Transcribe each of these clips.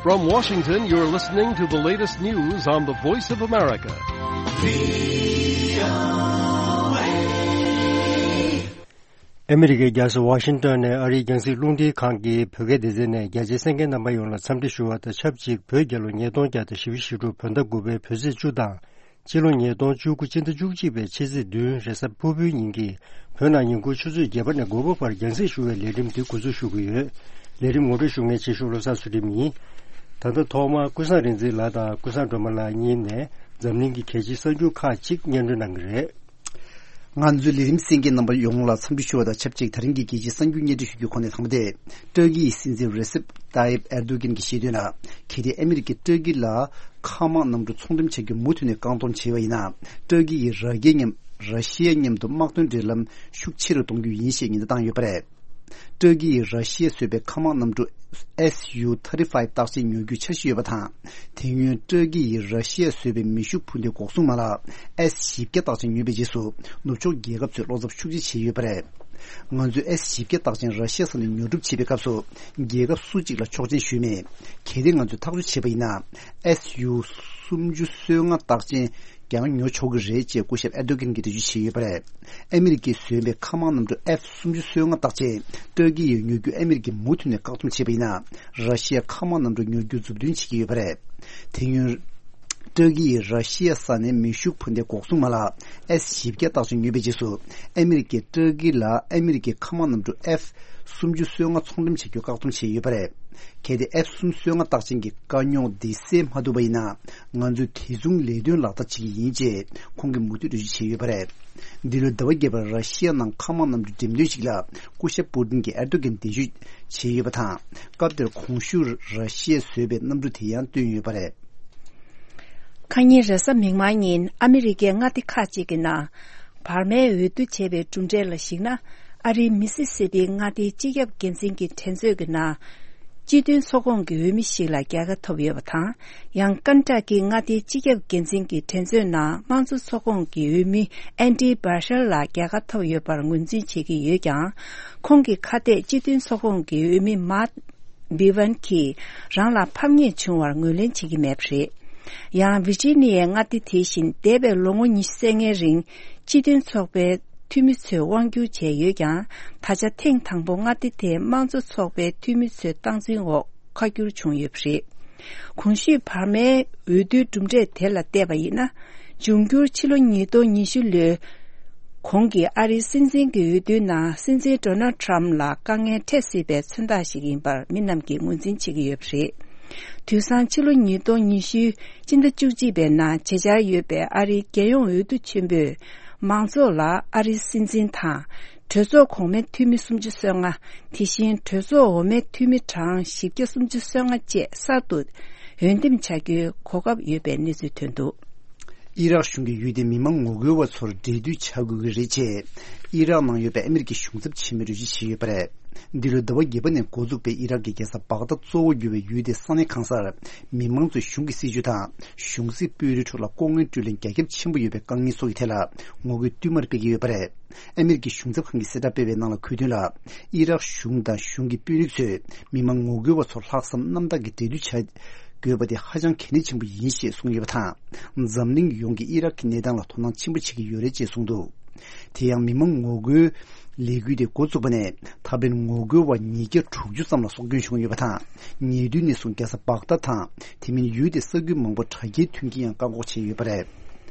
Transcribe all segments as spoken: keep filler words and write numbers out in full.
From Washington, you're listening to the latest news on the Voice of America. ཨ་མི་རི་ཀའི་རྒྱལ་ས་ཝ་ཤིང་ཏོན་ནས་ཨ་རིའི་རྒྱང་སྲིང་རླུང་འཕྲིན་ཁང་གི་བོད་སྐད་སྡེ་ཚན་ནས་རྒྱ་ཆེའི་གསན་མཁན་རྣམ་པ་ཡོངས་ལ་འཚམས་འདྲི་ཞུ་བ་དང་ཆབས་ཅིག་བོད་རྒྱལ་ལོ་ཉིས་སྟོང་བརྒྱ་དང་བཞི་བཅུ་ཞེ་དྲུག་བོད་ཟླ་དགུ་པའི་བོད་ཚེས་བཅུ་དང་། སྤྱི་ལོ་ཉིས་སྟོང་བཅུ་དགུ་སྤྱི་ཟླ་བཅུ་གཅིག་པའི་ཕྱི་ཚེས་བདུན་རེས་གཟའ་ཕུར་བུའི་ཉིན་གྱི་བོད་ནང་ཉིན་གུང་ཆུ་ཚོད་བརྒྱད་པ་ནས་དགུ་པ་བར་རྒྱང་སྲིང་ཞུ་བའི་ལས་རིམ་འདི་འགོ་འཛུགས་ཞུ་གི་ཡོད། ལས་རིམ་ངོ་སྤྲོད་ཞུ་མཁན་ཆེ་ཤོས་བློ་བཟང་ཚུལ་ཁྲིམས་ཡིན། ད་ལྟ་ཐོག་མར་ཀུན་བཟང་རིག་འཛིན་ལགས་དང་ཀུན་བཟང་སྒྲོལ་མ་ལགས་གཉིས་ནས་འཛམ་གླིང་གི་གལ་ཆེའི་གསར་འགྱུར་ཁག་ཅིག་སྙན་སྒྲོན་གནང་གི་རེད། ང་ཚོའི་ལས་རིམ་གསན་མཁན་རྣམ་པ་ཡོངས་ལ་འཚམས་འདྲི་ཞུ་བ་དང་ཆབས་ཅིག་ད་རིང་གི་རྒྱལ་སྤྱིའི་གསར་འགྱུར་སྙན་སྒྲོན་ཞུ་རྒྱུའི་ཁོངས་ནས་དང་པོ་དེ། ཏུར་ཀི་ཡི་སྲིད་འཛིན་རེ་སེབ་ཏཱ་ཡིབ་ཨེར་དོ་གྷན་གྱིས་བཤད་དོན་ལ། གལ་ཏེ་ཨ་མི་རི་ཀས་ཏུར་ཀི་ལ་མཁའ་དམག་གནམ་གྲུ་ཚོང་འགྲེམས་བྱ་རྒྱུ་མུ་མཐུད་ནས་བཀག་སྡོམ་བྱས་པ་ཡིན་ན། ཏུར་ཀི་ཡིས་ར་གི་མཉམ་ར་ཤི་ཡ་མཉམ་དུ་དམག་དོན་འབྲེལ་ལམ་ཤུགས་ཆེ་རུ་གཏོང་རྒྱུ་ཡིན་ཞེས་ཉེན་བརྡ་བཏང་ཡོད་པ་རེད། ཏུར་ཀི་ཡིས་ར་ཤི་ཡས་བཟོས་པའི་མཁའ་དམག་གནམ་གྲུ་S U thirty-five རྟགས་ཅན་ཉོ་རྒྱུའི་འཆར་གཞི་ཡོད་པ་དང་། དེ་སྔོན་ཏུར་ཀི་ཡིས་ར་ཤི་ཡས་བཟོས་པའི་མེ་ཤུགས་འཕུར་མདེལ་འགོག་སྲུང་མ་ལག་S བཞི་བརྒྱ་རྟགས་ཅན་ཉོས་པའི་རྗེས་སུ་ནུབ་ཕྱོགས་རྒྱལ་ཁབ་ཚོས་བློ་འཚབ་ཤུགས་ཆེ་བྱས་ཡོད་པ་རེད། ང་ཚོས་S བཞི་བརྒྱ་རྟགས་ཅན་ར་ཤི་ཡ་ས་ནས་ཉོ་སྒྲུབ་བྱེད་པའི་སྐབས་སུ་རྒྱལ་ཁབ་སུ་གཅིག་ལ་ཆོག་མཆན་ཞུས་མེད། གལ་ཏེ་ང་ཚོས་ཐག་གཅོད་བྱས་པ་ཡིན་ན། S U སུམ་ཅུ་སོ་ལྔ་རྟགས་ཅན་ཀྱང་ཉོ་ཆོག་གི་རེད་ཅེས་སྐུ་ཞབས་ཨེར་དོ་གྷན་གྱིས་འགྲེལ་བརྗོད་བྱས་ཡོད་པ་རེད། ཨ་མི་རི་ཀས་བཟོས་པའི་མཁའ་དམག་གནམ་གྲུ་F སུམ་ཅུ་སོ་ལྔ་རྟགས་ཅན་ཏུར་ཀི་ཡིས་ཉོ་རྒྱུ་ཨ་མི་རི་ཀས་མུ་མཐུད་ནས་བཀག་སྡོམ་བྱས་པ་ཡིན་ན། ར་ཤི་ཡ་མཁའ་དམག་གནམ་གྲུ་ཉོ་རྒྱུ་མཛུབ་སྟོན་བྱེད་ཀྱི་ཡོད་པ་རེད། དེ་སྔོན། ཏུར་ཀི་ཡིས་ར་ཤི་ཡ་ས་ནས་མེ་ཤུགས་འཕུར་མདེལ་འགོག་སྲུང་མ་ལག་S བཞི་བརྒྱ་རྟགས་ཅན་ཉོས་པའི་རྗེས་སུ། ཨ་མི་རི་ཀས་ཏུར་ཀི་ལ་ཨ་མི་རི་ཀའི་མཁའ་དམག་གནམ་གྲུ་F སུམ་ཅུ་སོ་ལྔ་ཚོང་འགྲེམས་བྱ་རྒྱུ་བཀག་སྡོམ་བྱས་ཡོད་པ་རེད། གལ་ཏེ་F སུམ་ཅུ་སོ་ལྔ་རྟགས་ཅན་གྱི་དཀའ་རྙོག་འདི་སེལ་མ་ཐུབ་པ་ཡིན་ན། ང་ཚོས་དེ་མཚུངས་ལས་དོན་ལག་བསྟར་བྱེད་ཀྱི་ཡིན་ཅེས་ཁོང་གིས་མུ་མཐུད་འགྲེལ་བརྗོད་བྱས་ཡོད་པ་རེད། འདི་ལོའི་ཟླ་བ་བརྒྱད་པར་ར་ཤི་ཡ་ནང་མཁའ་དམག་གནམ་གྲུ་འགྲེམས་སྟོན་ཞིག་ལ་སྐུ་ཞབས་པུ་ཏིན་གྱིས་ཨེར་དོ་གྷན་གདན་ཞུ་བྱས་ཡོད་པ་དང་། སྐབས་དེར་གོང་ཞུས་ར་ཤི་ཡས་བཟོས་པའི་གནམ་གྲུ་དེ་ཡང་བཏོན་ཡོད་པ་རེད། ཁ་ཉིན་རེས་གཟའ་མིག་དམར་ཉིན་ཨ་མི་རི་ཀའི་མངའ་སྡེ་ཁག་ཅིག་གི་ནང་བར་མའི་འོས་བསྡུ་བྱས་པའི་གྲུབ་འབྲས་ལ་གཞིགས་ན། ཨ་རིའི་མི་སི་སི་པི་མངའ་སྡེའི་སྤྱི་ཁྱབ་འགན་འཛིན་གྱི་འགྲན་རྩོད་ཀྱི་ནང་། སྤྱི་མཐུན་ཚོགས་ཁོངས་ཀྱི་འོས་མི་ཞིག་ལ་རྒྱལ་ཁ་ཐོབ་ཡོད་པ་དང་། ཡང་ཀན་ཊ་ཀིའི་མངའ་སྡེའི་སྤྱི་ཁྱབ་འགན་འཛིན་གྱི་འགྲན་རྩོད་ནང་དམངས་གཙོ་ཚོགས་ཁོངས་ཀྱི་འོས་མི་ཨན་ཌི་བྷར་ཤལ་ལ་རྒྱལ་ཁ་ཐོབ་ཡོད་པར་ངོས་འཛིན་བྱེད་ཀྱི་ཡོད་ཀྱང་། ཁོང་གི་ཁ་གཏད་སྤྱི་མཐུན་ཚོགས་ཁོངས་ཀྱི་འོས་མི་མཱཊ་བྷི་ཝན་གྱིས་རང་ལ་ཕམ་ཉེས་བྱུང་བར་ངོས་ལེན་བྱེད་ཀྱི་མེད་པ་རེད། ཡང་ཝི་ཇི་ནི་ཡའི་མངའ་སྡེ་དེ་བཞིན་འདས་པའི་ལོ་ངོ་ཉི་ཤུ་རྩ་ལྔའི་རིང་སྤྱི་མཐུན་ཚོགས་པའི་འཐུས་མི་ཚོས་དབང་སྒྱུར་བྱས་ཡོད་ཀྱང་། ད་ཆ་ཐེངས་དང་པོ་མངའ་སྡེ་དེའི་དམངས་གཙོ་ཚོགས་པའི་འཐུས་མི་ཚོའི་སྟངས་འཛིན་འོག་ཁ་བསྒྱུར་བྱུང་ཡོད་པ་རེད། གོང་ཞུས་བར་མའི་འོས་བསྡུའི་གྲུབ་འབྲས་དེ་ལ་བལྟས་པ་ཡིན་ན། འབྱུང་འགྱུར་ཕྱི་ལོ་ཉིས་སྟོང་ཉི་ཤུ་ལོའི་གོང་གི་ཨ་རིའི་སྲིད་འཛིན་གྱི་འོས་བསྡུའི་ནང་སྲིད་འཛིན་ཌོ་ནལ་ཊམ་ལ་དཀའ་ངལ་འཕྲད་སྲིད་པའི་མཚོན་རྟགས་ཤིག་ཡིན་པར་མི་རྣམས་ཀྱིས་ངོས་འཛིན་བྱེད་ཀྱི་ཡོད་པ་རེད། དུས་སང་ཕྱི་ལོ་ཉིས་སྟོང་ཉི་ཤུའི་སྤྱི་ཟླ་བཅུ་གཅིག་པའི་ནང་བྱེད་འཆར་ཡོད་པའི་ཨ་རིའི་རྒྱལ་ཡོངས་འོས་བསྡུ་ཆེན་པོས། མང་ཚོགས་ལ་ཨ་རིའི་སྲིད་འཛིན་དང་། གྲོས་ཚོགས་གོང་མའི་འཐུས་མི་སུམ་ཅུ་སོ་ལྔ། དེ་བཞིན་གྲོས་ཚོགས་འོག་མའི་འཐུས་མི་གྲངས་བཞི་བརྒྱ་སུམ་ཅུ་སོ་ལྔ་བཅས་གསར་དུ་འོས་འདེམས་བྱ་རྒྱུའི་གོ་སྐབས་ཡོད་པའི་གནས་ཚུལ་ཐོན་འདུག། ཨི་རག་གཞུང་གིས་ཡུལ་དེའི་མི་མང་ངོ་རྒོལ་བ་ཚོར་འབྲེལ་མཐུད་བྱ་དགོས་ཀྱི་རེད་ཅེས། ཨི་རག་ནང་ཡོད་པའི་ཨ་མི་རི་ཀའི་གཞུང་ཚབ་ཆེན་མོས་འགྲེལ་བརྗོད་བྱས་ཡོད་པ་རེད། འདི་ལོའི་ཟླ་བ་བརྒྱད་པ་ནས་འགོ་འཛུགས་པའི་ཨི་རག་གི་རྒྱལ་ས་བག་དྷ་གཙོ་བོར་གྱུར་བའི་ཡུལ་དེའི་ས་གནས་གང་སར། མི་མང་ཚོས་གཞུང་གི་སྲིད་བྱུས་དང་། གཞུང་སྲིད་དཔོན་རིགས་ཁྲོད་ལ་ལྐོག་རྔན་སྤྲོད་ལེན་རྒྱ་ཁྱབ་ཆེན་པོ་ཡོད་པའི་དཀའ་ངལ་སོགས་ཀྱི་ཐད་ལ་ངོ་རྒོལ་བསྟུད་མར་སྤེལ་གྱི་ཡོད་པ་རེད། ཨ་མི་རི་ཀའི་གཞུང་ཚབ་ཁང་གིས་གསལ་བསྒྲགས་སྤེལ་བའི་ནང་ལ་འཁོད་དོན་ལ། ཨི་རག་གཞུང་དང་གཞུང་གི་དཔོན་རིགས་ཚོས་མི་མང་ངོ་རྒོལ་བ་ཚོར་ལྷག་བསམ་རྣམ་དག་གིས་འབྲེལ་མཐུད་བྱ་དགོས་པ་དེ་ཧ་ཅང་གལ་གནད་ཆེན་པོ་ཡིན་ཞེས་གསུངས་ཡོད་པ་དང་། འཛམ་གླིང་ཡོངས་ཀྱིས་ཨི་རག་གི་གནས་སྟངས་ལ་དོ་སྣང་ཆེན་པོ་བྱེད་ཀྱི་ཡོད་རེད་ཅེས་གསུངས་འདུག། དེ་ཡང་མི་མང་ངོ་རྒོལ་ལས་འགུལ་དེ་འགོ་བཙུགས་པ་ནས་ད་ཕན་ངོ་རྒོལ་བ་ཉིས་བརྒྱ་དྲུག་ཅུ་ཙམ་ལ་སྲོག་སྐྱོན་བྱུང་ཡོད་པ་དང་། ཉེ་དུས་ནས་བཟུང་རྒྱལ་ས་བག་དྷ་དང་དེ་མིན་ཡུལ་དེའི་ས་ཁུལ་མང་པོར་དྲ་རྒྱའི་མཐུན་རྐྱེན་ཡང་བཀག་འགོག་བྱས་ཡོད་པ་རེད།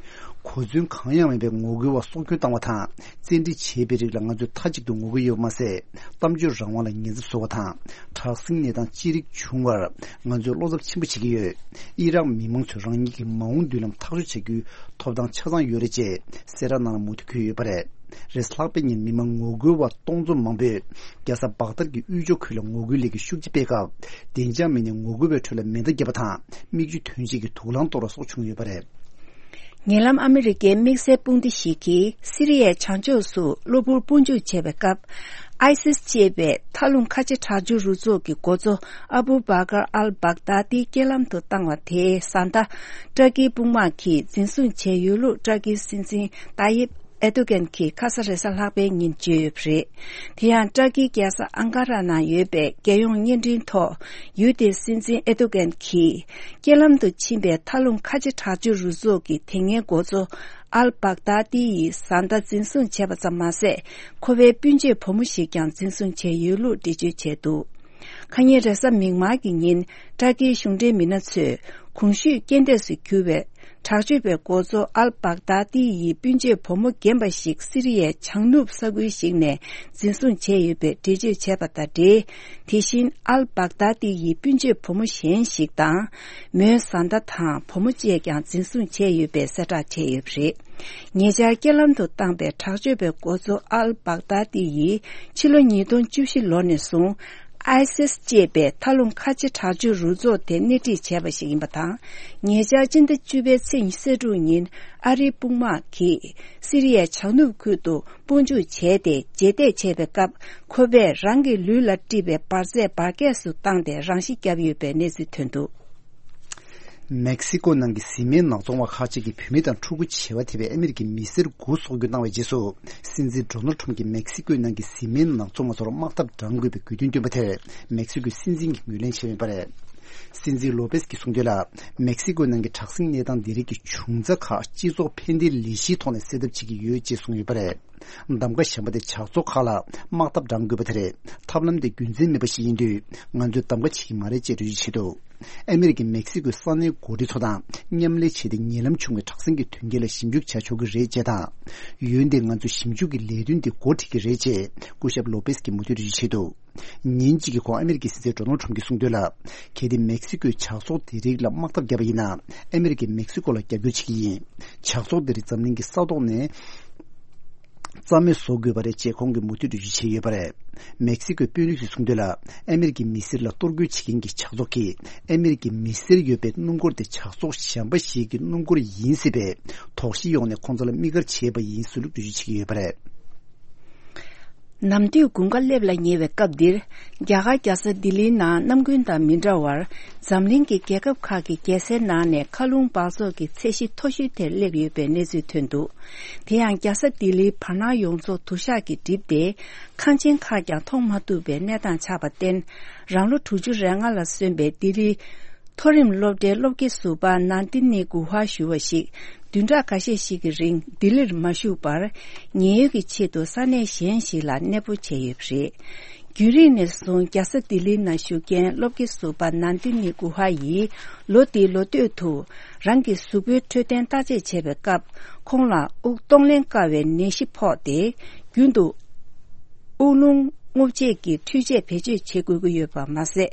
གོ་མཚོན་གང་ཡང་མེད་པའི་ངོ་རྒོལ་བ་སྲོག་སྐྱོན་བཏང་བ་དང་བཙན་ཁྲིད་བྱས་པའི་རིགས་ལ་ང་ཚོས་མཐའ་གཅིག་ཏུ་ངོ་རྒོལ་ཡོད་པ་མ་ཟད། གཏམ་བརྗོད་རང་དབང་ལ་ཉེན་ཚབས་བཟོ་བ་དང་དྲག་ཟིང་གནས་སྟངས་ཅི་རིགས་བྱུང་བར་ང་ཚོས་བློ་འཚབ་ཆེན་པོ་བྱེད་ཀྱི་ཡོད། ཨི་རག་མི་མང་ཚོས་རང་ཉིད་ཀྱི་མ་འོངས་མདུན་ལམ་ཐག་གཅོད་བྱ་རྒྱུའི་ཐོབ་ཐང་ཆ་ཚང་ཡོད་རེད་ཅེས་གསལ་བསྒྲགས་ནང་ལ་མུ་མཐུད་འཁོད་ཡོད་པ་རེད། རེས་ལྷག་པའི་ཉིན་མི་མང་ངོ་རྒོལ་བ་སྟོང་ཚོ་མང་པོས་རྒྱལ་ས་བག་དར་གྱི་དབུས་ཕྱོགས་ཁུལ་ལ་ངོ་རྒོལ་ལས་འགུལ་ཤུགས་ཆེ་སྤེལ་སྐབས། བདེ་འཇགས་མི་སྣས་ངོ་རྒོལ་བའི་ཁྲོད་ལ་མེ་མདའ་བརྒྱབ་པ་དང་མིག་ཆུ་ཐོན་ཆེད་ཀྱི་དུག་རླངས་གཏོར་བ་སོགས་བྱུང་ཡོད་པ་རེད། ཉེ་ལམ་ཨ་མི་རི་ཀའི་དམིགས་བསལ་དཔུང་སྡེ་ཞིག་གིས་སི་རི་ཡའི་བྱང་ཕྱོགས་སུ་གློ་བུར་དཔུང་འཇུག་བྱས་པའི་སྐབས། ཨའི་སིས་ཅེས་པའི་མཐའ་ལྷུང་ཁ་ཆེ་དྲག་སྤྱོད་རུ་ཚོགས་ཀྱི་འགོ་གཙོ་ཨ་བུ་བྷ་ཀར་ཨལ་བྷག་དཱ་ཏི་རྐྱེན་ལམ་དུ་བཏང་བ་དེའི་བཟའ་ཟླ་ཏུར་ཀིའི་དཔུང་དམག་གིས་འཛིན་བཟུང་བྱས་ཡོད་ལུགས་ཏུར་ཀིའི་སྲིད་འཛིན་ཏཱ་ཡིབ་ ཨེར་དོ་གྷན་གྱིས་ཁ་ས་རེས་གཟའ་ལྷག་པའི་ཉིན་བརྗོད་ཡོད་པ་རེད། དེ་ཡང་ཏྲ་ཀིའི་རྒྱལ་ས་ཨང་ཀ་ར་ནང་ཡོད་པའི་རྒྱལ་ཡོངས་བརྙན་འཕྲིན་ཐོག་ཡུལ་དེའི་སྲིད་འཛིན་ཨེར་དོ་གྷན་གྱིས་རྐྱེན་ལམ་དུ་ཕྱིན་པའི་མཐའ་ལྷུང་ཁ་ཆེ་དྲག་སྤྱོད་རུ་ཚོགས་ཀྱི་དེ་སྔའི་འགོ་གཙོ་ཨལ་བྷག་དཱ་ཏི་ཡི་བཟའ་ཟླ་འཛིན་བཟུང་བྱས་པ་ཙམ་མ་ཟད། ཁོ་པའི་སྤུན་མཆེད་བུ་མོ་ཞིག་ཀྱང་འཛིན་བཟུང་བྱས་ཡོད་ལུགས་འགྲེལ་བརྗོད་བྱས་འདུག་ཁ་ཉིན་རེས་གཟའ་མིག་དམར་གྱི་ཉིན་ཏྲ་ཀིའི་གཞུང་འབྲེལ་མི་སྣ་ཚོས་གོང་ཞུས་རྐྱེན་འདས་སུ་གྱུར་བའི་དྲག་སྤྱོད་པའི་འགོ་གཙོ་ཨལ་བྷག་དཱ་ཏི་ཡི་སྤུན་མཆེད་བུ་མོ་རྒན་པ་ཞིག་སི་རི་ཡའི་བྱང་ནུབ་ས་ཁུལ་ཞིག་ནས་འཛིན་བཟུང་བྱས་ཡོད་པའི་འགྲེལ་བརྗོད་བྱས་པ་དང་འབྲེལ། དེ་བཞིན་ཨལ་བྷག་དཱ་ཏི་ཡི་སྤུན་མཆེད་བུ་མོ་གཞན་ཞིག་དང་། མོའི་བཟའ་ཟླ་དང་བུ་མོ་བཅས་ཀྱང་འཛིན་བཟུང་བྱས་ཡོད་པའི་གསལ་བསྒྲགས་བྱས་ཡོད་པ་རེད། ཉེ་ཆར་རྐྱེན་ལམ་དུ་བཏང་པའི་དྲག་སྤྱོད་པའི་འགོ་གཙོ་ཨལ་བྷག་དཱ་ཏི་ཡིས་ཕྱི་ལོ་ཉིས་སྟོང་བཅུ་བཞི་ལོ་ནས་བཟུང་། ཨའི་སིས་ཅེས་པའི་མཐའ་ལྷུང་ཁ་ཆེ་དྲག་སྤྱོད་རུ་ཚོགས་དེ་སྣེ་ཁྲིད་བྱས་པ་ཞིག་ཡིན་པ་དང་། ཉེ་ཆར་སྤྱི་ཟླ་བཅུ་པའི་ཚེས་ཉི་ཤུ་རྩ་དྲུག་ཉིན་ཨ་རིའི་དཔུང་དམག་གིས་སི་རི་ཡའི་བྱང་ནུབ་ཁུལ་དུ་དཔུང་འཇུག་བྱས་ཏེ་རྗེས་འདེད་བྱས་པའི་སྐབས། ཁོ་པས་རང་གི་ལུས་ལ་དཀྲིས་པའི་འབར་རྫས་འབར་གས་སུ་བཏང་སྟེ་རང་ཤི་བརྒྱབ་ཡོད་པའི་གནས་ཚུལ་ཐོན་འདུག་མེག་སི་ཀོ་ནང་གི་བཟི་སྨན་ནག་ཚོང་བ་ཁག་ཅིག་གིས་བུད་མེད་དང་ཕྲུ་གུ་བྱེ་བ་ཐེབས་པའི་ཨ་མི་རི་ཀའི་མི་སེར་དགུ་སྲོག་སྐྱོན་བཏང་བའི་རྗེས་སུ། སྲིད་འཛིན་ཌོ་ནལ་ཁྲམ་གྱིས་མེག་སི་ཀོའི་ནང་གི་བཟི་སྨན་ནག་ཚོང་བ་ཚོར་དམག་འཐབ་བགྲང་དགོས་པའི་དགོས་འདུན་བཏོན་པ་དེར། མེག་སི་ཀོའི་སྲིད་འཛིན་གྱིས་ངོས་ལེན་བྱས་ཡོད་པ་རེད། སྲིད་འཛིན་ལོ་པེས་ཀྱིས་གསུངས་དོན་ལ། མེག་སི་ཀོའི་ནང་གི་དྲག་ཟིང་གནས་སྟངས་འདི་རིགས་ཀྱི་འབྱུང་རྩ་ཁག་སྤྱི་ཚོགས་ཕན་བདེའི་ལས་གཞིའི་ཐོག་ནས་སེལ་ཐབས་བྱེད་ཀྱི་ཡོད་ཅེས་གསུངས་ཡོད་པ་རེད། གདམ་ག་གཞན་པ་དེ་ཇག་ཚོགས་ཁག་ལ་དམག་འཐབ་བགྲང་དགོས་པ་དེ་རེད། ཐབས་ལམ་དེ་རྒྱུ་མཚན་མེད་པ་ཞིག་ཡིན་དུས། ང་ཚོས་གདམ་ག་བྱེད་ཀྱི་མ་རེད་ཅེས་འགྲེལ་བརྗོད་བྱས་འདུག་ཨ་མི་རི་ཀའི་མེག་སི་ཀོའི་ས་གནས་འགོ་ཁྲིད་ཚོ་དང་མཉམ་ལས་བྱས་ཏེ། ཉེ་ལམ་བྱུང་བའི་དྲག་ཟིང་གི་དོན་རྐྱེན་ལ་ཞིབ་འཇུག་བྱ་ཆོག་གི་རེད་ཅེས་དང་། འོན་ཏེ་ང་ཚོས་ཞིབ་འཇུག་གི་ལས་དོན་དེ་འགོ་ཁྲིད་ཀྱི་རེད་ཅེས་སྐུ་ཞབས་ལོ་པེས་ཀྱིས་མུ་མཐུད་འགྲེལ་བརྗོད་བྱས་འདུག་ཉིན་གཅིག་གི་གོང་ཨ་མི་རི་ཀའི་སྲིད་འཛིན་ཌོ་ནལ་ཁྲམ་གྱིས་གསུངས་དོན་ལ། གལ་ཏེ་མེག་སི་ཀོས་ཇག་ཚོགས་དེ་རིགས་ལ་དམག་འཐབ་བརྒྱབ་པ་ཡིན་ན། ཨ་མི་རི་ཀས་མེག་སི་ཀོ་ལ་རྒྱབ་སྐྱོར་བྱེད་ཀྱི་ཡིན། ཇག་ཚོགས་དེ་རིགས་འཛམ་གླིང་གི་ས་ཐོག་ནས་རྩ་མེད་བཟོ་དགོས་པ་རེད་ཅེས་ཁོང་གིས་མུ་མཐུད་འགྲེལ་བརྗོད་བྱས་ཡོད་པ་རེད། མེག་སི་ཀོའི་དཔོན་རིགས་ཚོས་གསུངས་དོན་ལ། ཨ་མི་རི་ཀའི་མི་སེར་ལ་གཏོར་རྒོལ་བྱེད་མཁན་གྱི་ཇག་ཚོགས་ཀྱིས་ཨ་མི་རི་ཀའི་མི་སེར་ཡོད་པའི་སྣུམ་འཁོར་དེ་ཇག་ཚོགས་གཞན་པ་ཞིག་གི་སྣུམ་འཁོར་ཡིན་སྲིད་པས། དོགས་གཞི་ཡོང་ནས་ཁོང་ཚོ་ལ་དམིགས་བཀར་བྱས་པ་ཡིན་ཟེར་ལུགས་འགྲེལ་བརྗོད་བྱེད་ཀྱི་ཡོད་པ་རེད། ནམ་དུས་དགུན་ཁ་སླེབས་ལ་ཉེ་བའི་སྐབས་འདིར། རྒྱ་གར་རྒྱལ་ས་ལྡི་ལིའི་ནང་གནམ་དགུན་དང་མི་འདྲ་བར། འཛམ་གླིང་གི་རྒྱལ་ཁབ་ཁག་གི་རྒྱལ་སའི་ནང་ནས་མཁའ་རླུང་འབག་བཙོག་གི་ཚད་གཞི་མཐོ་ཤོས་དེར་སླེབས་ཡོད་པའི་གནས་ཚུལ་ཐོན་འདུག་དེ་ཡང་རྒྱལ་ས་ལྡི་ལིའི་བར་སྣང་ཡོངས་རྫོགས་དུ་ཞག་གིས་བསྒྲིབས་ཏེ། ཁང་ཆེན་ཁག་ཀྱང་མཐོང་མ་ཐུབ་པའི་གནས་སྟངས་ཆགས་པར་བརྟེན། རང་ལོ་དྲུག་ཅུ་རེ་ལྔ་ལ་སོན་པའི་ལྡི་ལི། མཐོ་རིམ་སློབ་གྲྭའི་སློབ་དགེ་ཟུར་པ་ནན་ཏི་ནི་གུ་ཧ་ཞུ་བ་ཞིག་བདུན་ཕྲག་ཁ་ཤས་ཤིག་གི་རིང་ལྡི་ལིར་མ་བཞུགས་པར། ཉེན་གཡོལ་གྱི་ཆེད་དུ་ས་གནས་གཞན་ཞིག་ལ་གནས་སྤོ་བྱས་ཡོད་པ་རེད། རྒྱུན་རིང་ནས་བཟུང་རྒྱལ་ས་ལྡི་ལིའི་ནང་བཞུགས་མཁན་སློབ་དགེ་ཟུར་པ་ནན་ཏི་ནི་གུ་ཧ་ཡིས་ལོ་འདིའི་ལོ་སྟོད་དུ་རང་གི་གཟུགས་པོའི་འཕྲོད་བསྟེན་བརྟག་དཔྱད་བྱས་པའི་སྐབས། ཁོང་ལ་དབུགས་གཏོང་ལེན་དཀའ་བའི་ནད་གཞི་ཕོག་སྟེ། རྒྱུན་དུ་དབུགས་རླུང་རྔུབ་བྱེད་ཀྱི་འཕྲུལ་ཆས་བེད་སྤྱོད་བྱེད་དགོས་ཀྱི་ཡོད་པ་མ་ཟད།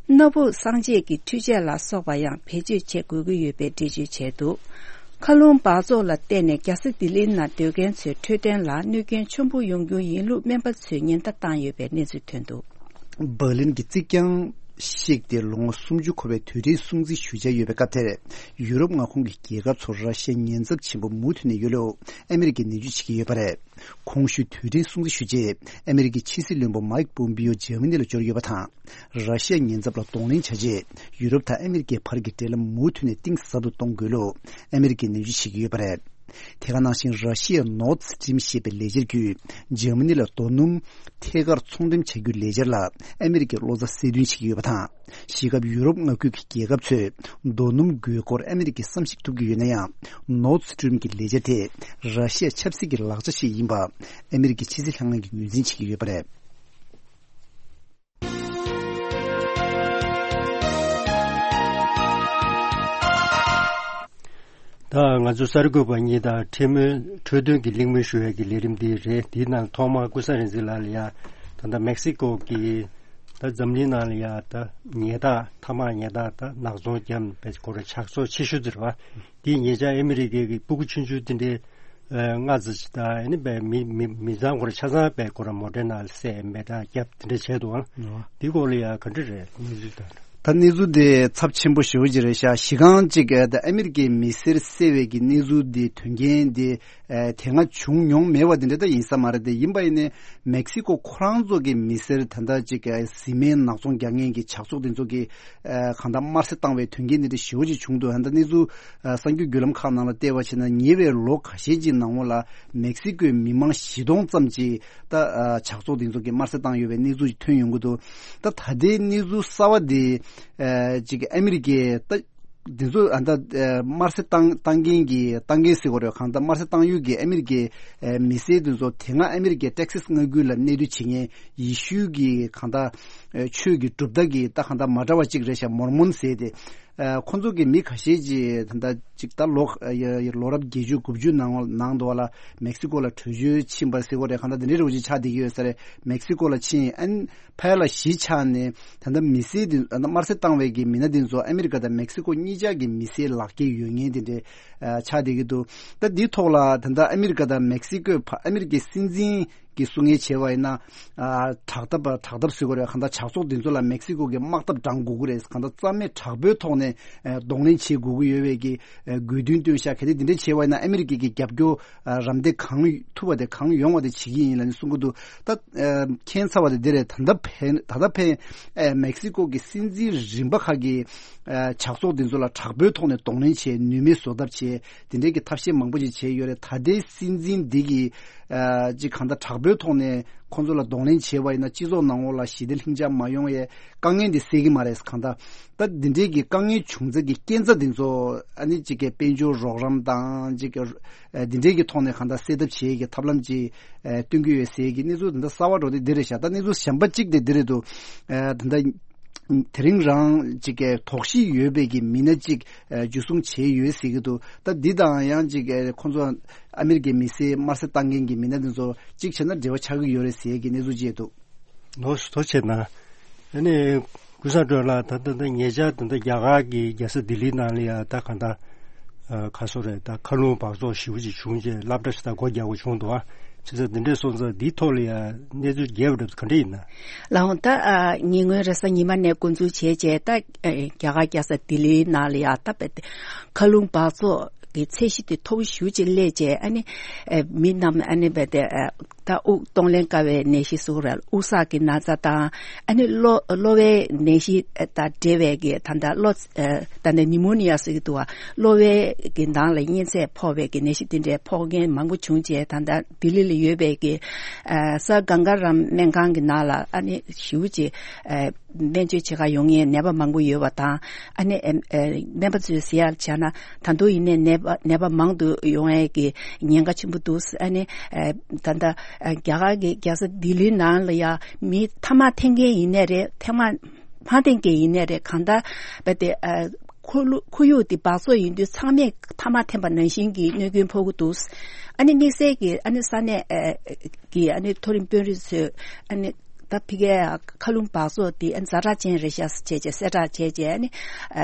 སྣ་བུག་གསང་བྱེད་ཀྱི་འཕྲུལ་ཆས་ལ་སོགས་པ་ཡང་བེད་སྤྱོད་བྱེད་དགོས་ཀྱི་ཡོད་པའི་འགྲེལ་བརྗོད་བྱས་འདུག་མཁའ་རླུང་འབག་བཙོག་ལ་བརྟེན་ནས་རྒྱལ་ས་ལྡི་ལིའི་ནང་སྡོད་མཁན་ཚོའི་འཕྲོད་བསྟེན་ལ་གནོད་སྐྱོན་ཆེན་པོ་ཡོང་རྒྱུ་ཡིན་ལུགས་སྨན་པ་ཚོས་ཉེན་བརྡ་བཏང་ཡོད་པའི་གནས་ཚུལ་ཐོན་འདུག་འབར་ལིན་གྱི་རྩིག་གྱང་གཤེགས་ཏེ་ལོ་ངོ་སུམ་ཅུ་འཁོར་བའི་དུས་དྲན་སྲུང་བརྩི་ཞུ་འཆར་ཡོད་པའི་སྐབས་དེར། ཡུ་རོབ་མངའ་ཁོངས་ཀྱི་རྒྱལ་ཁབ་ཚོར་ར་ཤི་ཡ་ཉེན་ཚབས་ཆེན་པོ་མུ་མཐུད་ནས་ཡོད་ལུགས་ཨ་མི་རི་ཀས་ནན་བརྗོད་བྱེད་ཀྱི་ཡོད་པ་རེད། གོང་ཞུས་དུས་དྲན་སྲུང་བརྩི་ཞུ་ཆེད་ཨ་མི་རི་ཀའི་ཕྱི་སྲིད་བློན་པོ་མའིག་པོམ་པིའོ་འཇར་མ་ནི་ལ་འབྱོར་ཡོད་པ་དང་། ར་ཤི་ཡ་ཉེན་ཚབས་ལ་གདོང་ལེན་བྱ་ཆེད་ཡུ་རོབ་དང་ཨ་མི་རི་ཀའི་བར་གྱི་འབྲེལ་ལམ་མུ་མཐུད་ནས་གཏིང་ཟབ་ཏུ་གཏོང་དགོས་ལུགས་ཨ་མི་རི་ཀས་ནན་བརྗོད་བྱེད་ཀྱི་ཡོད་པ་རེད། དེ་ག་ནང་བཞིན་ར་ཤི་ཡའི་ནོར་སི་ཊི་རིམ་ཞེས་པའི་ལས་འཆར་བརྒྱུད་འཇར་མ་ནི་ལ་རྡོ་སྣུམ་ཐད་ཀར་ཚོང་འགྲེམས་བྱ་རྒྱུའི་ལས་འཆར་ལ་ཨ་མི་རི་ཀས་བློ་འཚབ་གསལ་སྟོན་བྱེད་ཀྱི་ཡོད་པ་དང་། གཞིས་ཁབ་ཡུ་རོབ་མངའ་ཁུལ་གྱི་རྒྱལ་ཁབ་ཚོས་རྡོ་སྣུམ་དགོས་མཁོར་ཨ་མི་རི་ཀས་བསམ་གཞིག་ཐུབ་ཀྱི་ཡོད་ན་ཡང་། ནོར་སི་ཊི་རིམ་གྱི་ལས་འཆར་དེས་ར་ཤི་ཡ་ཆབ་སྲིད་ཀྱི་ལག་ཆ་ཞིག་ཡིན་པ་ཨ་མི་རི་ཀའི་ཕྱི་སྲིད་ལྷན་ཁང་གིས་ངོས་འཛིན་བྱེད་ཀྱི་ཡོད་པ་རེད། ད་ང་ཚོ་གསར་འགོད་པ་གཉིས་དང་འཕྲད་མོལ་འཕྲོས་དོན་གྱི་གླེང་མོལ་ཞུ་ཡས་ཀྱི་ལས་རིམ་འདི་རེད། འདིའི་ནང་ཐོག་མར་ཀུན་བཟང་རིག་འཛིན་ལགས་ལ་ཡ། ད་ལྟ་མེག་སི་ཀོ་གི་ད་འཛམ་གླིང་ནང་ལ་ཡ་ད་ཉལ་ཐ་ཐ་མག་ཉལ་ཐ་ད་ནག་ཚོང་རྒྱབ་པའི་སྐོར་ཇག་ཚོགས་ཆེ་ཤོས་དེ་རེད་བ། འདི་ཉེ་ཆར་ཨ་མི་རི་ཀའི་གི་སྤུ་གུ་ཆུང་ཆུང་དེ་འདྲའི་ལྔ་ཙམ་ཅིག་དང་ཨ་ནི་པའི་མི་མི་མི་ཚང་སྐོར་ཆ་ཚང་པའི་སྐོར་མོ་ཊའི་ནང་ལ་བསད་མེ་སྲེག་བརྒྱབ་དེ་འདྲ་བྱས་འདུག་ཨང་། འདི་སྐོར་ལ་ཡ་ག་འདྲ་རེད་གནས་ཚུལ་དང་། ད་གནས་ཚུལ་དེ་ཚབས་ཆེན་པོ་ཞེ་པོ་ཅིག་རེད་ཤག་གཞི་རྐང་གཅིག་ཨ་ད་ཨ་མི་རི་ཀའི་མི་སེར་བསད་པའི་གི་གནས་ཚུལ་དེ་དོན་རྐྱེན་དེ་ཨ་དེ་སྔ་བྱུང་མྱོང་མེད་པ་དེ་འདྲ་ད་ཡིན་ས་མ་རེད། དེ་ཡིན་པ་ཡིན་ནའི་མེག་སི་ཀོ་ཁོ་རང་ཚོ་གི་མི་སེར་ད་ལྟ་གཅིག་ཨ་བཟི་སྨན་ནག་ཚོང་རྒྱག་མཁན་གྱི་ཇག་ཚོགས་དེ་ཚོ་གི་ཨ་གང་ལྟར་དམར་གསོད་བཏང་བའི་དོན་རྐྱེན་དེ་འདྲ་ཞེ་པོ་ཅིག་བྱུང་འདུག་ཨ་ད་གནས་ཚུལ་ཨ་གསར་འགྱུར་བརྒྱུད་ལམ་ཁག་ནང་ལ་བལྟས་པ་བྱས་ན་ཉེ་བའི་ལོ་ཁ་ཤས་ཀྱི་ནང་ལོགས་ལ་མེག་སི་ཀོའི་མི་མང་བཞི་སྟོང་ཙམ་ཅིག་ད་ཨ་ཇག་ཚོགས་དེ་ཚོ་གིས་དམར་གསོད་བཏང་ཡོད་པའི་གནས་ཚུལ་ཐོན་ཡོང་གི་འདུག་ད་ད་ལྟའི་གནས་ཚུལ་གསར་བ་དེ་ཨ་ཅིག་ཨ་མི་རི་ཀའི་ད་དེ་ཚོ་ཨ་ད་ཨ་དམར་གསོད་བཏང་བཏང་མཁན་གྱི་བཏང་མཁན་ཟེར་དགོས་རེད། གང་ལྟར་དམར་གསོད་བཏང་ཡུལ་གྱི་ཨ་མི་རི་ཀའི་ཨ་མི་སེར་དེ་ཚོ་དེ་སྔ་ཨ་མི་རི་ཀའི་ཏེག་སཱས་མངའ་ཁུལ་ལ་གནས་སྡོད་བྱེད་མཁན་ཡེ་ཤུ་གི་གང་ལྟར་ཨ་ཆོས་ཀྱི་གྲུབ་མཐའ་གི་ད་གང་ལྟར་མ་འདྲ་བ་ཅིག་རེད་ཤག་མོར་མོན་ཟེར་དེ། ཨ་ཁོང་ཚོ་གི་མི་ཁ་ཤས་ཀྱིས་ད་ལྟ་ཅིག་ད་ལོ་ཨ་ཡ་ཡ་ལོ་རབས་བརྒྱད་ཅུ་དགུ་བཅུ་ནང་ནང་དུ་བ་ལ་མེག་སི་ཀོ་ལ་བྲོས་བྱོལ་ཕྱིན་པ་ཟེར་དགོས་རེད། གང་ལྟར་དེ་འདྲའི་རོགས་ཅིག་ཆགས་བསྡད་ཀྱི་ཡོད་ས་རེད། མེག་སི་ཀོ་ལ་ཕྱིན་ཨན་ཕ་ལ་གཞིས་ཆགས་ནས་ད་ལྟ་མི་སེར་དེ་ཨ་དམར་གསོད་བཏང་བའི་གི་མི་སྣ་དེ་ཚོ་ཨ་མི་རི་ཀ་དང་མེག་སི་ཀོ་གཉིས་ཆ་གི་མི་སེར་ལག་འཁྱེར་ཡོད་མཁན་དེ་འདྲའི་ཨ་ཆགས་བསྡད་ཀྱི་འདུག་ད་འདིའི་ཐོག་ལ་ད་ལྟ་ཨ་མི་རི་ཀ་དང་མེག་སི་ཀོའི་བར་ཨ་མི་རི་ཀའི་སྲིད་འཛིན་གྱིས་གསུང་མཁན་བྱས་པ་ཡིན་ན། ཨ་དྲག་འཐབ་དྲག་འཐབ་ཟེར་དགོས་རེད། གང་ལྟར་ཇག་ཚོགས་འདི་ཚོ་ལ་མེག་སི་ཀོ་གི་དམག་འཐབ་བགྲང་དགོས་ཀྱི་རེད། གང་ལྟར་རྩ་མེད་དྲག་པོའི་ཐོག་ནས་ཨ་གདོང་ལེན་བྱེད་དགོས་ཀྱི་ཡོད་པའི་གི་ཨ་དགོས་འདུན་བཏོན་ཤག་གལ་ཏེ་འདི་འདྲ་བྱས་པ་ཡིན་ན་ཨ་མི་རི་ཀའི་གི་རྒྱབ་སྐྱོར་ཨ་རམ་འདེགས་གང་ཐུབ་པ་དེ་གང་ཡོང་བ་དེ་བྱེད་ཀྱི་ཡིན་ལབ་ནས་གསུང་གི་འདུག་ད་ཨ་མཁྱེན་ཚར་བ་དེ་འདི་རེད། ད་ལྟ་ཕན་ད་ལྟ་ཕན་ཨ་མེག་སི་ཀོ་གི་སྲིད་འཛིན་རིམ་པ་ཁག་གིས་ཨ་ཇག་ཚོགས་འདི་ཚོ་ལ་དྲག་པོའི་ཐོག་ནས་གདོང་ལེན་བྱས། ནུས་མེད་བཟོ་ཐབས་བྱས། དེ་འདྲའི་གི་ཐབས་ཤེས་མང་པོ་ཞིག་བྱས་ཡོད་རེད། ད་ལྟའི་སྲིད་འཛིན་འདི་གིས་ཨ་ཅིག་གང་ལྟར་དྲག་པོའི་ཐོག་ནས་ཁོང་ཚོ་ལ་གདོང་ལེན་བྱས་པ་ཡིན་ན་སྤྱི་ཚོགས་ནང་ལོགས་ལ་ཞི་བདེ་ལྷིང་འཇགས་མ་ཡོང་ཡའི་དཀའ་ངལ་འདི་སེལ་གྱི་མ་རེད། གང་ལྟར་ད་འདི་འདྲའི་གི་དཀའ་ངལ་བྱུང་ཚད་ཀྱི་རྐྱེན་རྩ་འདི་ཚོ་ཨ་ནི་ཅིག་གི་དཔལ་འབྱོར་རོགས་རམ་དང་ཅིག་གི་ཨ་འདི་འདྲའི་གི་ཐོག་ནས་གང་ལྟར་སེལ་ཐབས་བྱེད་ཀྱི་ཐབས་ལམ་ཅིག་ཨ་སྟོན་གྱི་ཡོད་ཟེར་གྱི་གནས་ཚུལ་འདི་འདྲ་གསར་བ་འགྲོ་དེ་འདི་རེད་ཤག་ད་གནས་ཚུལ་གཞན་པ་གཅིག་དེ་འདི་རེད་འདུག་ཨ་ད་ལྟ་དེ་རིང་རང་ཅིག་གི་དོགས་གཞི་ཡོད་པའི་གི་མི་སྣ་ཅིག་ཨ་འཇུ་བཟུང་བྱས་ཡོད་ཟེར་གྱི་འདུག་ད་འདི་དང་ཡང་ཅིག་གི་ཁོང་ཚོ་ཨ་མི་རི་ཀའི་མི་སེར་དམར་གསོད་བཏང་མཁན་གྱི་མི་སྣ་འདི་ཚོ་གཅིག་བྱས་ན་འབྲེལ་བ་ཆགས་ཀྱི་ཡོད་རེད་ཟེར་གྱི་གནས་ཚུལ་ཅིག་འདུག་ནོར་སུ་ཐོ་བྱས་ན། ཨ་ནི་ཀུན་བཟང་སྒྲོལ་ལགས། ད་ལྟ་ད་ཉེ་ཆར་ད་ལྟ་རྒྱ་གར་གྱི་རྒྱལ་ས་ལྡི་ལིའི་ནང་ལ་ཡ་ད་གང་ལྟར་ཨ་ཁ་སོ་རེད། ད་མཁའ་རླུང་འབག་བཙོག་ཞེ་པོ་ཅིག་བྱུང་རྗེས་སློབ་གྲྭ་ཞིག་ད་སྒོ་རྒྱག་དགོས་བྱུང་འདུག་ཨ་བྱས་ཙང་འདི་འདྲས་སོང་ཙང་འདིའི་ཐོག་ལ་ཡ་གནས་ཚུལ་རྒྱས་པ་འདྲ་ག་འདྲ་ཡིན་ན། ལགས་འོང་། ད་ཨ་ཉེ་སྔོན་རེས་གཟའ་ཉི་མ་ནས་འགོ་འཛུགས་བྱས་རྗེས་ད་ཨ་རྒྱ་གར་རྒྱལ་ས་ལྡི་ལིའི་ནང་ལ་ཡ་ད་རྦད་དེ་མཁའ་རླུང་འབག་བཙོག་གི་ཚད་གཞི་དེ་མཐོ་པོ་ཞེ་པོ་ཅིག་སླེབས་རྗེས་ཨ་ནི་ཨ་མི་རྣམས་ཨ་ནི་རྦད་དེ་ཨ་ད་དབུགས་གཏོང་ལེན་དཀའ་བའི་ནད་གཞི་ཟེར་དགོས་རེད། དབུགས་བསགས་ཀྱི་ན་ཚ་དང་ཨ་ནི་གློ་གློ་བའི་ནད་གཞི་དང་འབྲེལ་བའི་གི་ད་ལྟ་གློ་ད་ལྟ་ནིའུ་མོ་ནི་ཡ་ཟེར་གྱི་འདུག་བ། གློ་བའི་གི་ནང་ལ་གཉན་ཚད་ཕོག་པའི་གི་ནད་གཞི་དེ་འདྲའི་ཕོག་མཁན་མང་པོ་བྱུང་རྗེས་ད་ལྟ་ལྡི་ལི་ལ་ཡོད་པའི་གི་ཨ་ས་གངྒཱ་རམ་སྨན་ཁང་གི་ནང་ལ་ཨ་ནི་ཞེ་པོ་ཅིག་ཨ་སྨན་བཅོས་བྱེད་གར་ཡོང་མཁན་ནད་པ་མང་པོ་ཡོད་པ་དང་ཨ་ནི་ཨ་ཨ་སྨན་པ་ཚོས་ཟེར་ཡག་བྱས་ན། ད་དུང་ཡིན་ནའི་ནད་པ་ནད་པ་མང་དུ་ཡོང་ཡས་ཀྱི་ཉེན་ཁ་ཆེན་པོ་འདུག་ཨ་ནི་ཨ་ད་ལྟ་ཨ་རྒྱ་གར་གྱི་རྒྱལ་ས་ལྡི་ལིའི་ནང་ལ་ཡ་མི་ཐ་མག་འཐེན་མཁན་ཡིན་ནའི་རེད། ཐ་མག་མ་འཐེན་མཁན་ཡིན་ནའི་རེད། གང་ལྟར་རྦད་དེ་ཨ་ཁོར་ཡུག་ཁོར་ཡུག་འདི་འབག་བཙོག་ཡིན་དུས་ཚང་མས་ཐ་མག་འཐེན་པ་ནང་བཞིན་གྱི་གནོད་སྐྱོན་ཕོག་གི་འདུག་ཨ་ནི་དམིགས་བསལ་གྱི་ཨ་ནི་ས་གནས་ཨ་གི་ཨ་ནི་མཐོ་རིམ་དཔོན་རིགས་ཚོས་ཨ་ནི་ད་ཕ་གིའི་མཁའ་རླུང་འབག་བཙོག་འདི་ཛ་དྲག་ཅན་རེད་ཤག་ཟེར་བྱས་བྱས་གསལ་བསྒྲགས་བྱས་བྱས་ཨ་ནི་ཨ་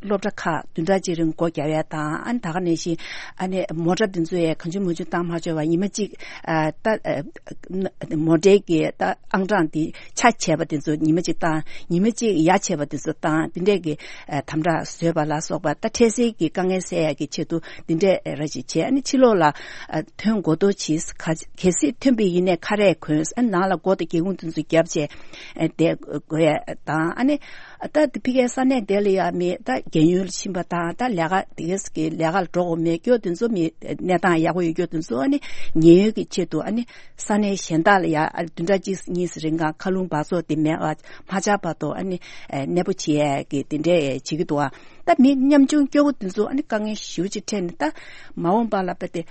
སློབ་གྲྭ་ཁག་བདུན་ཕྲག་གཅིག་རིང་སྒོ་རྒྱག་ཡ་དང་ཨ་ནི་ད་ག་ནང་བཞིན་ཨ་ནི་མོ་ཊ་འདི་ཚོ་ཡ་གང་བྱུང་མང་བྱུང་བཏང་མ་ཆོག་པ་ཉི་མ་གཅིག་ཨ་ད་ཨ་མོ་ཊའི་གི་ད་ཨང་གྲངས་འདི་ཆ་བྱས་པ་འདི་ཚོ་ཉི་མ་གཅིག་བཏང་ཉི་མ་གཅིག་ཡ་བྱས་པ་འདི་ཚོ་བཏང་འདི་འདྲས་གི་ཨ་དམ་དྲག་བཟོས་པ་ལ་སོགས་པ་ད་འཕྲལ་སེལ་གྱི་དཀའ་ངལ་སེལ་ཡ་གི་ཆེད་དུ་འདི་འདྲས་ར་ཅིག་བྱས་ཨ་ནི་ཕྱི་ལོགས་ལ་ཨ་ཐོན་དགོས་མདོག་བྱས། གལ་སྲིད་ཐོན་པ་ཡིན་ནའི་ཁ་རས་གོན། ཨ་ནི་ནང་ལ་སྒོ་དང་སྒེའུ་ཁུང་དེ་ཚོ་བརྒྱབ་བྱས་ཨ་བསྡད་དགོས་ཡ་དང་། ཨ་ནི་ད་དེ་ཕ་གིའི་ས་གནས་དེ་ལ་ཡ་མི་ད་རྒན་ཡོལ་ཕྱིན་པ་དང་ད་ལས་ཀ་དེ་གས་ཀྱི་ལས་ཀ་ལ་འགྲོ་དགོས་མེད་སྐྱོ་དེ་ཚོ་མི་གནས་སྟངས་ཡག་པོ་ཡོད་སྐྱོ་དེ་ཚོ་ཨ་ནི་ཉེན་གཡོལ་གྱི་ཆེད་དུ་ཨ་ནི་ས་གནས་གཞན་དག་ལ་ཡ་ཨ་བདུན་ཕྲག་གཅིག་གཉིས་རིང་གང་མཁའ་རླུང་འབག་བཙོག་དེ་མེད་པ་མ་ཆགས་བར་དུ་ཨ་ནི་ཨ་གནས་སྤོ་བྱེད་ཡ་གི་དེ་འདྲས་བྱེད་ཀྱི་འདུག་ཨ་ད་མི་ཉམ་ཆུང་སྐྱོ་བོ་དེ་ཚོ་ཨ་ནི་དཀའ་ངལ་ཞེ་པོ་ཅིག་འཕྲད་ནས་ད་མ་འོངས་པ་ལ་དཔེ་དེ་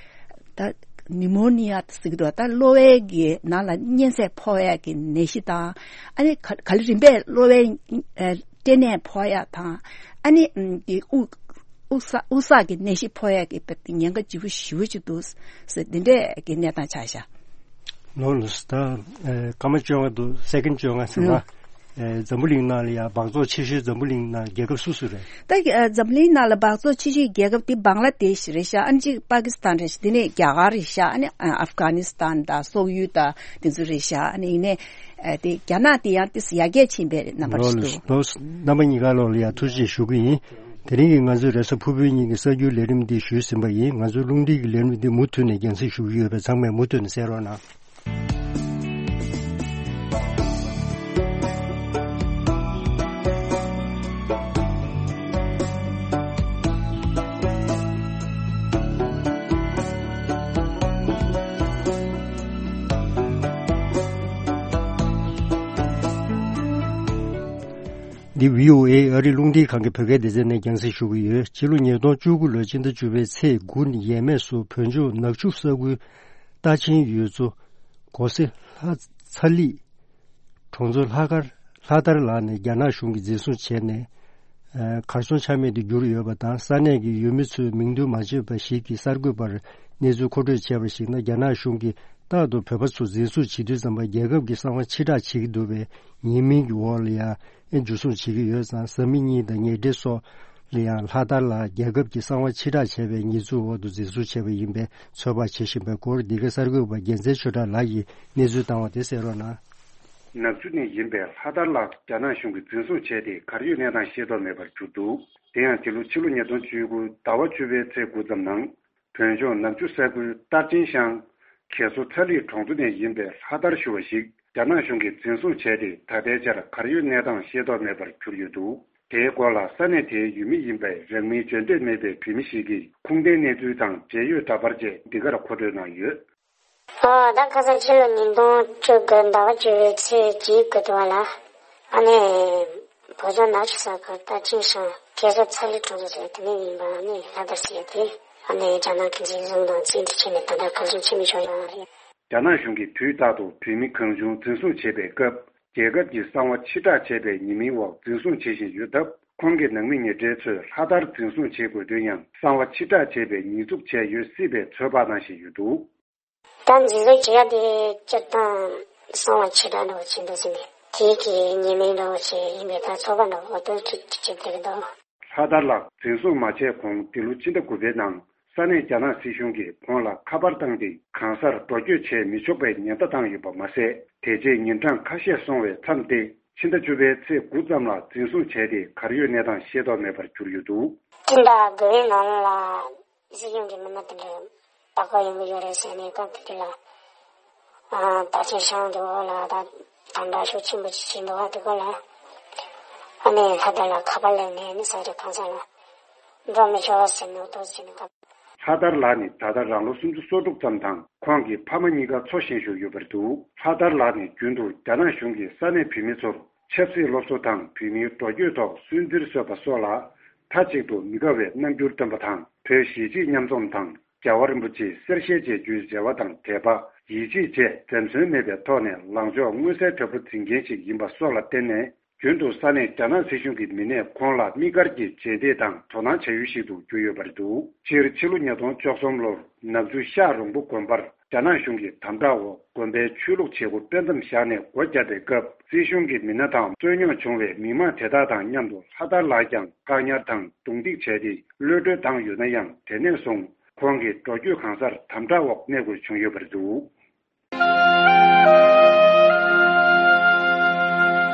ད་ནིའུ་མོ་ནི་ཡ་ཟེར་གྱི་འདུག་ད་གློ་བའི་གི་ནང་ལ་གཉན་ཚད་ཕོག་ཡ་གི་ནད་གཞི་དང་ཨ་ནི་ག་ག་ལེ་རིམ་པས་གློ་བའི་ཨ་སྐྲན་ནད་ཕོག་ཡ་དང་ཨ་ནི་ཨམ་གི་དབུགས་དབུགས་བསགས་དབུགས་བསགས་ཀྱི་ནད་གཞི་ཕོག་ཡ་གི་དཔེ་དེ་ཉེན་ཁ་ལྗིད་པོ་ཞེ་པོ་ཅིག་འདུག་ཟེར་འདི་འདྲས་ཀྱི་གནས་སྟངས་ཆགས་ཤག་ལོ་ལོ་ད་ཨ་སྐར་མ་བཅོ་ལྔ་འདུག་སེ་ཀན་བཅོ་ལྔ་ཟེར་ན། ལོ། ཨེ། འཛམ་བུ་གླིང་ནང་ལ་ཡང་སྦགས་བཙོག་ཆེ་ཤོས་འཛམ་བུ་གླིང་ནང་རྒྱལ་ཁབ་སུ་སུ་རེད། ད་ཨ་འཛམ་གླིང་ནང་ལ་སྦགས་བཙོག་ཆེ་ཤོས་རྒྱལ་ཁབ་དེ་བང་ལ་དེཤ་རེད་ཤག་ཨ་ནི་གཅིག་པ་ཀི་སི་ཐན་རེད་ཤག་དེ་ནས་རྒྱ་གར་རེད་ཤག་ཨ་ནི་ཨ་ཨབ་གྷ་ནི་སི་ཐན་དང་སོག་ཡུལ་དང་དེ་ཚོ་རེད་ཤག་ཨ་ནི་ཡིན་ནའི་ཨ་དེ་རྒྱ་ནག་དེ་ཡང་ཏིས་ཡར་རྒྱས་ཕྱིན་པའི་རྣམ་པ་ཞིག་འདུག་ལོ་རྣམ་པ་གཉིས་ཀ་ལོག་ལ་ཡང་ཐུགས་རྗེ་ཆེ་ཞུ་གི་ཡིན། དེ་རིང་གི་ང་ཚོའི་རེས་གཟའ་ཕུར་བུའི་ཉིན་གྱི་གསར་འགྱུར་ལས་རིམ་འདི་ཞུས་ཟིན་པ་ཡིན། ང་ཚོའི་རླུང་འཕྲིན་གྱི་ལས་རིམ་འདི་མུ་མཐུད་ནས་རྒྱང་སྲིང་ཞུ་གི་ཡོད་པས་ཚང་མས་མུ་མཐུད་ནས་གསན་རོགས་གནང་། འདི་བྷི་ཨོ་ཨེ་ཨ་རི་རླུང་འཕྲིན་ཁང་གི་བོད་སྐད་སྡེ་ཚན་ནས་རྒྱང་སྲིང་ཞུ་གི་ཡོད། ཕྱི་ལོ་ཉིས་སྟོང་བཅུ་དགུ་ལོའི་ཕྱི་ཟླ་བཅུ་པའི་ཚེས་དགུ་ཡས་མས་སུ་བོད་ལྗོངས་ནག་ཆུ་ས་ཁུལ་རྟ་ཆེན་ཡུལ་ཚོ་སྒོ་སེ་ལྷ་ཚ་ལི་གྲོང་ཚོ་ལྷ་དཀར་ལྷ་དར་ལགས་ནས་རྒྱ་ནག་གཞུང་གིས་འཛིན་བཟུང་བྱས་ནས། ཨ། གར་སོང་ཆ་མེད་དུ་གྱུར་ཡོད་པ་དང་། ས་གནས་ཀྱི་ཡུལ་མི་ཚོས་མིང་འདོན་མ་བྱས་པ་ཞིག་གིས་གསར་འགོད་པར་གནས་ཚུལ་མཁོ་སྤྲོད་བྱས་པར་གཞིགས་ན། རྒྱ་ནག་གཞུང་གིས་རྟག་ཏུ་བོད་པ་ཚོ་འཛིན་བཟུང་བྱེད་དུས་ཙམ་པ་རྒྱལ་ཁབ་ཀྱི་གསང་བ་ཕྱིར་བསྒྲགས་བྱེད་ཀྱི་འདུག་པས། ཉེས་མིང་གི་འོག་ལ་ཡང་འཇུ་བཟུང་བྱེད་ཀྱི་ཡོད་ཙང་། བཟའ་མི་གཉིས་དང་ཉེ་འབྲེལ་སོགས་ལ་ཡང་ལྷག་དར་ལགས་རྒྱལ་ཁབ་ཀྱི་གསང་བ་ཕྱིར་བསྒྲགས་བྱས་པའི་ཉེས་འཛུགས་འོག་ཏུ་འཛིན་བཟུང་བྱས་པ་ཡིན་པའི་ཚོད་དཔག་བྱེད་བཞིན་པའི་སྐོར། འདི་ག་གསར་འགོད་པ་རྒྱལ་མཚན་ཆོས་གྲགས་ལགས་ཀྱིས་གནས་ཚུལ་བཏང་བ་དེ་གསན་རོགས་གནང་། ནག་ཆུ་ནས་ཡིན་པའི་ལྷ་དར་ལགས་རྒྱ་ནག་གཞུང་གིས་འཛིན་བཟུང་བྱས་ཏེ། གར་ཡོད་གནས་སྟངས་ཤེས་རྟོགས་མེད་པར་གྱུར་འདུག་དེ་ཡང་འདི་ལོ་ཕྱི་ལོ་ཉིས་སྟོང་བཅུ་དགུ་ཟླ་བ་བཅུ་པའི་ཚེས་དགུ་ཙམ་ནང་། བོད་ལྗོངས་ནག་ཆུ་ས་ཁུལ་རྟ་ཅན་ཤང་གེ་སོ་ཚ་ལི་གྲོང་ཚོ་ནས་ཡིན་པའི་ལྷ་དར་ཞུ་བ་ཞིག་རྒྱ་ནག་གཞུང་གིས་འཛིན་བཟུང་བྱས་ཏེ། ད་ལྟའི་ཆར་གར་ཡོད་གནས་སྟངས་ཤེས་རྟོགས་མེད་པར་གྱུར་ཡོད་འདུག་དེའི་སྐོར་ལ་ས་གནས་དེའི་ཡུལ་མི་ཡིན་པའི་རང་མིང་བརྗོད་འདོད་མེད་པའི་བོད་མི་ཞིག་གིས་ཁུངས་ལྡན་གནས་ཚུལ་དང་འབྲེལ་ཡོད་འདྲ་པར་བཅས་འདི་གར་མཁོ་སྤྲོད་གནང་ཡོད། ཨོ། ད་ཁ་སང་ཕྱི་ལོ་ཉིས་སྟོང་བཅུ་དགུ་ཟླ་བ་བཅུ་པའི་ཚེས་གཅིག་དགུ་ཐོག་ལ། ཨ་ནི་བོད་ལྗོངས་ནག་ཆུ་ས་ཁུལ་རྟ་ཅན་ཤང་གེ་སོ་ཚ་ལི་གྲོང་ཚོ་ཟེར་དེ་ནས་ཡིན་པ། ཨ་ནི་ལྷ་དར་ཟེར་དེ། ཨ་ནི་རྒྱ་ནག་གི་འཛིན་བཟུང་དང་བཙན་ཁྲིད་བྱས་ནས་ད་ལྟ་གར་སོང་ཕྱིན་མི་ཆོག་ཡོད་རེད། རྒྱ་ནག་གཞུང་གིས་དུས་རྟག་ཏུ་བོད་མི་གང་བྱུང་འཛིན་བཟུང་བྱེད་པའི་སྐབས། རྒྱལ་ཁབ་ཀྱི་གསང་བ་ཕྱིར་བསྒྲགས་བྱས་པའི་ཉེས་མིང་འོག་འཛིན་བཟུང་བྱེད་བཞིན་ཡོད་སྟབས། ཁོང་གི་ནང་མི་ཉེ་འབྲེལ་ཚོས་ལྷ་དར་འཛིན་བཟུང་བྱེད་དགོས་དོན་ཡང་། གསང་བ་ཕྱིར་བསྒྲགས་བྱས་པའི་ཉེས་འཛུགས་བྱས་ཡོད་སྲིད་པའི་ཚོད་དཔག་གནང་བཞིན་ཡོད་འདུག་ད་འཛིན་བཟུང་བྱེད་ཡ་དེ་སྤྱིར་བཏང་གསང་བ་ཕྱིར་བསྒྲགས་འདྲ་བོ་བྱེད་འདུག་ཟེར་ནས། དེ་གི་ཉེས་མིང་འདྲ་བོ་ཞིག་ཡིན་པའི་ད་ཚོད་དཔག་འདྲ་བོ་འོ་དོ་ཅིག་བྱེད་བསྡད་ཀྱི་འདུག་ལྷ་དར་ལགས་འཛིན་བཟུང་མ་བྱས་གོང་། འདི་ལོ་ཕྱི་ཟླ་དགུ་པའི་ནང་ས་གནས་རྒྱ་ནག་སྲིད་གཞུང་གིས་ཁོང་ལ་ཁ་པར་བཏང་སྟེ། གང་སར་འགྲོ་སྐྱོད་བྱས་མི་ཆོག་པའི་ཉེན་བརྡ་བཏང་ཡོད་པ་མ་ཟད། དེ་རྗེས་ཉིན་གྲངས་ཁ་ཤས་སོང་བའི་མཚམས་ཏེ། ཕྱི་ཟླ་བཅུ་པའི་ཚེས་དགུ་ཙམ་ལ་འཛིན་བཟུང་བྱས་ཏེ། གར་ཡོད་གནས་སྟངས་ཤེས་རྟོགས་མེད་པར་གྱུར་ཡོད་འདུག་སྤྱི་ཟླ་དགུ་པའི་ནང་ལ། སྲིད་གཞུང་གི་མི་སྣ་དེ་འདྲ་ལྟ་སྐོར་ཡོང་གི་ཡོད་རེད་ཟེར་ནས། སྐབས་དེ་དུས་ལ། ཨ། རྟ་ཅན་ཤང་དེ་འོག་ལ་ད་དམ་དྲག་ཤུགས་ཆེན་པོ་ཅིག་བྱས་འདུག་ཨ། དེ་སྐོར་ལ་ཨ་ནི་ལྷ་དར་ལ་ཁ་པར་སླེབས་ནས། ཨ་ནི་ས་ཆ་གང་ས་ལ་འགྲོ་མི་ཆོག་ཟེར་ནས་འོ་དོ་ཟེར་ནས། ལྷ་དར་ལགས་ནི་ད་ལྟ་རང་ལོ་སུམ་ཅུ་སོ་དྲུག་ཙམ་དང་། ཁོང་གི་ཕ་མ་གཉིས་ཀ་འཚོ་བཞིན་བཞུགས་ཡོད་པ་རེད་འདུག་ལྷ་དར་ལགས་ནི་རྒྱུན་དུ་རྒྱ་ནག་གཞུང་གིས་ས་གནས་བོད་མི་ཚོར་ཆབ་སྲིད་སློབ་གསོ་དང་། བོད་མིའི་འགྲོ་སྐྱོད་ཐོག་སུན་གཙེར་བཟོས་པ་སོགས་ལ། མཐའ་གཅིག་ཏུ་མི་དགའ་བའི་རྣམ་འགྱུར་སྟོན་པ་དང་། བོད་གཞིས་བྱེས་མཉམ་འཛོམས་དང་། རྒྱལ་བ་རིན་པོ་ཆེའི་གསེར་ཞལ་མཇལ་རྒྱུའི་རེ་བ་དང་འབྲེལ་བ། ཡིད་ཆེས་བཅས་འཛེམ་ཟོན་མེད་པའི་ཐོག་ནས་ལངས་ཕྱོགས་མངོན་གསལ་དོད་པོ་འཛིན་མཁན་ཞིག་ཡིན་པ་སོགས་ལ་བརྟེན་ནས། རྒྱུན་དུ་ས་གནས་རྒྱ་ནག་སྲིད་གཞུང་གི་མི་སྣས་ཁོང་ལ་དམིགས་བཀར་གྱིས་རྗེས་འདེད་དང་དོ་སྣང་བྱ་ཡུལ་ཞིག་ཏུ་གྱུར་ཡོད་པ་རེད་འདུག་སྤྱིར་ཕྱི་ལོ་ཉིས་སྟོང་བཅུ་གསུམ་ལོར་ནག་ཆུ་ཤག་རོང་པོ་དགོན་པར་རྒྱ་ནག་གཞུང་གིས་དམ་དྲག་འོག་དགོན་པའི་ཆོས་ལུགས་བྱེད་སྒོ་སྤེལ་མཚམས་བཞག་ནས་སྒོ་བརྒྱབ་པའི་སྐབས། སྲིད་གཞུང་གི་མི་སྣ་དང་རྩོད་རྙོག་བྱུང་བའི་མི་མང་དེ་དག་དང་མཉམ་དུ་ལྷ་དར་ལགས་ཀྱང་བཀག་ཉར་དང་རྡུང་རྡེག་བྱས་ཏེ། གློད་གྲོལ་བཏང་ཡོད་ན་ཡང་། དེ་ནས་བཟུང་ཁོང་གི་འགྲོ་སྐྱོད་གང་སར་དམ་དྲག་འོག་གནས་དགོས་བྱུང་ཡོད་པ་རེད་འདུག་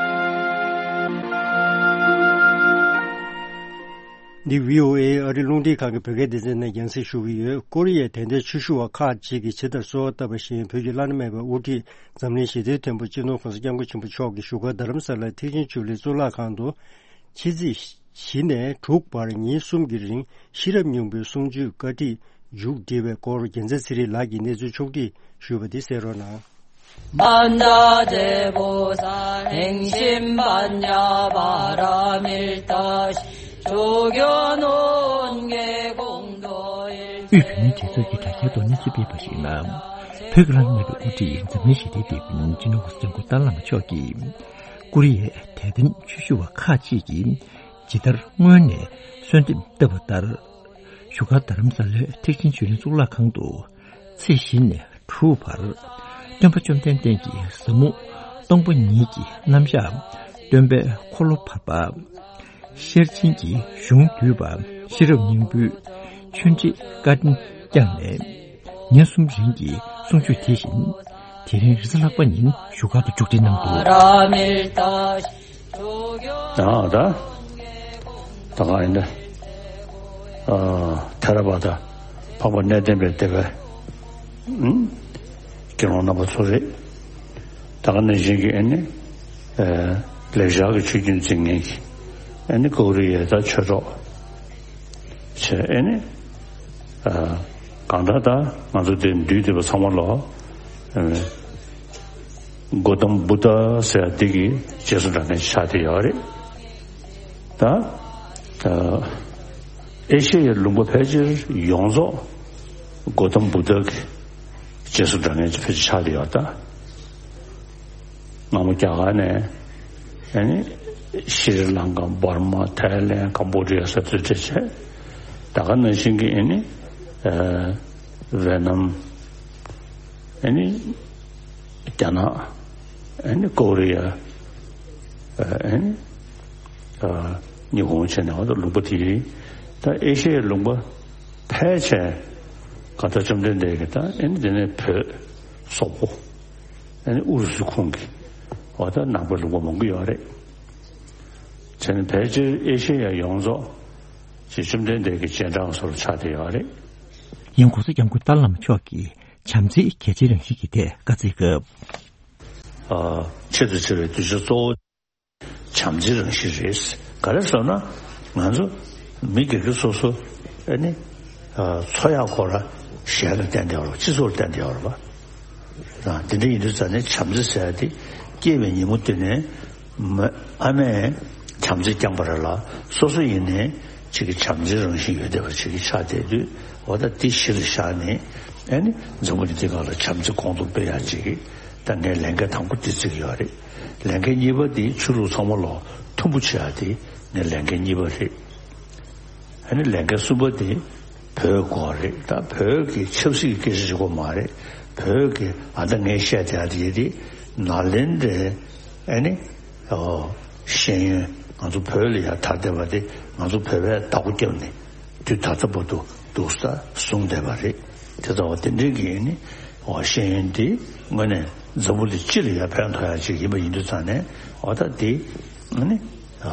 འདི་བྷི་ཨོ་ཨེ་ཨ་རི་རླུང་འཕྲིན་ཁང་གི་བོད་སྐད་སྡེ་ཚན་ནས་རྒྱང་སྲིང་ཞུ་གི་ཡོད། ཀོ་རི་ཡའི་དད་ལྡན་ཆོས་ཞུ་བ་ཁག་ཅིག་གིས་ཇི་ལྟར་གསོལ་བ་བཏབ་པ་བཞིན། བོད་ཀྱི་བླ་ན་མེད་པའི་དབུ་ཁྲིད་འཛམ་གླིང་ཞི་བདེའི་མཐུན་པོ་སྤྱི་ནོར་གོང་ས་སྐྱབས་མགོན་ཆེན་པོ་མཆོག་གིས་བཞུགས་སྒར་རྡ་རམ་ས་ལའི་ཐེག་ཆེན་ཆོས་གླིང་གཙུག་ལག་ཁང་དུ། ཕྱི་ཚེས་བཞི་ནས་དྲུག་བར་ཉིན་གསུམ་གྱི་རིང་ཤེས་རབ་སྙིང་པོའི་གསུང་ཆོས་བཀའ་ཁྲིད་མཇུག་སྒྲིལ་བའི་སྐོར། རྒྱལ་མཚན་ཚེ་རིང་ལགས་ཀྱིས་གནས་ཚུལ་ཕྱོགས་བསྒྲིགས་ཞུས་པ་འདི་གསན་རོགས་གནང་། དབུས་བོད་མིའི་སྒྲིག་འཛུགས་ཀྱི་དྲ་རྒྱའི་ཐོག་གནས་ཚུལ་སྤེལ་བ་ཞིག་ནང་། བོད་ཀྱི་བླ་ན་མེད་པའི་དབུ་ཁྲིད་འཛམ་གླིང་ཞི་བདེའི་དེད་དཔོན་སྤྱི་ནོར་གོང་ས་སྐྱབས་མགོན་ཏཱ་ལའི་བླ་མ་མཆོག་གིས། ཀོ་རི་ཡའི་དད་ལྡན་ཆོས་ཞུ་བ་ཁག་ཅིག་གིས་ཇི་ལྟར་སྔོན་ནས་གསོལ་འདེབས་བཏབ་པ་ལྟར། བཞུགས་སྒར་རྡ་རམ་ས་ལའི་ཐེག་ཆེན་ཆོས་གླིང་གཙུག་ལག་ཁང་དུ་ཚེས་བཞི་ནས་དྲུག་བར་སྟོན་པ་བཅོམ་ལྡན་འདས་ཀྱི་ཟབ་མོ་སྟོང་པ་ཉིད་ཀྱི་རྣམ་གཞག་ སྟོན་པའི་འཁོར་ལོ་བར་པ། ཤེར་ཕྱིན་གྱི་གཞུང་བསྡུས་པ་ཤེས་རབ་སྙིང་པོའི་ཆོས་འབྲེལ་བཀའ་དྲིན་བསྐྱངས་ནས། ཉིན་གསུམ་རིང་གི་གསུང་ཆོས་དེ་བཞིན་དེ་རིང་རེས་གཟའ་ལྷག་པ་ཉིན་བཞུགས་སྒར་དུ་མཇུག་སྒྲིལ་གནང་འདུག་ད་ད་ད་ག་ཡིན་ད། ཨ་ཐེ་ར་བ་ད་འཕགས་པ་གནས་བརྟན་པའི་སྡེ་པའི་ཨུམ་དགེ་སློང་རྣམ་པ་ཚོ་རེད། ད་ག་ནང་བཞིན་གྱི་ཨ་ནི་ཨ་ལེགས་སྦྱར་གྱི་ཆོས་བརྒྱུད་འཛིན་མཁན་གྱི་ཨ་ནི་ཀོ་རི་ཡའི་ད་ཆོས་གྲོགས་བྱས་ཨ་ནི་ཨ་གང་ལྟར་ད་ང་ཚོ་འདིར་འདུས་བསྡད་པ་ཚང་མ་ལོ་ཨ་གོ་ཏམ་བུདྡྷ་ཟེར་ཡ་འདི་གི་རྗེས་སུ་འབྲང་མཁན་ཆགས་བསྡད་ཡོད་རེད། ད་ཨ་ཨེ་ཤེ་ཡའི་ལུང་པ་ཕལ་ཆེར་ཡོངས་རྫོགས་གོ་ཏམ་བུདྡྷ་གི་རྗེས་སུ་འབྲང་མཁན་ཕལ་ཆེར་ཆགས་བསྡད་ཡོད་ད། སྔ་མོ་རྒྱ་གར་ནས་ཨ་ནི་ཤྲི་ལང་ཀ་འབར་མ་ཐའི་ལེན་ཀམ་བྷོ་ཌི་ཡ་སོགས་ཚུར་ཁྲིད་བྱས། ད་ག་ནང་བཞིན་གྱི་ཨ་ནི་ཨ་ཝེ་ནམ་ཨ་ནི་རྒྱ་ནག་ཨ་ནི་ཀོ་རི་ཡ་ཨ་ནི་ཨ་ཉི་ཧོང་བྱས་ནས་འོ་ད་ལུང་པ་དེ་ད་ཨེ་ཤེ་ཡའི་ལུང་པ་ཕལ་ཆེར་ག་ད་བཅོམ་ལྡན་འདས་ཀྱི་ད་ཨ་ནི་དེ་ནས་བོད་སོག་པོ། ཨ་ནི་ཨུ་རུ་སུ་ཁོངས་ཀྱི་འོ་ད་ནང་པའི་ལུང་པ་མང་པོ་ཡོད་རེད། བྱས་ནས་ཕལ་ཆེར་ཨེ་ཤེ་ཡ་ཡོངས་རྫོགས་ཀྱི་བཅོམ་ལྡན་འདས་ཀྱི་རྗེས་འབྲང་སོགས་ལ་ཆགས་བསྡད་ཡོད་རེད། ཡང་༸གོང་ས་༸སྐྱབས་མགོན་ཏཱ་ལའི་བླ་མ་མཆོག་གིས་བྱམས་བརྩེའི་གལ་ཆེའི་རང་བཞིན་གྱི་ཐད་བཀའ་སྩལ་སྐབས། ཨ་ཆེད་དུ་བྱ་བའི་གདུལ་བྱ་གཙོ་བོ། བྱམས་བརྩེའི་རང་བཞིན་རེད། ག་རེ་ཟེར་ན། ང་ཚོ་མི་སྒེར་གྱི་སོ་སོ་ཨ་ནི་ཨ་འཚོ་ཡག་སྐོར་ལ་གཞན་ལ་བརྟེན་བསྡད་ཡོད་རེད་པ། སྤྱི་ཚོགས་ལ་བརྟེན་བསྡད་ཡོད་རེད་པ། ཨ་དེ་འདྲ་ཡིན་དུས་ཙང་ནས་བྱམས་བརྩེ་ཟེར་ཡ་དེ་སྐྱེས་པའི་ཉིན་མོ་དེ་ནས་མ་ཨ་མས་བྱམས་བརྩེ་བསྐྱངས་པ་རེད་ལ། སོ་སོ་ཡིན་ནའི་ཅིག་གི་བྱམས་བརྩེའི་རང་བཞིན་ཡོད་བསྡད་པ་ཅིག་གི་ཆགས་བསྡད་དུས། འོ་ད་དེ་གཞི་ལ་བཞག་ནས་ཨ་ནི་འཛམ་བུ་གླིང་འདི་སྒང་ལ་བྱམས་བརྩེ་གོང་དུ་སྤེལ་ཡག་ཅིག་གི་ད་ངས་ལས་འགན་དང་པོ་དེ་བརྩི་གི་ཡོད་རེད། ལས་འགན་གཉིས་པ་དེ་ཆོས་ལུགས་ཚང་མ་ལ་མཐུན་པོ་བྱེད་ཡག་དེ་ངའི་ལས་འགན་གཉིས་པ་རེད། ཨ་ནི་ལས་འགན་གསུམ་པ་དེ་བོད་དགོས་རེད། ད་བོད་ཀྱི་ཆབ་སྲིད་ཀྱི་སྐད་ཆ་ཞིག་གོ་མ་རེད། བོད་ཀྱི་ཨ་ད་ངས་བཤད་བསྡད་ཡག་དེ་ཡིན་དེ་ནཱ་ལེནྡྲའི་ཨ་ནི་ཨོ་ཤེས་ཡོན་ང་ཚོ་བོད་ལ་ཡར་དར་བསྡད་པ་དེ་ང་ཚོ་བོད་པས་བདག་པོ་བརྒྱབ་ནས་དུས་ད་ལྟ་བར་དུ་འདུག་ས་བཟུང་བསྡད་པ་རེད། དེ་ལྟ་བ་དེ་འདྲའི་གི་ཨ་ནི་ཨོ་ཤེས་ཡོན་དེ་དངོས་གནས་འཛམ་བུ་གླིང་སྤྱི་ལ་ཡར་ཕན་ཐོགས་ཡག་ཅིག་ཡིན་པ་ཡིན་དུས་ཙང་ནས། འོ་ད་དེ་ཨ་ནི་ཨ་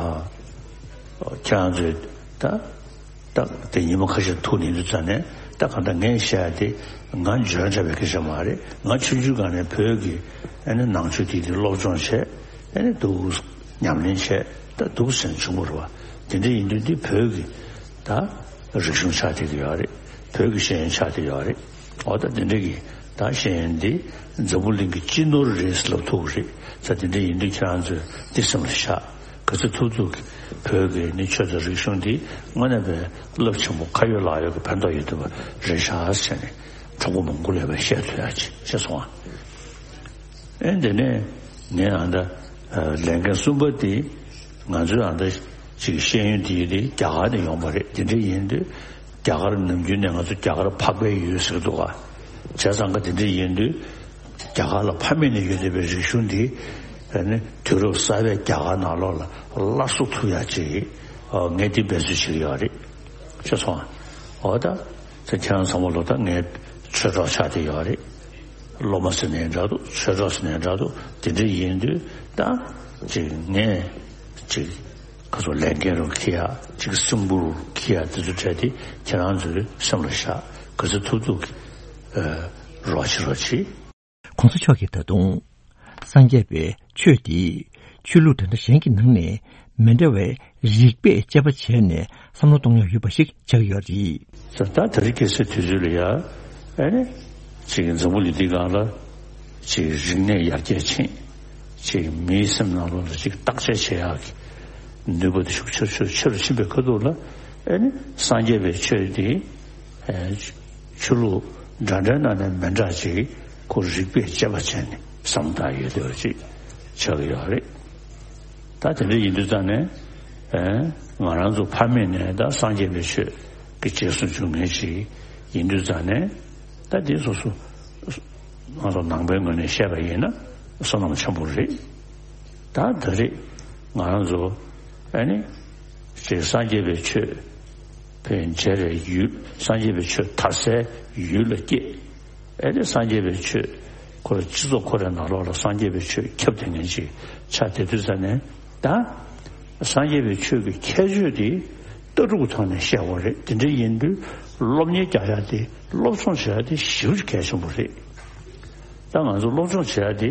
ཁྱེད་རང་ཚོས་ད། ད་དེ་ཉི་མ་ཁ་ཤས་ཐུག་ནས་འདུག་ཙང་ནས། ད་གང་ལྟར་ངས་བཤད་ཡ་དེ་ང་འཇོན་འདྲ་བའི་སྐད་ཆ་མ་རེད། ང་ཆུང་ཆུང་སྒང་ནས་བོད་ཀྱི་ཨ་ནི་ནང་ཆོས་དེ་དེ་སློབ་སྦྱོང་བྱས། ཨ་ནི་འདུག་ཉམས་ལེན་བྱས། ད་འདུག་ཟེར་བྱུང་བ་རེད་པ། དེ་འདྲ་ཡིན་དུས་འདི་བོད་ཀྱི་ད་རིག་གཞུང་ཆགས་བསྡད་ཀྱི་ཡོད་རེད། བོད་ཀྱི་ཤེས་ཡོན་ཆགས་བསྡད་ཡོད་རེད། འོ་ད་དེ་འདྲ་གི་ད་ཤེས་ཡོན་འདི་འཛམ་བུ་གླིང་གི་སྤྱི་ནོར་རེད་ལབ་ཐུབ་ཀྱི་རེད། ད་དེ་འདྲ་ཡིན་དུས་ཁྱེད་རང་ཚོས་འདི་སེམས་ལ་བཞག་ག་ཚོད་ཐུབ་ཐུབ་ཀྱིས་བོད་ཀྱི་ནི་ཆོས་དང་རིག་གཞུང་འདི་དངོས་གནས་པའི་རླབས་ཆེན་པོ་ཁ་ཡོད་ལག་ཡོད་ཀྱི་ཕན་ཐོགས་ཡོད་ཐུབ་པ་རེད་ཤག་ཟེར་ནས་གྲོགས་པོ་མང་པོ་ལ་ཡང་བཤད་ཐུབ་ཡག་ཅིག་བྱས་སོང་ཨ། ཨེ་འདི་ནས་ངས་ཨ་ད་ལས་འགན་གསུམ་པ་འདི་ང་ཚོའི་ཨ་ད་ཅིག་ཤེས་ཡོན་འདི་ཡིན་དེ་རྒྱ་གར་ནས་ཡོང་པ་རེད། འདི་འདྲ་ཡིན་དུས་རྒྱ་གར་ནམ་རྒྱུན་ནས་ང་ཚོ་རྒྱ་གར་འཕགས་པའི་ཡུལ་ཟེར་གྱི་འདུག་ག་བྱས་ཙང་ཀ་དེ་འདྲ་ཡིན་དུས་རྒྱ་གར་ལ་ཕ་མེས་ནས་ཡོད་བསྡད་པའི་རིག་གཞུང་འདི་ཨ་ནི་དུས་རབས་གསར་པའི་རྒྱ་གར་ནང་ལོགས་ལ་སླར་གསོ་ཐུབ་ཡག་ཅིག་ཨ་ངས་འདི་འབད་རྩོལ་བྱེད་ཀྱི་ཡོད་རེད། ཤེས་སོང་ཨ། འོ་ད་ཚེ་ཁྱེད་རང་ཚང་མ་ལོ་ད་ངའི་ཆོས་གྲོགས་ཆགས་བསྡད་ཡོད་རེད། སློབ་མ་ཟེར་ནའི་འདྲ་འདུག་ཆོས་གྲོགས་ཟེར་ནའི་འདྲ་འདུག་དེ་འདྲ་ཡིན་དུས་ད་ཅིག་ངས་ཅིག་ཁ་སོ་ལས་འགན་རུ་འཁྱེར་ཡག་ཅིག་སེམས་ཁུར་འཁྱེར་ཡག་དེ་ཚོ་འཕྲད་དེ་ཁྱེད་རང་ཚོའི་སེམས་ལ་བཞག་ག་ཚོད་ཐུབ་ཐུབ་ཀྱིས་ཨ་རོགས་བྱེད་རོགས་བྱེད། ༸གོང་ས་མཆོག་གིས་ད་དུང་སངས་རྒྱས་པའི་ཆོས་འདི་ཆོས་ལུགས་འདྲ་འདྲ་གཞན་གྱི་ནང་ནས་མི་འདྲ་བའི་རིགས་པས་དཔྱད་པ་བྱས་ནས་བསམ་བློ་གཏོང་ཡག་ཡོད་པ་ཞིག་ཆགས་ཀྱི་ཡོད་རེད། ད་ད་རེས་ཁ་སང་དུས་ཚོད་ལ་ཡ་ཨ་ནི་ཅིག་འཛམ་བུ་གླིང་འདི་སྒང་ལ་ཅིག་རིག་གནས་ཡར་རྒྱས་ཕྱིན། ཅིག་མིའི་སེམས་ནང་ལོགས་ལ་ཅིག་བརྟག་དཔྱད་བྱེད་ཡག་གི་ནུས་པ་དེ་ཤུགས་ཆེ་ཆེ་ཆེ་རུ་ཕྱིན་པའི་ཁ་ཐུག་ལ་ཨ་ནི་སངས་རྒྱས་པའི་ཆོས་འདི་ཨ་ཆོས་ལུགས་འདྲ་འདྲའི་ནང་ནས་མི་འདྲ་ཅིག་ཁོ་རིགས་པས་དཔྱད་པ་བྱས་ནས་བསམ་བློ་བཏང་ཡོད་དེ་བ་ཅིག་ཆགས་ཀྱི་ཡོད་རེད། ད་དེ་འདྲ་ཡིན་དུས་ཙང་ནས་ཨ་ང་རང་ཚོ་ཕ་མེས་ནས་ད་སངས་རྒྱས་པའི་ཆོས་ཀྱི་རྗེས་སུ་འཇུག་མཁན་ཅིག་ཡིན་དུས་ཙང་ནས། ད་དེ་སོ་སོ་ང་ཚོ་ནང་པའི་ངོས་ནས་བཤད་པ་ཡིན་ན་བསོད་ནམས་ཆེན་པོ་རེད། ད་ད་རེས་ ང་རང་ཚོ་ཨ་ནི་ཅིག་སངས་རྒྱས་པའི་ཆོས་ཕན་བྱས་རེ་ཡུལ། སངས་རྒྱས་པའི་ཆོས་དར་སའི་ཡུལ་ལ་སྐྱེས། ཨ་ནི་སངས་རྒྱས་པའི་ཆོས་ཁོ་ར་སྤྱི་ཚོགས་ཁོ་རའི་ནང་ལོགས་ལ་སངས་རྒྱས་པའི་ཆོས་ཁྱབ་བསྡད་མཁན་ཅིག་ཆགས་བསྡད་དུས་ཙ་ནས། ད་སངས་རྒྱས་པའི་ཆོས་ཀྱི་ཁྱད་ཆོས་དེ་ལྟ་གྲུབ་ཀྱི་ཐོག་ནས་བཤད་དགོས་རེད། དེ་འདྲ་ཡིན་དུས་སློབ་གཉེར་རྒྱག་ཡ་དེ། སློབ་སྦྱོང་བྱེད་ཡ་དེ་ཞེ་པོ་ཅིག་གལ་ཆེན་པོ་རེད། ད་ང་ཚོ་སློབ་སྦྱོང་བྱེད་ཡ་དེ་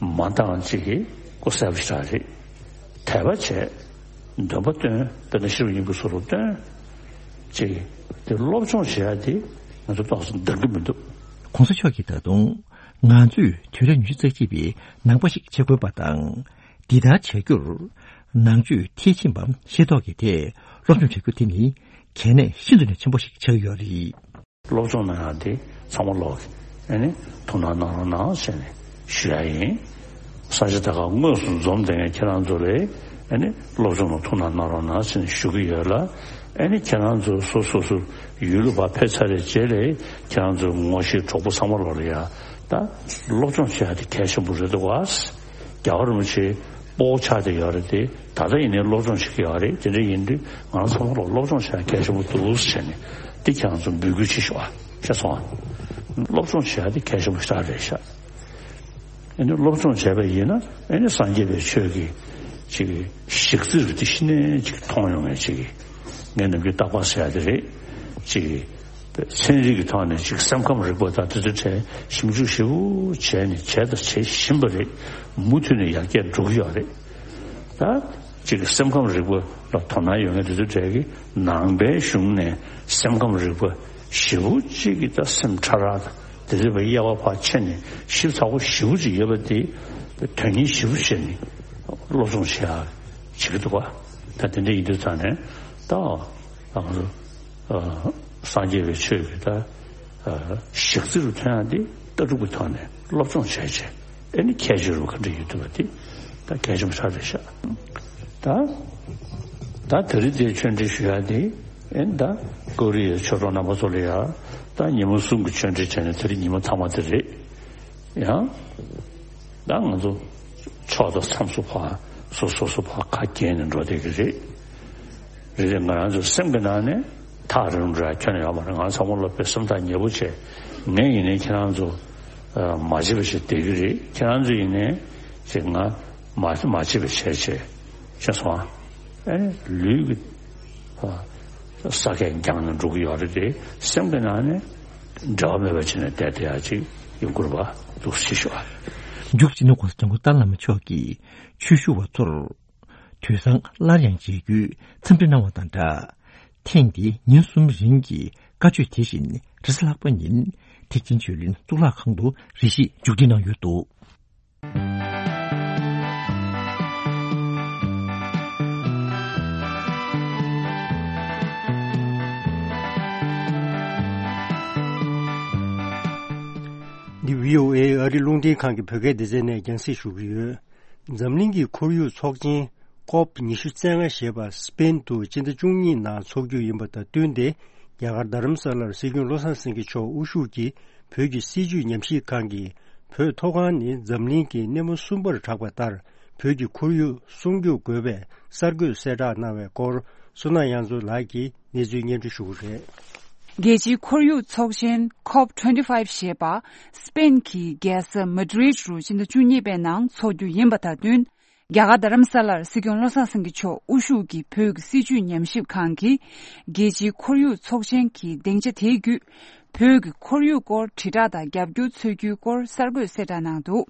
མ་འདང་ཅིག་གི་ལྐོག་ཟ་པ་ཞིག་རེད། དད་པ་བྱས། འདོན་པ་བཏོན། དཔེར་ན་ཤེས་རབ་སྙིང་པོའི་ཚུལ་ལ་བཏོན། ཅིག་དེ་སློབ་སྦྱོང་བྱེད་ཡ་དེ་ང་ཚོ་ཏོག་ཙམ་འདང་གི་མི་འདུག། ༸གོང་ས་མཆོག་གིས་ད་དུང་ང་ཚོས་དུས་རབས་ཉི་ཤུ་རྩ་གཅིག་པའི་ནང་པ་ཞིག་བྱེད་དགོས་པ་དང་། འདི་ལྟར་བྱ་རྒྱུར་ནང་ཆོས་མཐིལ་ཕྱིན་པ་ཤེས་རྟོགས་ཀྱི་ཐད་སློབ་སྦྱོང་བྱ་རྒྱུ་དེ་ནི་གལ་གནད་ཤིན་ཏུ་ནས་ཆེན་པོ་ཞིག་ཆགས་ཀྱི་ཡོད་རེད། སློབ་སྦྱོང་གནང་ཡག་དེ་ཚང་མ་ལོག་གི་ཨ་ནི་ཐུགས་སྣང་གནང་རོགས་གནང་ཟེར་ནས་ཞུ་ཡག་ཡིན། ས་ཆ་དེ་ག་དངོས་སུ་འཛོམས་བསྡད་མཁན་ཁྱེད་རང་ཚོ་ལ་ཨ་ནི་སློབ་སྦྱོང་ལ་ཐུགས་སྣང་གནང་རོགས་གནང་ཟེར་ནས་ཞུ་གི་ཡོད་ལ། ཨ་ནི་ཁྱེད་རང་ཚོ་སོ་སོ་སོ་ཡུལ་ལ་ཕར་ཕེབས་ཚར་བའི་རྗེས་ལ་ཁྱེད་རང་ཚོའི་ངོ་ཤེས་གྲོགས་པོ་ཚང་མ་ལོག་ལ་ཡ་ད་སློབ་སྦྱོང་བྱེད་ཡག་དེ་གལ་ཆེན་པོ་རེད་འདུག་བ། རྒྱལ་བ་རིན་པོ་ཆེ་དཔའ་བོ་ཆགས་བསྡད་ཡོད་རེད་དེ། ད་ལྟ་ཡིན་ནའི་སློབ་སྦྱོང་བྱེད་ཀྱི་ཡོད་རེད། དེ་འདྲ་ཡིན་དུས་ང་རང་ཚང་མ་ལ་སློབ་སྦྱོང་བྱེད་ཡ་གལ་ཆེན་པོ་འདུག་ཟེར་ནས་འདི་ཁྱེད་རང་ཚོ་འབོད་སྐུལ་བྱེད་ཤོག་ཨ། ཤེས་སོང་ཨ། སློབ་སྦྱོང་བྱེད་ཡ་དེ་གལ་ཆེན་པོ་ཞེ་དྲག་རེད་ཤག། ཨ་ནི་སློབ་སྦྱོང་བྱས་པ་ཡིན་ན་ཨ་ནི་སངས་རྒྱས་པའི་ཆོས་ཀྱི་ཅིག་གཞི་རྩ་རུ་དེ་གཞི་ནས་ཅིག་མཐོང་ཡོང་ངེས་ཅིག་གི་ངས་ནམ་རྒྱུན་རྟག་པར་ཟེར་ཡ་དེ་རེད། ཅིག་གི་ཚན་རིག་གི་ཐོག་ནས་ཅིག་སེམས་ཁམས་རིག་པ་དང་དེ་ཚོའི་གྲས་ཞིབ་འཇུག་ཞིབ་པོ་བྱས་ནས་བྱས་དང་བྱེད་བཞིན་པ་རེད། མུ་མཐུད་ནས་ཡར་རྒྱས་འགྲོ་གི་ཡོད་རེད། ད་ཅིག་སེམས་ཁམས་རིག་པ་ལ་དོ་སྣང་ཡོད་མཁན་དེ་ཚོའི་གྲས་ཀྱིས་ནང་པའི་གཞུང་ནས་སེམས་ཁམས་རིག་པ་ཞེ་པོ་ཅིག་གི་ད་སེམས་ཕྲ་རགས་དང་དེ་ཚོའི་དབྱེ་བ་ཕར་ཕྱེ་ནས་ཞིབ་ཚགས་པོ་ཞེ་པོ་ཅིག་ཡོད་པ་དེ་དོན་གཉེར་ཞེ་པོ་བྱས་ནས་སློབ་སྦྱོང་བྱེད་ཡག་བྱེད་ཀྱི་འདུག་བ། ད་དེ་འདྲ་ཡིན་དུས་ཙང་ནས་ད་ང་ཚོ་ཨ་སངས་རྒྱས་པའི་ཆོས་ཀྱི་ད་ཨ་གཞི་རྩ་རུ་ཐོན་ཡག་འདི་ལྟ་གྲུབ་ཀྱི་ཐོག་ནས་སློབ་སྦྱོང་བྱས་བྱས། ཨ་ནི་ཁྱད་ཆོས་རུ་ག་འདྲ་ཡོད་འདུག་བ་དེ་ད་གལ་ཆེན་པོ་ཞེ་དྲག་རེད་ཤག། ད་ད་དེ་རིང་འདིར་ཆོས་འབྲེལ་ཞུ་ཡག་དེ་ཨ་ནི་ད་ཀོ་རི་ཡའི་ཆོས་གྲོགས་རྣམ་པ་ཚོ་ལ་ཡ་ད་ཉིན་མོ་གསུམ་གྱི་ཆོས་འབྲེལ་བྱས་ནས་དེ་རིང་ཉིན་མོ་མཐའ་མ་དེ་རེད། ཡང་ད་ང་ཚོ་ཕྱོགས་དང་མཚམས་སུ་ཕར་སོ་སོ་སོ་ཕར་ཁ་གྱེས་ནས་འགྲོ་བསྡད་ཀྱི་རེད། རེད་རེད། ང་རང་ཚོའི་སེམས་ཀྱི་ནང་ནས་ཐག་རིང་རུ་ར་ཁྱོན་ནས་ཡོད་མ་རེད། ང་ཚང་མ་སློབ་པའི་སེམས་ཐག་ཉེ་པོ་བྱས། ངས་ཡིན་ནའི་ཁྱེད་རང་ཚོ་མ་བྱེད་པ་བྱས་བསྡད་ཀྱི་རེད། ཁྱེད་རང་ཚོ་ཡིན་ནའི་ཅིག་ང་མ་མ་བྱེད་པ་བྱས་བྱས་ཤེས་སོང་ཨ། ཨེ་ལུས་ཀྱི་ས་ཁས་འགྱངས་ནས་འགྲོ་གི་ཡོད་རེད་དེ། སེམས་ཀྱི་ནང་ནས་འབྲལ་བ་མེད་པ་བྱས་ནས་བསྡད་བསྡད་ཡ་ཅིག་ཡོང་དགོས་པ་འདུག་ཞེས་ཞུ་བ། མཇུག་སྤྱི་ནོར་༸གོང་ས་༸སྐྱབས་མགོན་ཏཱ་ལའི་བླ་མ་མཆོག་གིས་ཆོས་ཞུ་བ་ཚོར། དུས་བཟང་སླར་ཡང་མཇལ་རྒྱུའི་འཚམས་འདྲི་གནང་བ་དང་སྦྲགས། ཐེངས་འདིའི་ཉིན་གསུམ་རིང་གི་བཀའ་ཆོས་དེ་བཞིན་རེས་གཟའ་ལྷག་པ་ཉིན་ཐེག་ཆེན་ཆོས་གླིང་གཙུག་ལག་ཁང་དུ་རེ་ཞིག་མཇུག་སྒྲིལ་གནང་ཡོད་འདུག། འདི་བྷི་ཨོ་ཨེ་ཨ་རི་རླུང་འཕྲིན་ཁང་གི་བོད་སྐད་སྡེ་ཚན་ནས་རྒྱང་སྲིང་ཞུ་གི་ཡོད། འཛམ་གླིང་གི་ཁོར་ཡུག་ཚོགས་ཆེན་ཀོབ་ཉི་ཤུ་རྩ་ལྔ་ཞེས་པ་སི་པེན་དུ་སྤྱི་ཟླ་བཅུ་གཉིས་ནང་འཚོགས་རྒྱུ་ཡིན་པ་དང་བསྟུན་ཏེ། རྒྱ་གར་རྡ་རམ་ས་ལར་སྲིད་སྐྱོང་བློ་བཟང་སེང་གེ་མཆོག་དབུ་བཞུགས་ཀྱིས་བོད་ཀྱི་སྲིད་བྱུས་ཉམས་ཞིབ་ཁང་གིས། བོད་མཐོ་སྒང་ནི་འཛམ་གླིང་གི་སྣེ་མོ་གསུམ་པར་གྲགས་པ་ལྟར། བོད་ཀྱི་ཁོར་ཡུག་སྲུང་སྐྱོབ་དགོས་པའི་གསར་འགོད་གསལ་བསྒྲགས་གནང་བའི་སྐོར། བསོད་ནམས་དབྱངས་མཚོ་ལགས་ཀྱིས་གནས་ཚུལ་སྙན་སྒྲོན་ཞུ་གི་རེད། རྒྱལ་སྤྱིའི་ཁོར་ཡུག་ཚོགས་ཆེན་ཀོབ་ཊུ་ཝེན་ཊི་ཕའིབ་ཞེས་པ། སི་པེན་གྱི་རྒྱལ་ས་མ་ཌི་རིད་རུ་སྤྱི་ཟླ་བཅུ་གཉིས་པའི་ནང་འཚོགས་རྒྱུ་ཡིན་པ་དང་བསྟུན། རྒྱ་གར་རྡ་རམ་ས་ལར་སྲིད་སྐྱོང་བློ་བཟང་སེང་གེ་མཆོག་དབུ་བཞུགས་ཀྱི་བོད་ཀྱི་སྲིད་བྱུས་ཉམས་ཞིབ་ཁང་གིས། རྒྱལ་སྤྱིའི་ཁོར་ཡུག་ཚོགས་ཆེན་གྱི་སྡིངས་ཆ་དེའི་བརྒྱུད། བོད་ཀྱི་ཁོར་ཡུག་སྐོར་དྲིལ་བསྒྲགས་དང་རྒྱབ་སྐྱོར་འཚོལ་རྒྱུའི་སྐོར་གསར་འགོད་གསལ་བསྒྲགས་གནང་འདུག།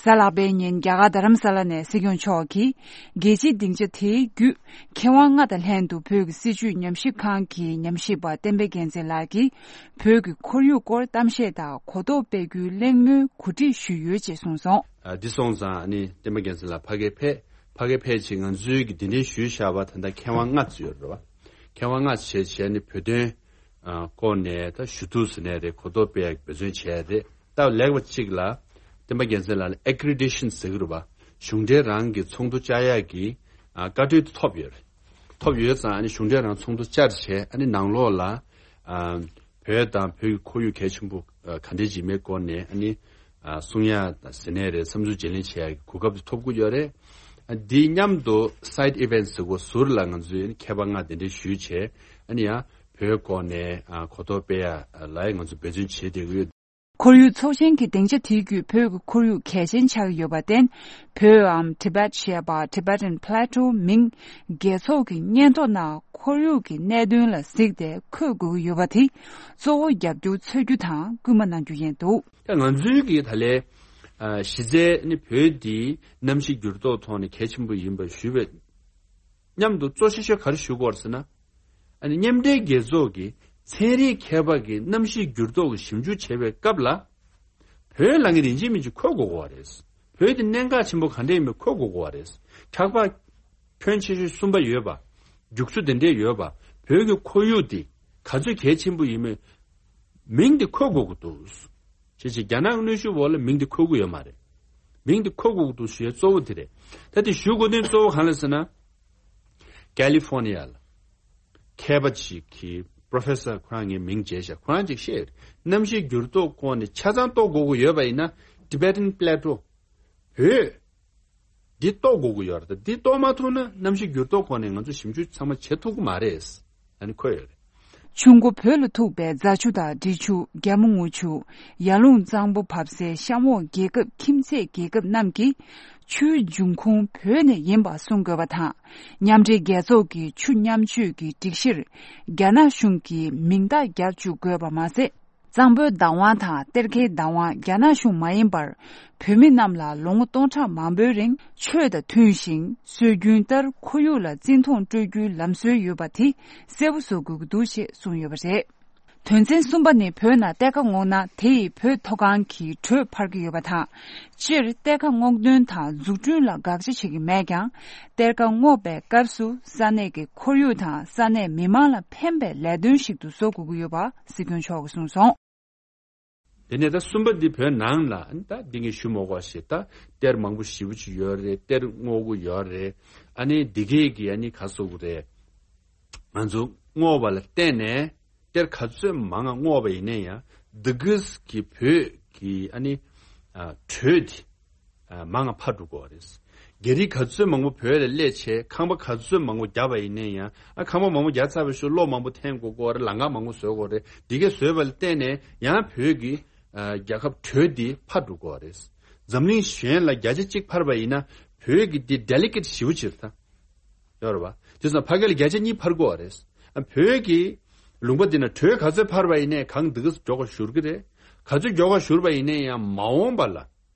གཟའ་ལྷག་པའི་ཉིན་རྒྱ་གར་རྡ་རམ་ས་ལ་ནས་སྲིད་སྐྱོང་མཆོག་གིས། རྒྱལ་སྤྱིའི་སྡིངས་ཆ་དེའི་བརྒྱུད། མཁས་དབང་ལྔ་དང་ལྷན་དུ་བོད་ཀྱི་སྲིད་བྱུས་ཉམས་ཞིབ་ཁང་གི་ཉམས་ཞིབ་པ་བསྟན་པ་རྒྱལ་མཚན་ལགས་ཀྱིས། བོད་ཀྱི་ཁོར་ཡུག་སྐོར་གཏམ་བཤད་དང་གོ་རྟོགས་སྤེལ་རྒྱུའི་གླེང་མོལ་གོ་སྒྲིག་ཞུས་ཡོད་ཅེས་གསུངས་སོང་། ཨ། འདི་སོང་ཙང་ཨ་ནི་བསྟན་པ་རྒྱལ་མཚན་ལགས་ཕ་གིར་ཕེབས། ཕ་གིར་ཕེབས་ཕྱིན་ང་ཚོའི་གི་འདི་འདྲའི་ཞུས་བཞག་པ་ད་ལྟ་མཁས་དབང་ལྔ་ཙམ་ཡོད་རེད་བ། མཁས་དབང་ལྔ་བྱས་བྱས་ནི་བོད་དོན་ཨ་སྐོར་ནས་ད་ཞུ་གཏུག་ཟེར་ནའི་རེད། གོ་རྟོགས་སྤེལ་ཡག་འབད་བརྩོན་བྱས་རེད། ད་ལེགས་པ་གཅིག་ལ་བསྟན་པ་རྒྱལ་མཚན་ལགས་ལ་ཨེ་ཀི་རི་ཌི་ཤན་ཟེར་གི་རེད་བ། གཞུང་འབྲེལ་རང་གི་ཚོགས་འདུ་བཅར་ཡག་གི་ཨ་བཀའ་འཁྲོལ་དེ་ཐོབ་ཡོད་རེད། ཐོབ་ཡོད་ཙང་ཨ་ནི་གཞུང་འབྲེལ་རང་ཚོགས་འདུ་བཅར་བྱས་ཨ་ནི་ནང་ལོགས་ལ་ཨ་བོད་དང་བོད་ཀྱི་ཁོར་ཡུག་གལ་ཆེན་པོ་ཨ་ག་འདྲས་ཅིག་མེད་སྐོར་ནས་ཨ་ནི་ཨ་གསུང་ཡག་དང་ཟེར་ནའི་རེད། བསམ་ཚུལ་བརྗེ་ལེན་བྱེད་ཡག་གི་གོ་སྐབས་དེ་ཐོབ་ཀྱི་ཡོད་རེད། འདི་མཉམ་དུ་side events་ཟེར་གོ་ཟུར་ལ་ང་ཚོས་མཁས་པ་ལྔ་དེ་འདྲ་ཞུས་བྱས། ཨ་ནི་ཡང་བོད་སྐོར་ནས་ཨ་གོ་རྟོགས་སྤེལ་ཡ་ལ་ང་ཚོ་འབད་བརྩོན་བྱེད་བསྡད་ཀྱི་ཡོད། ཁོར་ཡུག་ཚོགས་ཆེན་གྱི་སྡིངས་ཆ་དེའི་བརྒྱུད་བོད་ཀྱི་ཁོར་ཡུག་གལ་ཆེན་ཆགས་ཀྱི་ཡོད་པར་བརྟེན། བོད་འམ་Tibet་ཞེས་པ་Tibetan Plateau་མིང་རྒྱལ་ཚོགས་ཀྱི་སྙན་ཐོ་ནང་ཁོར་ཡུག་གི་གནད་དོན་ལ་གཟིགས་ཏེ་འཁོད་དགོས་ཀྱི་ཡོད་པ་དེ་གཙོ་བོ་རྒྱབ་སྐྱོར་འཚོལ་རྒྱུ་དང་སྐུལ་མ་གནང་རྒྱུ་ཡིན་འདུག་ད་ང་ཚོའི་གི་ད་ལས་ཨ་གཞི་རྩའི་ནི་བོད་འདི་གནམ་གཤིས་འགྱུར་ལྡོག་ཐོག་ནས་གལ་ཆེན་པོ་ཡིན་པ་ཞུས་པའི་མཉམ་དུ་གཙོ་ཆེ་ཤོས་ག་རེ་ཞུ་དགོས་རེད་ཟེར་ན། ཨ་ནི་མཉམ་འབྲེལ་རྒྱལ་ཚོགས་ཀྱི་ཚན་རིག་མཁས་པ་གིས་གནམ་གཤིས་འགྱུར་ལྡོག་གི་ཞིབ་འཇུག་བྱེད་པའི་སྐབས་ལ། བོད་ལ་ངས་རིན་ཆེན་མིན་གྱི་འཁོད་དགོས་གོ་བ་རེད། བོད་དེ་གནད་འགག་ཆེན་པོ་ག་འདྲ་ཡིན་མིན་འཁོད་དགོས་གོ་བ་རེད། ཁྱག་པ་ཁྱོན་ཆེ་ཤོས་གསུམ་པ་ཡོད་པ། རྒྱུག་ཆུ་དེ་འདྲས་ཡོད་པ། བོད་ཀྱི་ཁོར་ཡུག་དེ་ག་ཚོད་གལ་ཆེན་པོ་ཡིན་མིན་མིང་དེ་འཁོད་དགོས་ཀྱི་འདུག་བྱས་ཙང་རྒྱ་ནག་གནོན་ཤུགས་འོག་ལ་མིང་དེ་འཁོད་ཀྱི་ཡོད་མ་རེད། མིང་དེ་འཁོད་དགོས་ཀྱི་འདུག་ཞུ་ཡ་གཙོ་བོ་དེ་རེད། ད་དེ་ཞུ་དགོས་དོན་གཙོ་བོ་གང་ལ་ཟེར་ན། ཀ་ལི་ཧྥོ་ནི་ཡ་ལ་མཁས་པ་ཅིག་གིས་Professor་ཁོ་རང་ངའི་མིང་བརྗེས་ཤག་ཁོ་རང་ཅིག་བཤད་ཡོད་རེད། གནམ་གཤིས་འགྱུར་ལྡོག་སྐོར་ནས་ཆ་ཚང་རྟོགས་དགོས་ཀྱི་ཡོད་པ་ཡིན་ན་Tibetan Plateau་བོད་འདི་རྟོགས་དགོས་ཀྱི་ཡོད་རེད། འདི་རྟོགས་མ་ཐུབ་ན་གནམ་གཤིས་འགྱུར་ལྡོག་སྐོར་ནས་ང་ཚོ་ཞིབ་འཇུག་ཚང་མ་བྱེད་ཐུབ་ཀྱི་མ་རེད། ཨ་ནི་འཁོད་ཡོད་རེད། ཆུ་མགོ་བོད་ལ་ཐུག་པའི་རྫ་ཆུ་དང་འབྲི་ཆུ། རྒྱ་མོ་རྔུལ་ཆུ། ཡར་ཀླུང་གཙང་པོ་བབས་སའི་གཤམ་འོག་རྒྱལ་ཁབ་ཁྱིམ་མཚེས་རྒྱལ་ཁབ་རྣམས་ཀྱིས་ཆུའི་འབྱུང་ཁུངས་བོད་ནས་ཡིན་པ་གསུང་དགོས་པ་དང་། མཉམ་འབྲེལ་རྒྱལ་ཚོགས་ཀྱི་ཆུ་མཉམ་སྤྱོད་ཀྱི་སྒྲིག་གཞིར་རྒྱ་ནག་གཞུང་གིས་མིང་རྟགས་རྒྱག་བཅུག་དགོས་པ་མ་ཟད། གཙང་པོའི་བདག་དབང་དང་གཏེར་ཁའི་བདག་དབང་རྒྱ་ནག་གཞུང་མ་ཡིན་པར། བོད་མི་རྣམས་ལ་ལོ་ངོ་སྟོང་ཕྲག་མང་པོའི་རིང་ཆོས་དང་མཐུན་ཞིང་སྲོལ་རྒྱུན་ལྟར་ཁོར་ཡུག་ལ་བརྩི་མཐོང་སྤྲོད་རྒྱུའི་ལམ་སྲོལ་ཡོད་པ་དེ་གསལ་པོ་བཟོ་དགོས་ཀྱི་འདུག་ཅེས་གསུངས་ཡོད་པ་རེད། དོན་ཚན་གསུམ་པ་ནི་བོད་ནང་གཏེར་ཁ་སྔོག་ན་དེ་ཡིས་བོད་མཐོ་སྒང་གི་དྲོད་འཕར་གྱི་ཡོད་པ་དང་། སྤྱིར་གཏེར་ཁ་སྔོག་འདོན་དང་འཛུགས་སྐྲུན་ལ་དགག་བྱ་བྱེད་ཀྱི་མེད་ཀྱང་། གཏེར་ཁ་སྔོག་པའི་སྐབས་སུ་ས་གནས་ཀྱི་ཁོར་ཡུག་དང་ས་གནས་མི་མང་ལ་ཕན་པའི་ལས་དོན་ཞིག་ཏུ་བཟོ་དགོས་ཀྱི་ཡོད་པ་སྲིད་སྐྱོང་མཆོག་གིས་གསུངས་སོང་། དེ་ནས་ད་གསུམ་པ་འདི་བོད་ནང་ལ་ད་འདི་ངས་ཞུ་མ་དགོས་ཞེས་ད་གཏེར་མང་པོ་ཞེ་པོ་ཅིག་ཡོད་རེད། གཏེར་སྔོག་གི་ཡོད་རེད། ཨ་ནི་འདི་གས་ཀྱི་ཨ་ནི་ག་ཟེར་དགོས་རེད། ང་ཚོ་སྔོག་པ་ལ་བརྟེན་ནས་གཏེར་ག་ཚོད་མང་ང་སྔོག་པ་ཡིན་ན་ཡང་འདི་གས་ཀྱི་བོད་ཀྱི་ཨ་ནི་ཨ་དྲོད་དེ་ཨ་མང་ང་འཕར་འགྲོ་གི་ཡོད་རེད། རྒྱ་རིགས་ག་ཚོད་མང་པོ་བོད་ལ་སླེབས་བྱས་ཁང་པ་ག་ཚོད་མང་པོ་བརྒྱབ་པ་ཡིན་ན་ཡང་། ཨ་ཁང་པ་མང་པོ་བརྒྱབ་ཚར་བའི་ཤུལ་གློག་མང་པོ་འཐེན་དགོས་ཀྱི་ཡོད་རེད། ལམ་ཁ་མང་པོ་བཟོ་དགོས་རེད། འདི་གས་བཟོས་པ་ལ་བརྟེན་ནས་ཡང་བོད་ཀྱི་ཨ་རྒྱལ་ཁབ་དྲོད་འདི་འཕར་འགྲོ་གི་ཡོད་རེད། འཛམ་གླིང་གཞན་ལ་བརྒྱ་ཆ་གཅིག་འཕར་བ་ཡིན་ན་བོད་ཀྱི་འདི་delicate་ཞེ་པོ་ཅིག་རེད་ད། ཡོད་རེད་པ། དེ་ཙང་ཕ་གི་ལ་བརྒྱ་ཆ་གཉིས་འཕར་གྱི་ཡོད་རེད། ཨ་བོད་ཀྱི་ལུང་པ་འདི་ན་དྲོད་ག་ཚོད་འཕར་བ་ཡིན་ནའི་གངས་འདི་གས་མགྱོགས་པ་བཞུར་གི་རེད། ག་ཚོད་མགྱོགས་པ་བཞུར་བ་ཡིན་ནའི་ཡང་མ་འོངས་པ་ལ་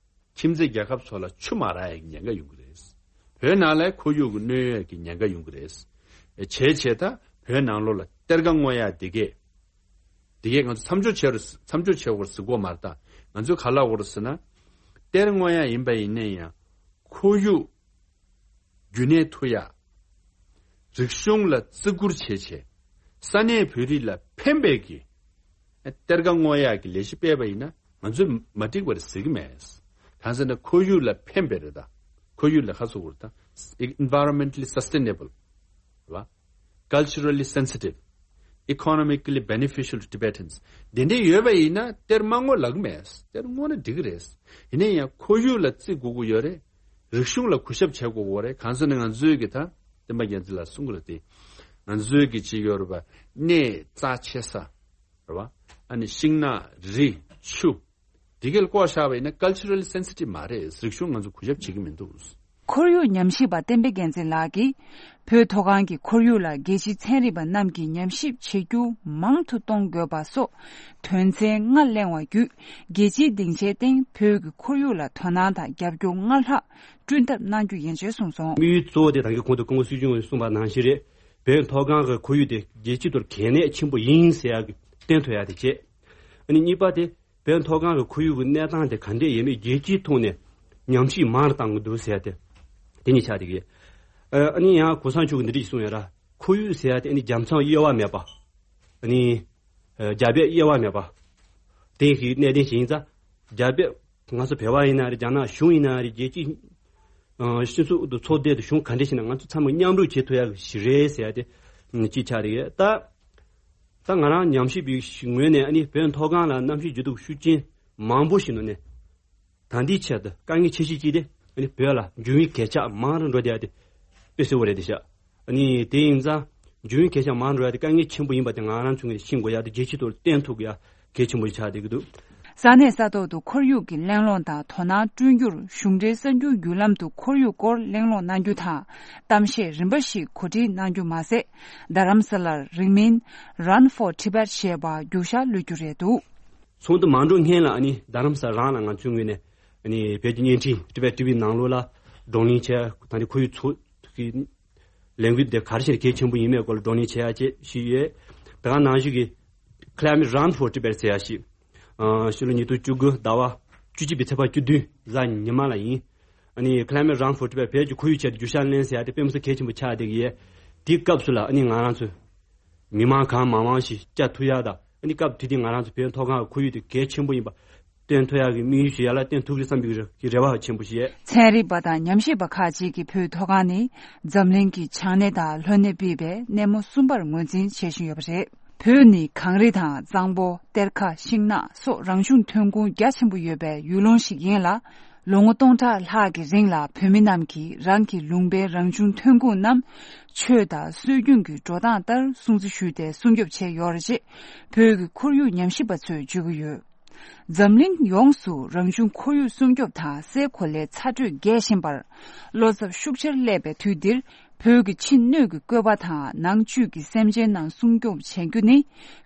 ཁྱིམ་མཚེས་རྒྱལ་ཁབ་ཚོ་ལ་ཆུ་མ་རག་ཡག་གི་ཉེན་ཁ་ཡོང་གི་རེད། བོད་ནང་ལ་ཁོར་ཡུག་གི་གནོད་ཡག་གི་ཉེན་ཁ་ཡོང་གི་རེད། བྱས་བྱས་ད་བོད་ནང་ལོགས་ལ་གཏེར་ཁ་སྔོག་ཡག་འདི་གས། འདི་གས་ང་ཚོ་མཚམས་འཇོག་བྱེད་རུ་མཚམས་འཇོག་བྱེད་དགོས་ཟེར་གོ་མ་རེད་ད། ང་ཚོས་ག་ལབ་དགོས་རེད་ཟེར་ན། གཏེར་སྔོག་ཡག་ཡིན་པ་ཡིན་ནའི་ཡང་ཁོར་ཡུག་རྒྱུན་གནས་ཐུབ་ཡག་རིག་གཞུང་ལ་བརྩི་བཀུར་བྱེད་ཆེད། ས་གནས་བོད་རིགས་ལ་ཕན་པའི་གི་གཏེར་ཁ་སྔོག་ཡག་གི་ལས་གཞི་སྤེལ་བ་ཡིན་ན་ང་ཚོས་མ་འགྲིག་པ་རེད་ཟེར་གི་མེད། གང་ཟེར་ན་ཁོར་ཡུག་ལ་ཕན་པའི་རེད་ད། ཁོར་ཡུག་ལ་ཁ་གསོ་དགོས་རེད་ད། Environmentally sustainable་རེད་བ། Culturally sensitive, economically beneficial to Tibetans། དེ་འདྲ་ཡོད་པ་ཡིན་ན་གཏེར་མ་སྔོག་ལབ་གི་མེད། གཏེར་སྔོག་ན་འགྲིག་གི་རེད། ཡིན་ན་ཡང་ཁོར་ཡུག་ལ་བརྩི་དགོས་ཀྱི་ཡོད་རེད། རིག་གཞུང་ལ་གུས་ཞབས་བྱེད་དགོས་ཀྱི་ཡོད་རེད། གང་ཟེར་ན་ང་ཚོའི་གི་ད་བསྟན་པ་རྒྱལ་མཚན་ལགས་གསུང་གི་རེད་དེ། ང་ཚོའི་གི་ཅིག་ཡོད་རེད་པ། གནས་རྩ་ཆེ་ས་རེད་བ། ཨ་ནི་ཤིང་ནགས་རི་ཆུ། དེ་གས་ལ་བཀོག་བཞག་པ་ཡིན་ན་culturally sensitive་མ་རེད། རིག་གཞུང་ང་ཚོ་གུས་ཞབས་བྱེད་ཀྱི་མི་འདུག། ཁོར་ཡུག་ཉམས་ཞིབ་པ་བསྟན་པ་རྒྱལ་མཚན་ལགས་ཀྱིས། བོད་མཐོ་སྒང་གི་ཁོར་ཡུག་ལ་རྒྱལ་སྤྱིའི་ཚན་རིག་པ་རྣམས་ཀྱིས་ཉམས་ཞིབ་བྱེད་རྒྱུ་མང་དུ་གཏོང་དགོས་པ་སོགས་དོན་ཚན་ལྔ་གླེང་བ་བརྒྱུད། རྒྱལ་སྤྱིའི་སྡིངས་ཆའི་སྟེང་བོད་ཀྱི་ཁོར་ཡུག་ལ་དོ་སྣང་དང་རྒྱབ་སྐྱོར་སྔར་ལྷག་བསྐྲུན་ཐབས་གནང་རྒྱུ་ཡིན་ཞེས་གསུངས་སོང་། དམིགས་ཡུལ་གཙོ་བོ་དེ་ད་གིན་གོང་དུ་སྐུ་ངོ་སྲིད་སྐྱོང་གིས་གསུངས་པ་ནང་བཞིན་རེད། བོད་མཐོ་སྒང་གི་ཁོར་ཡུག་དེ་རྒྱལ་སྤྱིའི་ཐོག་གལ་གནད་ཆེན་པོ་ཡིན་ཟེར་ཡག་གི་བསྟན་ཐུབ་ཡག་དེ་བྱས། ཨ་ནི་གཉིས་པ་དེ། བོད་མཐོ་སྒང་གི་ཁོར་ཡུག་གི་གནས་སྟངས་དེ་ག་འདྲས་ཡོད་མེད་རྒྱལ་སྤྱིའི་ཐོག་ནས་ཉམས་ཞིབ་མང་རུ་བཏང་གི་འདུག་ཟེར་ཏེ། དེ་གཉིས་ཆགས་བསྡད་ཀྱི། ཨ་ནི་ཡང་གོང་ས་མཆོག་གིས་འདི་འདྲ་ཞིག་གསུངས་ཡོད་ར། ཁོར་ཡུག་ཟེར་ཡ་དེ་ཨ་ནི་རྒྱལ་མཚམས་དབྱེ་བ་མེད་པ། ཨ་ནི་རྒྱ་བལ་དབྱེ་བ་མེད་པ། དེ་ཞིག་གནད་དོན་ཞིག་ཡིན་ཙང་། རྒྱ་བལ་ང་ཚོ་བོད་པ་ཡིན་ན་རེད། རྒྱ་ནག་གཞུང་ཡིན་ན་རེད། རྒྱལ་སྤྱིའི་སྤྱི་ཚོགས་དང་ཚོགས་སྡེ་དང་གཞུང་ག་འདྲ་ཞིག་ན་ང་ཚོ་ཚང་མ་མཉམ་རུབ་བྱེད་ཐུབ་ཡ་ཞིག་རེད་ཟེར་ཡ་དེ་གཅིག་ཆགས་བསྡད་ཀྱི་ཡོད་ད། ད་ང་རང་ཉམས་ཞིབ་པའི་ངོས་ནས་ཨ་ནི་བོད་མཐོ་སྒང་ལ་གནམ་གཤིས་འགྱུར་ལྡོག་ཤུགས་རྐྱེན་མང་པོ་ཞིག་ནང་ནས་ད་ལྟའི་ཆར་དུ་དཀའ་ངལ་ཆེ་ཤོས་གཅིག་དེ་ ཨ་ནི་བོད་ལ་འབྱུང་བའི་གད་ཆག་མང་རུ་འགྲོ་བསྡད་ཡ་དེ་དཔེ་གསལ་པོ་རེད་དེ་ཤག་ཨ་ནི་དེ་ཡིན་ཙང་འབྱུང་བའི་གད་ཆག་མང་རུ་འགྲོ་ཡ་དེ་དཀའ་ངལ་ཆེན་པོ་ཡིན་པ་དེ་ང་རང་ཚོ་ངོས་ནས་ཤེས་དགོས་ཡ་དེ་རྒྱལ་སྤྱིའི་ཐོག་ལ་བསྟན་ཐུབ་ཡ་གལ་ཆེན་པོ་ཆགས་བསྡད་ཀྱི་འདུག་ས་གནས་ས་ཐོག་ཏུ་ཁོར་ཡུག་གི་གླེང་སློང་དང་དོ་སྣང་བསྐྲུན་རྒྱུར་གཞུང་འབྲེལ་གསར་འགྱུར་བརྒྱུད་ལམ་དུ་ཁོར་ཡུག་སྐོར་གླེང་སློང་གནང་རྒྱུ་དང་གཏམ་བཤད་རིམ་པ་ཞིག་གོ་སྒྲིག་གནང་རྒྱུ་མ་ཟད། རྡ་རམ་ས་ལར་རིང་མིན་Run for Tibet ཞེས་པ་རྒྱུག་ཤར་གློད་རྒྱུ་རེད་འདུག་ཚོགས་འདུ་མ་འགྲོ་སྔོན་ལ་ཨ་ནི་རྡ་རམ་ས་རང་ལ་ང་ཚོའི་ངོས་ནས་ཨ་ནི་བོད་ཀྱི་བརྙན་འཕྲིན་Tibet TV ནང་ལོགས་ལ་བགྲོ་གླེང་བྱས། ད་ནི་ཁོར་ཡུག་ཚོགས་ཀྱི་ལས་འགུལ་དེ་ག་རེ་བྱས་ནས་གལ་ཆེན་པོ་ཡིན་མེད་སྐོར་ལ་བགྲོ་གླེང་བྱེད་ཡ་བཅས་ཞིག་ཡོད། དེ་ག་ནང་བཞིན་གྱི་Climate Run for Tibet ཟེར་ཡ་ཞིག་ཨ་ཕྱི་ལོ་ཉིས་སྟོང་བཅུ་དགུ་ཟླ་བ་བཅུ་གཅིག་པའི་ཚེས་པ་བཅུ་བདུན་གཟའ་ཉི་མ་ལ་ཡིན། ཨ་ནི་Climate Run for Tibet བོད་ཀྱི་ཁོར་ཡུག་ཆེད་དུ་རྒྱུག་ཤར་ལེན་ཟེར་ཡ་དེ་དཔེ་མི་སྲིད་གལ་ཆེན་པོ་ཆགས་བསྡད་ཀྱི་ཡོད། དེའི་སྐབས་སུ་ལ་ཨ་ནི་ང་རང་ཚོ་མི་མང་གང་མང་མང་ཞིག་བཅར་ཐུབ་ཡ་དང་། ཨ་ནི་སྐབས་དེ་དུས་ང་རང་ཚོ་བོད་མཐོ་སྒང་གི་ཁོར་ཡུག་དེ་གལ་ཆེན་པོ་ཡིན་པ་སྟོན་ཐུབ་ཡ་གི་དམིགས་ཡུལ་ཞིག་ཡར་ལ་བཏོན་ཐུབ་ཀྱི་བསམ་པའི་རེ་བ་ཆེན་པོ་ཞིག་ཡོད། ཚན་རིག་པ་དང་ཉམས་ཞིབ་པ་ཁག་ཅིག་གིས་བོད་མཐོ་སྒང་ནི་འཛམ་གླིང་གི་བྱང་སྣེ་དང་ལྷོ་སྣེ་སྤེལ་བའི་སྣེ་མོ་གསུམ་པར་ངོས་འཛིན་བྱེད་བཞིན་ཡོད་པ་རེད། བོད་ནི་གངས་རི་དང་གཙང་པོ། གཏེར་ཁ། ཤིང་ནགས་སོགས་རང་བྱུང་ཐོན་ཁུངས་རྒྱ་ཆེན་པོ་ཡོད་པའི་ཡུལ་ལུང་ཞིག་ཡིན་ལ། ལོ་ངོ་སྟོང་ཕྲག་ལྷག་གི་རིང་ལ་བོད་མི་རྣམས་ཀྱིས་རང་གི་ལུང་པའི་རང་བྱུང་ཐོན་ཁུངས་རྣམས་ཆོས་དང་སྲོལ་རྒྱུན་གྱི་འགྲོ་སྟངས་ལྟར་སྲུང་བརྩི་ཞུས་ཏེ་སྲུང་སྐྱོབ་བྱས་ཡོད་རེད་ཅེས་བོད་ཀྱི་ཁོར་ཡུག་ཉམས་ཞིབ་པ་ཚོས་བརྗོད་ཀྱི་ཡོད། འཛམ་གླིང་ཡོངས་སུ་རང་བྱུང་ཁོར་ཡུག་སྲུང་སྐྱོབ་དང་སའི་གོ་ལའི་ཚ་དྲོད་རྒྱས་བཞིན་པར། བློ་འཚབ་ཤུགས་ཆེར་སླེབས་པའི་དུས་འདིར། བོད་ཀྱི་ཕྱི་སྣོད་ཀྱི་བཀོད་པ་དང་ནང་བཅུད་ཀྱི་སེམས་ཅན་རྣམས་སྲུང་སྐྱོབ་བྱེད་རྒྱུ་ནི།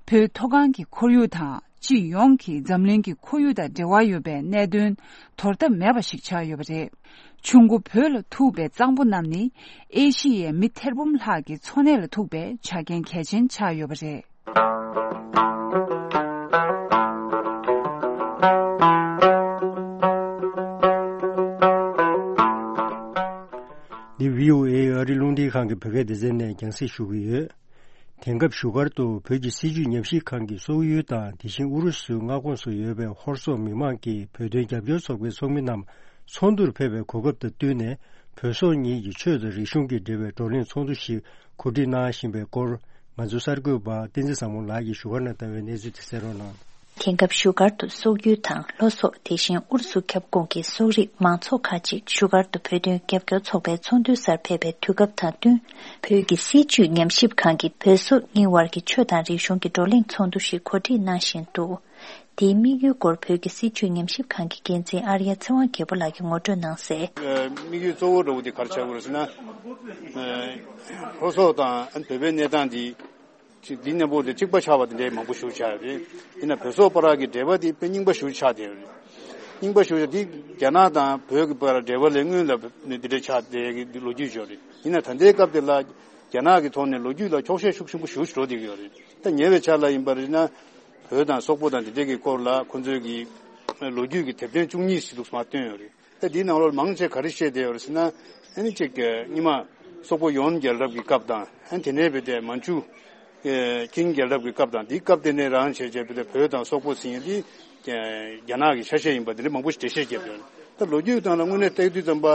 བོད་མཐོ་སྒང་གི་ཁོར་ཡུག་དང་སྤྱི་ཡོངས་ཀྱི་འཛམ་གླིང་གི་ཁོར་ཡུག་དང་འབྲེལ་བ་ཡོད་པའི་གནད་དོན་དོར་ཐབས་མེད་པ་ཞིག་ཆགས་ཡོད་པ་རེད། ཆུ་མགོ་བོད་ལ་ཐུག་པའི་གཙང་པོ་རྣམས་ནི། ཨེ་ཤི་ཡའི་མི་ཐེར་འབུམ་ལྷག་གི་འཚོ་གནས་ལ་ཐུག་པའི་ཆ་རྐྱེན་གལ་ཆེན་ཆགས་ཡོད་པ་རེད། འདི་བྷི་ཨོ་ཨེ་ཨ་རི་རླུང་འཕྲིན་ཁང་གི་བོད་སྐད་སྡེ་ཚན་ནས་རྒྱང་སྲིང་ཞུ་གི་ཡོད། དེང་སྐབས་བཞུགས་སྒར་དུ་བོད་ཀྱི་སྲིད་བྱུས་ཉམས་ཞིབ་ཁང་གི་སོག་ཡུལ་དང་དེ་བཞིན་ཨུ་རུ་སུའི་མངའ་ཁོངས་སུ་ཡོད་པའི་ཧོར་སོག་མི་མང་གི་བོད་དོན་རྒྱབ་སྐྱོར་ཚོགས་པའི་ཚོགས་མི་རྣམས་ཚོགས་འདུར་ཕེབས་པའི་གོ་སྐབས་དང་བསྟུན་ནས། བོད་སོག་གཉིས་ཀྱི་ཆོས་དང་རིག་གཞུང་གི་འབྲེལ་བའི་བགྲོ་གླེང་ཚོགས་འདུ་ཞིག་གོ་སྒྲིག་གནང་བཞིན་པའི་སྐོར། ང་ཚོའི་གསར་འགོད་པ་བསྟན་འཛིན་བཟང་མོ་ལགས་ཀྱིས་བཞུགས་སྒར་ནས་བཏང་བའི་གནས་ཚུལ་དེ་གསན་རོགས་གནང་། དེང་སྐབས་བཞུགས་སྒར་དུ་སོག་ཡུལ་དང་ལྷོ་སོག་དེ་བཞིན་ཨུ་རུ་སུ་ཁྱབ་ཁོངས་ཀྱི་སོག་རིགས་མང་ཚོགས་ཁག་ཅིག་བཞུགས་སྒར་དུ་བོད་དོན་རྒྱབ་སྐྱོར་ཚོགས་པའི་ཚོགས་འདུའི་སར་ཕེབས་པའི་དུས་སྐབས་དང་བསྟུན། བོད་ཀྱི་སྲིད་བྱུས་ཉམས་ཞིབ་ཁང་གིས་བོད་སོག་གཉིས་དབར་གྱི་ཆོས་དང་རིག་གཞུང་གི་བགྲོ་གླེང་ཚོགས་འདུ་ཞིག་གོ་སྒྲིག་གནང་བཞིན་འདུག་དེའི་དམིགས་ཡུལ་སྐོར་བོད་ཀྱི་སྲིད་བྱུས་ཉམས་ཞིབ་ཁང་གི་འགན་འཛིན་ཨར་ཡ་ཚེ་དབང་རྒྱལ་པོ་ལགས་ཀྱིས་ངོ་སྤྲོད་གནང་གསལ། དམིགས་ཡུལ་གཙོ་བོ་འདྲ་བོ་དེ་ག་རེ་ཆགས་ཀྱི་ཡོད་རེད་ཟེར་ན། ལྷོ་སོག་དང་བོད་པའི་གནས་སྟངས་འདི། འདི་གནས་བབ་དེ་གཅིག་པ་ཆགས་པ་དེ་འདྲའི་མང་པོ་ཞིག་ཆགས་ཡོད་རེད། ཡིན་ན་བོད་སོག་བར་གྱི་འབྲེལ་བ་དེ་དཔེ་རྙིང་པ་ཞིག་ཆགས་བསྡད་ཡོད་རེད། རྙིང་པ་ཞིག་དེ་རྒྱ་ནག་དང་བོད་ཀྱི་བར་འབྲེལ་བ་ལས་སྔོན་ལ་འདི་འདྲ་ཆགས་བསྡད་ཀྱི་ལོ་རྒྱུས་ཤིག་ཡོད་རེད། ཡིན་ན་ད་ལྟའི་སྐབས་དེ་ལ་རྒྱ་ནག་གི་ཐོག་ནས་ལོ་རྒྱུས་ལ་འཁྱོག་བཤད་ཤུགས་ཆེན་པོ་ཞིག་འགྲོ་བསྡད་ཀྱི་ཡོད་རེད། ད་ཉེ་བའི་ཆར་ལ་ཡིན་པ་རེད་ན། བོད་དང་སོག་པོ་དང་འདི་འདྲ་གི་སྐོར་ལ་ཁོང་ཚོའི་གི་ལོ་རྒྱུས་ཀྱི་དེབ་ཐེར་བཅུ་གཉིས་ཟེར་འདུག་མར་བཏོན་ཡོད་རེད། ད་འདིའི་ནང་ལོགས་མང་ཆེ་ག་རེ་བཤད་བསྡད་ཡོད་རེད་ཟེར་ན། ཨ་ནི་གཅིག་གི་སྔོན་མ་སོག་པོ་ཡོན་རྒྱལ་རབས་ཀྱི་སྐབས་དང་། ཨ་ནི་དེ་ནས་བྱས་ཏེ་མན་ཇུ་ཀིང་རྒྱལ་རབས་ཀྱི་སྐབས་དང་། འདིའི་སྐབས་དེ་ནས་རང་བྱས་བྱས་ཏེ་བོད་དང་སོག་པོ་ཟེར་མཁན་འདི་རྒྱ་ནག་གི་ཆ་ཤས་ཡིན་པ་འདི་འདྲ་མང་པོ་ཞིག་འགྲེལ་བཤད་བརྒྱབ་ཡོད་རེད། ད་ལོ་རྒྱུས་སྟེང་ལ་དངོས་གནས་བལྟས་དུས་ཙམ་པ།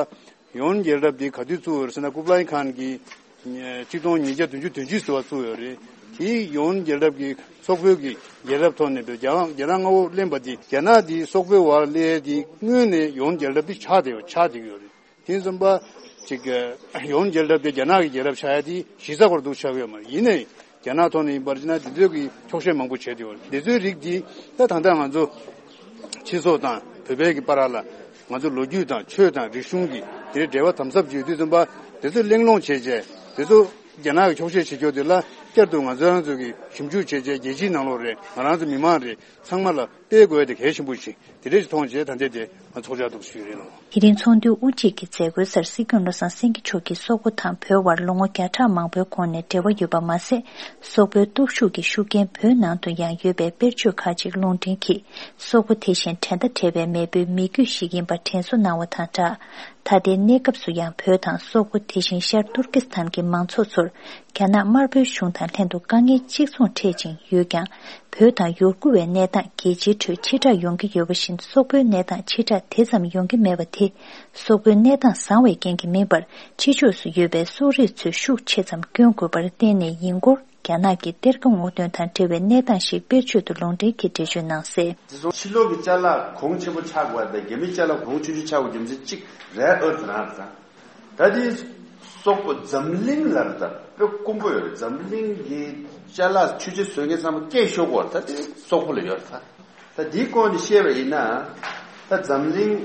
ཡོན་རྒྱལ་རབས་འདི་ག་དུས་བཙུགས་ཡོད་རེད་ཟེར་ན། ཀུབ་ལའི་ཁཱན་གྱིས་ཆིག་སྟོང་ཉིས་བརྒྱ་བདུན་ཅུ་དོན་གཅིག་ཟེར་བ་བཙུགས་ཡོད་རེད། དེའི་ཡོན་རྒྱལ་རབས་ཀྱི་སོག་པོའི་གི་རྒྱལ་རབས་ཐོག་ནས་བོད་རྒྱ་རྒྱ་ནག་མངའ་འོག་ལེན་པ་འདི། རྒྱ་ནག་འདི་སོག་པོའི་འོག་སླེབས་ཡ་འདི་སྔོན་ནས་ཡོན་རྒྱལ་རབས་འདི་ཆགས་བསྡད་ཡོད། ཆགས་བསྡད་ཀྱི་ཡོད་རེད། དེ་ཙམ་པ་ཅིག་ཡོན་རྒྱལ་རབས་དེ་རྒྱ་ནག་གི་རྒྱལ་རབས་ཆགས་ཡ་དེ་གཞི་རྩ་བར་དུ་ཆགས་ཀྱི་ཡོད་མ་རེད། ཡིན་ནའི་རྒྱ་ནག་ཐོག་ནས་ཡིན་པར་བྱས་ན་འདི་ཚོའི་གི་འཁྱོག་བཤད་མང་པོ་བྱས་ཏེ་ཡོད་རེད། འདི་ཚོའི་རིགས་འདི་ད་ད་ལྟ་ང་ཚོ་ཕྱི་སོག་དང་བོད་པའི་གི་བར་ལ་ང་ཚོ་ལོ་རྒྱུས་དང་ཆོས་དང་རིག་གཞུང་གི་དེ་འབྲེལ་བ་དམ་ཟབ་ཅིག་ཡོད་དུས་ཙམ་པ། འདི་ཚོ་གླེང་སློང་བྱས་བྱས། འདི་ཚོ་རྒྱ་ནག་གི་འཁྱོག་བཤད་བྱེད་རྒྱུ་དེ་ལ་བསྐྱར་དུ་ང་ཚོ་རང་ཚོ་གི་ཞིབ་འཇུག་བྱས་བྱས། རྒྱལ་སྤྱིའི་ནང་ལོགས་རེད། ང་རང་ཚོ་མི་མང་རེད། ཚང་མ་ལ་སྤེལ་དགོས་དེ་གལ་ཆེན་པོ་ཞིག་དེ་འདྲ་ཞིག་མཐོང་བྱས། ད་ལྟའི་དེ་ང་ཚོགས་བཅར་འདུག་ཞུས་རེད་ལོ། དེ་རིང་ཚོགས་འདུའི་དབུ་འབྱེད་ཀྱི་མཛད་སྒོའི་སར་སྲིད་སྐྱོང་བློ་བཟང་སེང་གེ་མཆོག་གིས་སོག་པོ་དང་བོད་དབར་ལོ་ངོ་བརྒྱ་ཕྲག་མང་པོའི་གོང་ནས་འབྲེལ་བ་ཡོད་པ་མ་ཟད། སོག་པོའི་སྟོབས་ཤུགས་ཀྱི་ཤུགས་རྐྱེན་བོད་ནང་དུ་ཡང་ཡོད་པའི་དཔེར་བརྗོད་ཁག་ཅིག་ལུང་འདྲེན་གྱིས། སོག་པོ་དེ་བཞིན་འགྲན་ཟླ་བྲལ་བའི་མེས་པོའི་མི་རྒྱུད་ཞིག་ཡིན་པར་དྲན་གསོ་གནང་བ་དང་སྦྲགས། ད་ལྟའི་གནས་སྐབས་སུ་ཡང་བོད་དང་སོག་པོ་དེ་བཞིན་ཤར་ཏུར་ཀི་སི་ཐན་གྱི་མང་ཚོགས་ཚོར་རྒྱ་ནག་དམར་པོའི་གཞུང་དང་ལྷན་དུ་དཀའ་ངལ་གཅིག་མཚུངས་འཕྲད་ཅིང་ཡོད་ཀྱང་། བོད་དང་ཡུ་གུར་བའི་གནས་སྟངས་རྒྱལ་སྤྱིའི་ཁྲོད་ཕྱི་བསྒྲགས་ཡོང་གི་ཡོད་པ་བཞིན། སོག་པོའི་གནས་སྟངས་ཕྱི་བསྒྲགས་དེ་ཙམ་ཡོང་གི་མེད་པ་དེ། སོག་པོའི་གནས་སྟངས་བཟང་བའི་རྐྱེན་གྱིས་མིན་པར། ཕྱི་ཕྱོགས་སུ་ཡོད་པའི་སོག་རིགས་ཚོས་ཤུགས་ཆེ་ཙམ་བསྐྱོན་དགོས་པར་བརྟེན་ནས་ཡིན་སྐོར། རྒྱ་ནག་གི་གཏེར་ཁ་སྔོག་འདོན་དང་འབྲེལ་བའི་གནས་སྟངས་ཤིག་དཔེར་བརྗོད་དུ་ལུང་འདྲེན་གྱིས་འགྲེལ་བརྗོད་གནང་གསལ། དེ་སོང་ཕྱི་ལོགས་ཀྱི་ཅ་ལག་གོང་ཆེན་པོ་ཆགས་དགོས་པ་དང་རྒྱ་མིའི་ཅ་ལག་གོང་ཆུང་ཆུང་ཆགས་དགོས་རྒྱུ་མཚན་གཅིག་རེད་ཨོ་ཙི་རང་རེད་ད། ད་དེ་སོག་པོ་འཛམ་གླིང་ལ་རེད་ད་དཔེ་དཀོན་པོ་ཡོད་རེད། འཛམ་གླིང་གི་ཅ་ལག་ཆུ་ཆེ་བཟོ་མཁན་ཚང་མ་སྐད་ཤོར་དགོས་རེད་ད། དེ་སོག་པོ་ལ་ཡོད་རེད་ད། ད་དེའི་སྐོར་ནས་བཤད་པ་ཡིན་ན། ད་འཛམ་གླིང་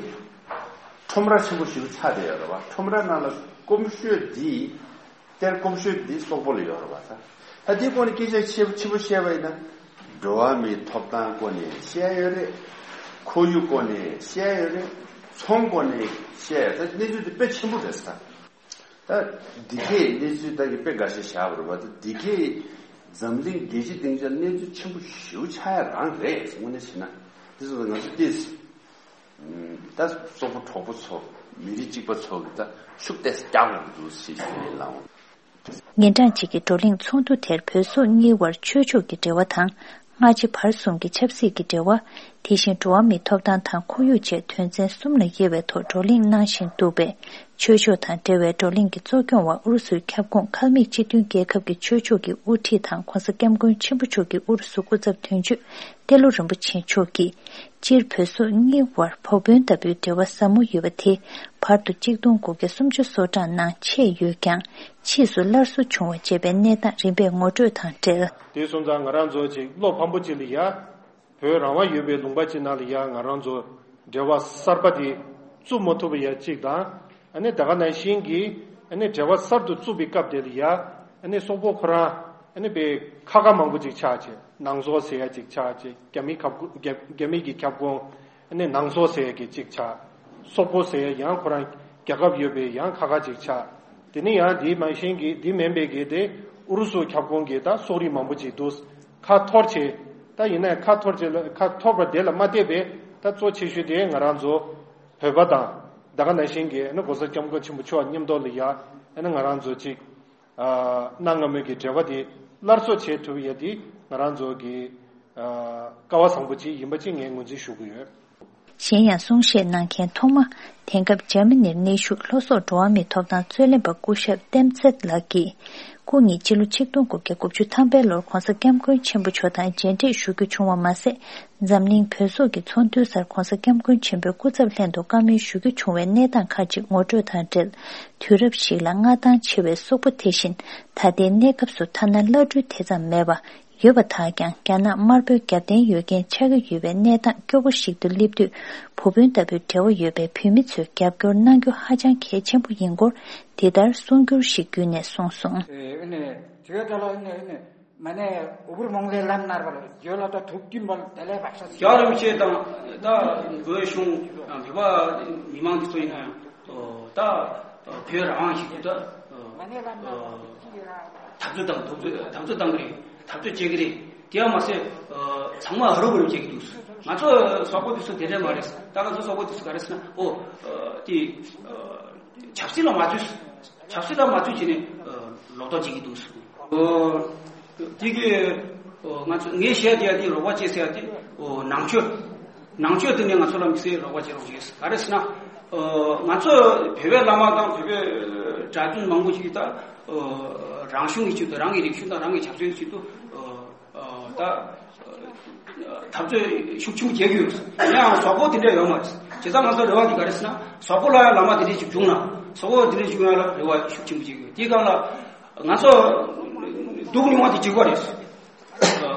ཁྲོམ་ར་ཆེན་པོ་ཞིག་ཆགས་བསྡད་ཡོད་རེད་བ། ཁྲོམ་ར་ནང་ལ་སྐོམ་ཤོས་འདི། གཏེར་སྐོམ་ཤོས་འདི་སོག་པོ་ལ་ཡོད་རེད་བ་ད། ད་དེའི་སྐོར་ནས་སྐད་ཆ་ཆེ་ཆེན་པོ་བཤད་པ་ཡིན་ན། འགྲོ་བ་མིའི་ཐོབ་ཐང་སྐོར་ནས་བཤད་ཡོད་རེད། ཁོར་ཡུག་སྐོར་ནས་བཤད་ཡོད་རེད། ཚོང་སྐོར་ནས་བཤད་ཡོད་རེད། ད་གནས་ཚུལ་འདི་དཔེ་ཆེན་པོ་རེད་ས། ད་འདི་གས་གནས་ཚུལ་ད་གི་དཔེ་འགའ་ཤས་བཞག་པ་རེད་བ། ད་འདི་གས་འཛམ་གླིང་རྒྱལ་སྤྱི་སྡིངས་ཆ་གནས་ཚུལ་ཆེན་པོ་ཞེ་པོ་ཆགས་ཡ་རང་རེད། དངོས་གནས་བྱས་ན་དེ་ཚོ་ང་ཚོ་ཏོག་ཙམ་ད་སོག་པོ་གྲོགས་པོ་ཚོ་མི་རིགས་གཅིག་པ་ཚོ་གི་ད་ཤུགས་ཏོག་ཙམ་རྒྱག་དགོས་ཀྱི་འདུག་ཞེས་ཞུ་ཡིན་ལགས། ཉིན་གྲངས་གཅིག་གི་བགྲོ་གླེང་ཚོགས་འདུ་དེར་བོད་སོག་གཉིས་བར་ཆོས་ཕྱོགས་ཀྱི་འབྲེལ་བ་དང་། སྔ་ཕྱི་བར་གསུམ་གྱི་ཆབ་སྲིད་ཀྱི་འབྲེལ་བ། དེ་བཞིན་འགྲོ་བ་མིའི་ཐོབ་ཐང་དང་ཁོར་ཡུག་བཅས་དོན་ཚན་གསུམ་ལ་དབྱེ་བའི་ཐོག་བགྲོ་གླེང་གནང་བཞིན་འདུག་པས། ཆོས་ཕྱོགས་དང་འབྲེལ་བའི་བགྲོ་གླེང་གི་གཙོ་སྐྱོང་བ་ཨུ་རུ་སུའི་ཁྱབ་ཁོངས་ཁལ་མིག་སྤྱི་མཐུན་རྒྱལ་ཁབ་ཀྱི་ཆོས་ཕྱོགས་ཀྱི་དབུ་ཁྲིད་དང་༸གོང་ས་༸སྐྱབས་མགོན་ཆེན་པོ་མཆོག་གི་ཨུ་རུ་སུ་སྐུ་ཚབ་དོན་གཅོད་ཏེ་ལོ་རིན་པོ་ཆེ་མཆོག་གིས། སྤྱིར་བོད་སོག་གཉིས་བར་བོགས་འབོན་ལྟ་བུའི་འབྲེལ་བ་ཟབ་མོ་ཡོད་པ་དེ། བར་དུ་གཅིག་སྟོང་དགུ་བརྒྱ་སུམ་ཅུ་སོ་གྲངས་ནང་ཆད་ཡོད་ཀྱང་། ཕྱིས་སུ་སླར་གསོ་བྱུང་བ་བཅས་པའི་གནས་སྟངས་རིམ་པས་ངོ་སྤྲོད་དང་འབྲེལ། དེ་སོང་ཙང་ང་རང་ཚོ་ཅིག་བློ་ཕམ་པོ་ཅིག་ལ་ཡ། བོད་རང་དབང་ཡོད་པའི་ལུང་པ་ཅིག་ནང་ལ་ཡ་ང་རང་ཚོ་འབྲེལ་བ་གསར་པ་དེ་བཙུགས་མ་ཐུབ་པ་ཡ་གཅིག་དང་། ཨ་ནི་ད་ག་ནང་བཞིན་གྱི་ཨ་ནི་འབྲེལ་བ་གསར་དུ་བཙུགས་པའི་སྐབས་དེ་ལ་ཡ། ཨ་ནི་སོག་པོ་ཁོ་རང་ཨ་ནི་པའི་ཁ་ཁ་མང་པོ་ཅིག་ཆགས་བྱས། ནང་སོག་ཟེར་ཡ་ཅིག་ཆགས་བྱས། རྒྱ་མི་ཁབ་རྒྱ་རྒྱ་མི་གི་ཁྱབ་ཁོངས། ཨ་ནི་ནང་སོག་ཟེར་ཡ་གི་ཅིག་ཆགས། སོག་པོ་ཟེར་ཡ་ཡང་ཁོ་རང་རྒྱལ་ཁབ་ཡོད་པའི་ཡང་ཁ་ཁ་ཅིག་ཆགས། དེ་ནི་ཡང་དེའི་མ་གཞན་གྱི་དེ་མིན་པའི་གི་དེ་ཨུ་རུ་སུ་ཁྱབ་ཁོངས་ཀྱི་ད་སོག་རིགས་མང་པོ་ཅིག་འདུག་ཁ་འཐོར་བྱས། ད་ཡིན་ན་ཁ་འཐོར་བྱས་ལ་ཁ་འཐོར་བ་དེ་ལ་མ་བལྟས་པའི་ད་གཙོ་ཆེ་ཤོས་དེ་ང་རང་ཚོ་བོད་པ་དང་། ད་ག་ནང་བཞིན་གྱི་ཨ་ནི་༸གོང་ས་༸སྐྱབས་མགོན་ཆེན་པོ་མཆོག་མཉམ་དུ་ལ་ཡ་ཨ་ནི་ང་རང་ཚོ་ཅིག་ཨ། གནའ་སྔ་མོའི་གི་འབྲེལ་བ་དེ་སླར་གསོ་བྱེད་ཐུབ་ཡ་དེ་ང་རང་ཚོ་གི་ཨ། སྐལ་བ་བཟང་པོ་ཅིག་ཡིན་པ་ཅིག་ངས་ངོས་འཛིན་ཞུ་གི་ཡོད། གཞན་ཡང་གསུང་བཤད་གནང་མཁན་ཐོག་མ། དེང་སྐབས་འཇར་མ་ནིར་གནས་བཞུགས་ལྷོ་སོག་འགྲོ་བ་མིའི་ཐོབ་ཐང་རྩོད་ལེན་པ་སྐུ་ཞབས་ཏེམ་ཚེད་ལགས་ཀྱིས། སྐུ་ཉིད་སྤྱི་ལོ་ཆིག་སྟོང་དགུ་བརྒྱ་དགུ་བཅུ་ཐམ་པའི་ལོར་༸གོང་ས་༸སྐྱབས་མགོན་ཆེན་པོ་མཆོག་དང་མཇལ་འཕྲད་ཞུ་རྒྱུ་བྱུང་བ་མ་ཟད། འཛམ་གླིང་བོད་སོག་གི་ཚོགས་འདུའི་སར་༸གོང་ས་༸སྐྱབས་མགོན་ཆེན་པོའི་སྐུ་ཚབ་ལྷན་དུ་བཀའ་མོལ་ཞུ་རྒྱུ་བྱུང་བའི་གནས་སྟངས་ཁག་ཅིག་ངོ་སྤྲོད་དང་འབྲེལ། དུས་རབས་ཤིག་ལ་མངའ་ཐང་ཆེ་བའི་སོག་པོ་དེ་བཞིན་ད་ལྟའི་གནས་སྐབས་སུ་ཐ་ན་བླ་སྤྲུལ་དེ་ཙམ་མེད་པ་ཡོད་པ་དག་ཀྱང་རྒྱ་ནག་དམར་པོའི་རྒྱབ་རྟེན་ཡོད་མཁན་ཆགས་ཀྱི་ཡོད་པའི་གནས་སྟངས་སྐྱོ་པོ་ཞིག་ཏུ་སླེབས་དུས། བུ་སྤུན་ལྟ་བུའི་འབྲེལ་བ་ཡོད་པའི་བོད་མི་ཚོས་རྒྱབ་སྐྱོར་གནང་རྒྱུ་ཧ་ཅང་གལ་ཆེན་པོ་ཡིན་སྐོར་འདི་ལྟར་གསུང་སྒྱུར་ཞིག་བརྒྱུད་ནས་གསུངས་སོང་། ཨེ་ཨེ་ནས་དེ་ག་ད་ལ་ཨེ་ནས་ཨེ་ནས། མ་ནས་འུ་བུར་མོང་ལས་ལམ་ནར་བར་བརྗོད་ལ་ད་ཐུགས་ཀྱིན་བར་དེ་ལས་བག་ཤ་ཟ། རྒྱལ་རིན་པོ་ཆེ་དང་ད་བོད་གཞུང་བོད་པ་མི་མང་འདི་ཚོ་ཡིན་ན་ཡང་ད་བོད་རང་དབང་ཞིག་ད་འཐབ་རྩོད་དང་འཐབ་རྩོད་འཐབ་རྩོད་བཏང་གི་རེད། འཐབ་རྩོད་བྱེད་ཀྱི་རེད། དེ་ཡང་མ་ཟད་ཚང་མ་ཧ་རུ་བ་རུ་བྱེད་ཀྱི་འདུག་ང་ཚོ་སོག་པོ་འདི་ཚོ་དེ་འདྲས་མ་རེད། ད་ང་ཚོ་སོག་པོ་འདི་ཚོ་ག་རེ་ཟེར་ན་ཨོ་དེ། ཆབ་སྲིད་ལ་མ་བཅོས། ཆབ་སྲིད་ལ་མ་བཅོས་བྱས་ནས་ལོག་རྟོག་བྱེད་ཀྱི་འདུག་དེ་གི་ང་ཚོ་ངས་བཤད་བསྡད་ཡ་དེ་རོགས་པ་བྱེད་ཟེར་ཡ་དེ་ནང་ཆོས། ནང་ཆོས་དེ་ནས་ང་ཚོ་ལ་མི་སེར་རོགས་པ་བྱེད་རོགས་བྱེད། ག་རེ་ཟེར་ན་ང་ཚོ་བོད་པའི་བླ་མ་དང་བོད་པའི་གྲྭ་བཙུན་མང་པོ་ཞིག་ད་རང་གཞུང་གི་ཆེད་དུ་རང་གི་རིག་གཞུང་དང་རང་གི་ཆབ་སྲིད་ཀྱི་ཆེད་དུ། ད་འཐབ་རྩོད་ཤུགས་ཆེན་པོ་བྱེད་ཀྱི་ཡོད། ཡང་སོག་པོ་དེ་འདྲ་ཡོད་མ་རེད། བྱས་ཙང་ང་ཚོ་རེ་བ་དེ་ག་རེ་ཟེར་ན་སོག་པོ་ལ་ཡང་བླ་མ་དེ་འདྲ་ཞིག་བྱུང་ན་སོག་པོ་དེ་འདྲ་ཞིག་ཡོང་ཡ་ལ་རེ་བ་ཤུགས་ཆེན་པོ་བྱེད་ཀྱི་ཡོད། དེའི་སྒང་ལ་ང་ཚོ་སྡུག་མྱོང་བ་དེ་འཇིགས་པ་རེད།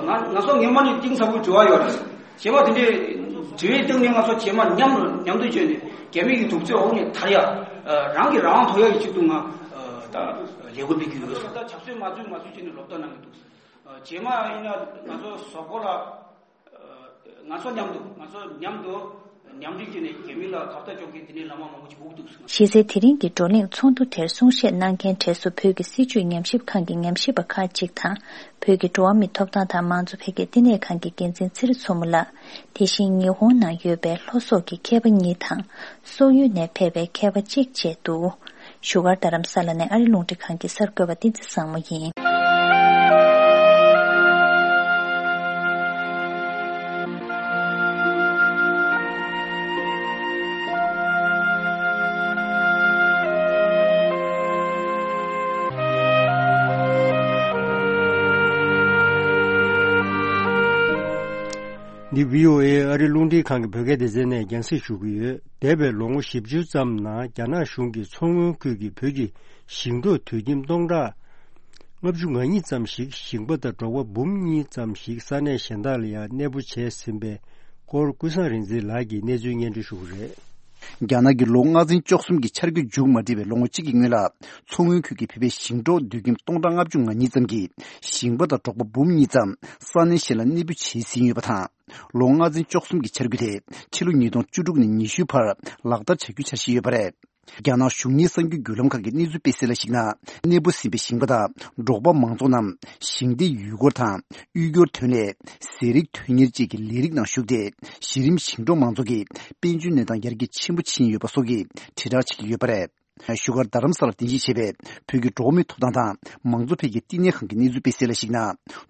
ང་ང་ཚོ་སྔོན་མ་ནས་གཏིང་ཟབ་པོ་འབྲེལ་བ་ཡོད་རེད། བྱས་པ་དེ་འདྲའི་འབྲེལ་བའི་སྟེང་ནས་ང་ཚོ་རྗེས་མ་མཉམ་མཉམ་དུ་བྱས་ནས་རྒྱ་མི་གི་དུག་རྫས་འོག་ནས་ཐར་ཡ། རང་གི་རང་དབང་ཐོབ་ཡ་གི་ཆེད་དུ་ང་ད་ལས་འགུལ་སྤེལ་གྱི་ཡོད། ད་ཆབ་སྲིད་མ་བཙུགས་མ་བཙུགས་བྱས་ནས་ལོབ་ཏོ་གནང་གི་འདུག་རྗེས་མ་ཡིན་ན་ང་ཚོ་སོག་པོ་ལ་ང་ཚོ་མཉམ་དུ་ང་ཚོ་མཉམ་དུ་མཉམ་འབྲེལ་བྱས་ནས་རྒྱ་མི་ལ་ཁ་གཏད་གཅོག་མཁན་དེ་འདྲའི་བླ་མ་མང་པོ་ཞིག་སྒུག་འདུག་གཞི་རྩའི་དེ་རིང་གི་བགྲོ་གླེང་ཚོགས་འདུ་དེར་གསུང་བཤད་གནང་མཁན་གྲས་སུ་བོད་ཀྱི་སྲིད་བྱུས་ཉམས་ཞིབ་ཁང་གི་ཉམས་ཞིབ་པ་ཁག་ཅིག་དང་། བོད་ཀྱི་འགྲོ་བ་མིའི་ཐོབ་ཐང་དང་མང་གཙོ་འཕེལ་རྒྱས་བསྟི་གནས་ཁང་གི་འགན་འཛིན་ཚེ་རིང་མཚོ་མོ་ལགས། དེ་བཞིན་ཉི་ཧོང་ནང་ཡོད་པའི་ལྷོ་སོག་གི་མཁས་པ་གཉིས་དང་། སོག་ཡུལ་ནས་ཕེབས་པའི་མཁས་པ་གཅིག་བཅས་འདུག་བཞུགས་སྒར་རྡ་རམ་ས་ལ་ནས་ཨ་རི་རླུང་འཕྲིན་ཁང་གི་གསར་འགོད་པ་བསྟན་འཛིན་བཟང་མོ་ཡིན། འདི་བྷི་ཨོ་ཨེ་ཨ་རི་རླུང་འཕྲིན་ཁང་གི་བོད་སྐད་སྡེ་ཚན་ནས་རྒྱང་སྲིང་ཞུ་གི་ཡོད། འདས་པའི་ལོ་ངོ་བཞི་བཅུ་ཙམ་ནང་རྒྱ་ནག་གཞུང་གིས་མཚོ་སྔོན་ཁུལ་གྱི་བོད་ཀྱི་ཞིང་འབྲོག་དུད་ཁྱིམ་སྟོང་ཕྲག་ལྔ་བཅུ་ང་གཉིས་ཙམ་ཞིག་ཞིང་པ་དང་འབྲོག་པ་འབུམ་གཉིས་ཙམ་ཞིག་ས་གནས་གཞན་དག་ལ་ཡང་གནས་སྤོ་བྱས་ཟིན་པའི་སྐོར་ཀུན་བཟང་རིག་འཛིན་ལགས་ཀྱིས་གནས་ཚུལ་སྙན་སྒྲོན་ཞུ་གི་རེད། རྒྱ་ནག་གིས་ལོ་ལྔ་ཚན་བཅུ་གསུམ་གྱི་འཆར་འགོད་མཇུག་མ་སྒྲིལ་བའི་ལོ་ངོ་གཅིག་གི་སྔོན་ལ། མཚོ་སྔོན་ཁུལ་གྱི་བོད་པའི་ཞིང་འབྲོག་དུད་ཁྱིམ་སྟོང་ཕྲག་ལྔ་བཅུ་ང་གཉིས་ཙམ་གྱིས་ཞིང་པ་དང་འབྲོག་པ་འབུམ་གཉིས་ཙམ་ས་གནས་གཞན་ལ་གནས་སྤོ་བྱས་ཟིན་ཡོད་པ་དང་། ལོ་ལྔ་ཚན་བཅུ་གསུམ་གྱི་འཆར་འགོད་དེ་ཕྱི་ལོ་ཉིས་སྟོང་བཅུ་དྲུག་ནས་ཉི་ཤུའི་བར་ལག་བསྟར་བྱ་རྒྱུའི་འཆར་གཞི་ཡོད་པ་རེད། རྒྱ་ནག་གཞུང་གཉེར་གསར་འགྱུར་བརྒྱུད་ལམ་ཁག་གི་གནས་ཚུལ་སྤེལ་གསལ་ལ་གཞིགས་ན། གནས་སྤོ་ཟིན་པའི་ཞིང་པ་དང་འབྲོག་པ་མང་ཚོགས་རྣམས་ཞིང་སྡེའི་ཡུལ་སྐོར་དང་། དབུལ་སྐྱོར་ཐོན་ལས། ཟས་རིགས་དོན་གཉེར་བཅས་ཀྱི་ལས་རིགས་ནང་ཞུགས་ཏེ། གཞི་རིམ་ཞིང་འབྲོག་མང་ཚོགས་ཀྱི་དཔལ་འབྱོར་གནས་སྟངས་ཡར་རྒྱས་ཆེན་པོ་ཕྱིན་ཡོད་པ་སོགས་ཀྱི་དྲིལ་བསྒྲགས་བྱེད་ཀྱི་ཡོད་པ་རེད། བཞུགས་སྒར་རྡ་རམ་ས་ལར་རྟེན་གཞི་བྱས་པའི་བོད་ཀྱི་འགྲོ་བ་མིའི་ཐོབ་ཐང་དང་མང་གཙོ་འཕེལ་རྒྱས་བསྟི་གནས་ཁང་གི་གནས་ཚུལ་སྤེལ་གསལ་ལ་གཞིགས་ན།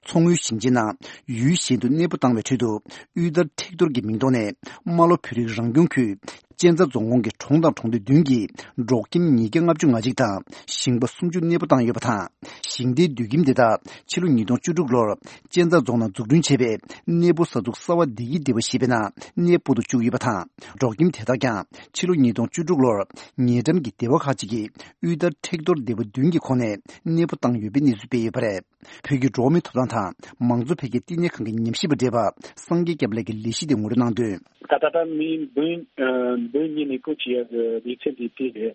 མཚོ་སྔོན་ཞིང་ཆེན་ནང་ཡུལ་གཞན་དུ་གནས་སྤོ་བཏང་བའི་ཁྲོད་དུ། དབུལ་ཐར་མཁྲེགས་གཏོར་གྱི་མིང་ཐོག་ནས་རྨ་ལྷོ་བོད་རིགས་རང་སྐྱོང་ཁུལ་གཅན་ཚ་རྫོང་ཁོངས་ཀྱི་གྲོང་དང་གྲོང་སྡེ་བདུན་གྱི་འབྲོག་ཁྱིམ་ཉིས་བརྒྱ་ལྔ་བཅུ་ང་གཅིག་དང་ཞིང་པ་སུམ་ཅུ་གནས་སྤོ་བཏང་ཡོད་པ་དང་། ཞིང་སྡེའི་དུད་ཁྱིམ་དེ་དག་ཕྱི་ལོ་ཉིས་སྟོང་བཅུ་དྲུག་ལོར་གཅན་ཚ་རྫོང་ནང་འཛུགས་སྐྲུན་བྱས་པའི་གནས་སྤོ་ས་ཚུགས་གསར་བ་བདེ་སྐྱིད་སྡེ་བ་ཞེས་པའི་ནང་གནས་སྤོ་དུ་བཅུག་ཡོད་པ་དང་། འབྲོག་ཁྱིམ་དེ་དག་ཀྱང་ཕྱི་ལོ་ཉིས་སྟོང་བཅུ་དྲུག་ལོར་ཉེ་འགྲམ་གྱི་སྡེ་བ་ཁག་ཅིག་གི་དབུལ་ཐར་མཁྲེགས་གཏོར་སྡེ་བ་བདུན་གྱི་ཁོངས་ནས་གནས་སྤོ་བཏང་ཡོད་པའི་གནས་ཚུལ་སྤེལ་ཡོད་པ་རེད། བོད་ཀྱི་འགྲོ་བ་མིའི་ཐོབ་ཐང་དང་མང་གཙོ་འཕེལ་རྒྱས་བསྟི་གནས་ཁང་གི་ཉམས་ཞིབ་པ་བགྲེས་པ་སངས་རྒྱས་སྐྱབས་ལགས་ཀྱིས་ལས་གཞི་དེ་ངོ་སྤྲོད་གནང་དོན། ད་ལྟ་ད་མི་འབུམ་ཨ་འབུམ་གཉིས་གནས་སྤོ་བྱེད་ཡག་གི་ལས་ཚན་དེ་དེ་རེད།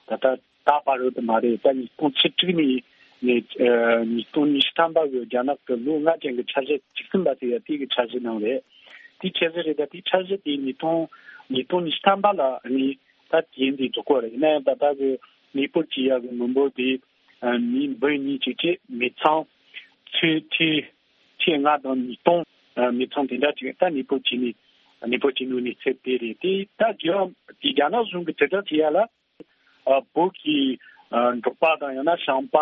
ད་ལྟ་ད་བར་དུ་མ་རེད། ད་ཉིས་སྟོང་ཆིག་ཁྲི་ནས་ནས་ཨ་ཉིས་སྟོང་ཉི་ཤུ་ཐམ་པ་གི་རྒྱ་ནག་གི་ལོ་ལྔ་ཅན་གྱི་འཆར་གཞི་བཅུ་གསུམ་པ་དེ་ཡང་དེ་གི་འཆར་གཞི་ནང་རེད། དེ་འཆར་གཞི་རེད། ད་དེ་འཆར་གཞི་དེ་ཉིས་སྟོང་ཉིས་སྟོང་ཉི་ཤུ་ཐམ་པ་ལ་ནི་ད་དེ་འདི་འཛུགས་སྐོར་རེད། ཡིན་ན་ཡང་ད་ལྟ་གི་གནས་སྤོ་བྱེད་ཡག་གི་མི་འབོར་དེ་ཨ་མི་འབུམ་གཉིས་ཅིག་བྱས། མི་ཚང་ཚོས་ཁྲི་ཁྲི་ལྔ་དང་ཉིས་སྟོང་ཨ་མི་ཚང་དེ་འདྲ་ཅིག་ད་གནས་སྤོ་བྱས་ནས་གནས་སྤོ་བྱས་ནས་གནས་ཚུལ་དེ་རེད། དེ་ད་རྒྱ་དེ་རྒྱ་ནག་གཞུང་གི་དྲིལ་བསྒྲགས་བྱེད་ཡག་ལ་ཨ་བོད་ཀྱི་ཨ་འབྲོག་པ་དང་ཡང་ན་ཞིང་པ་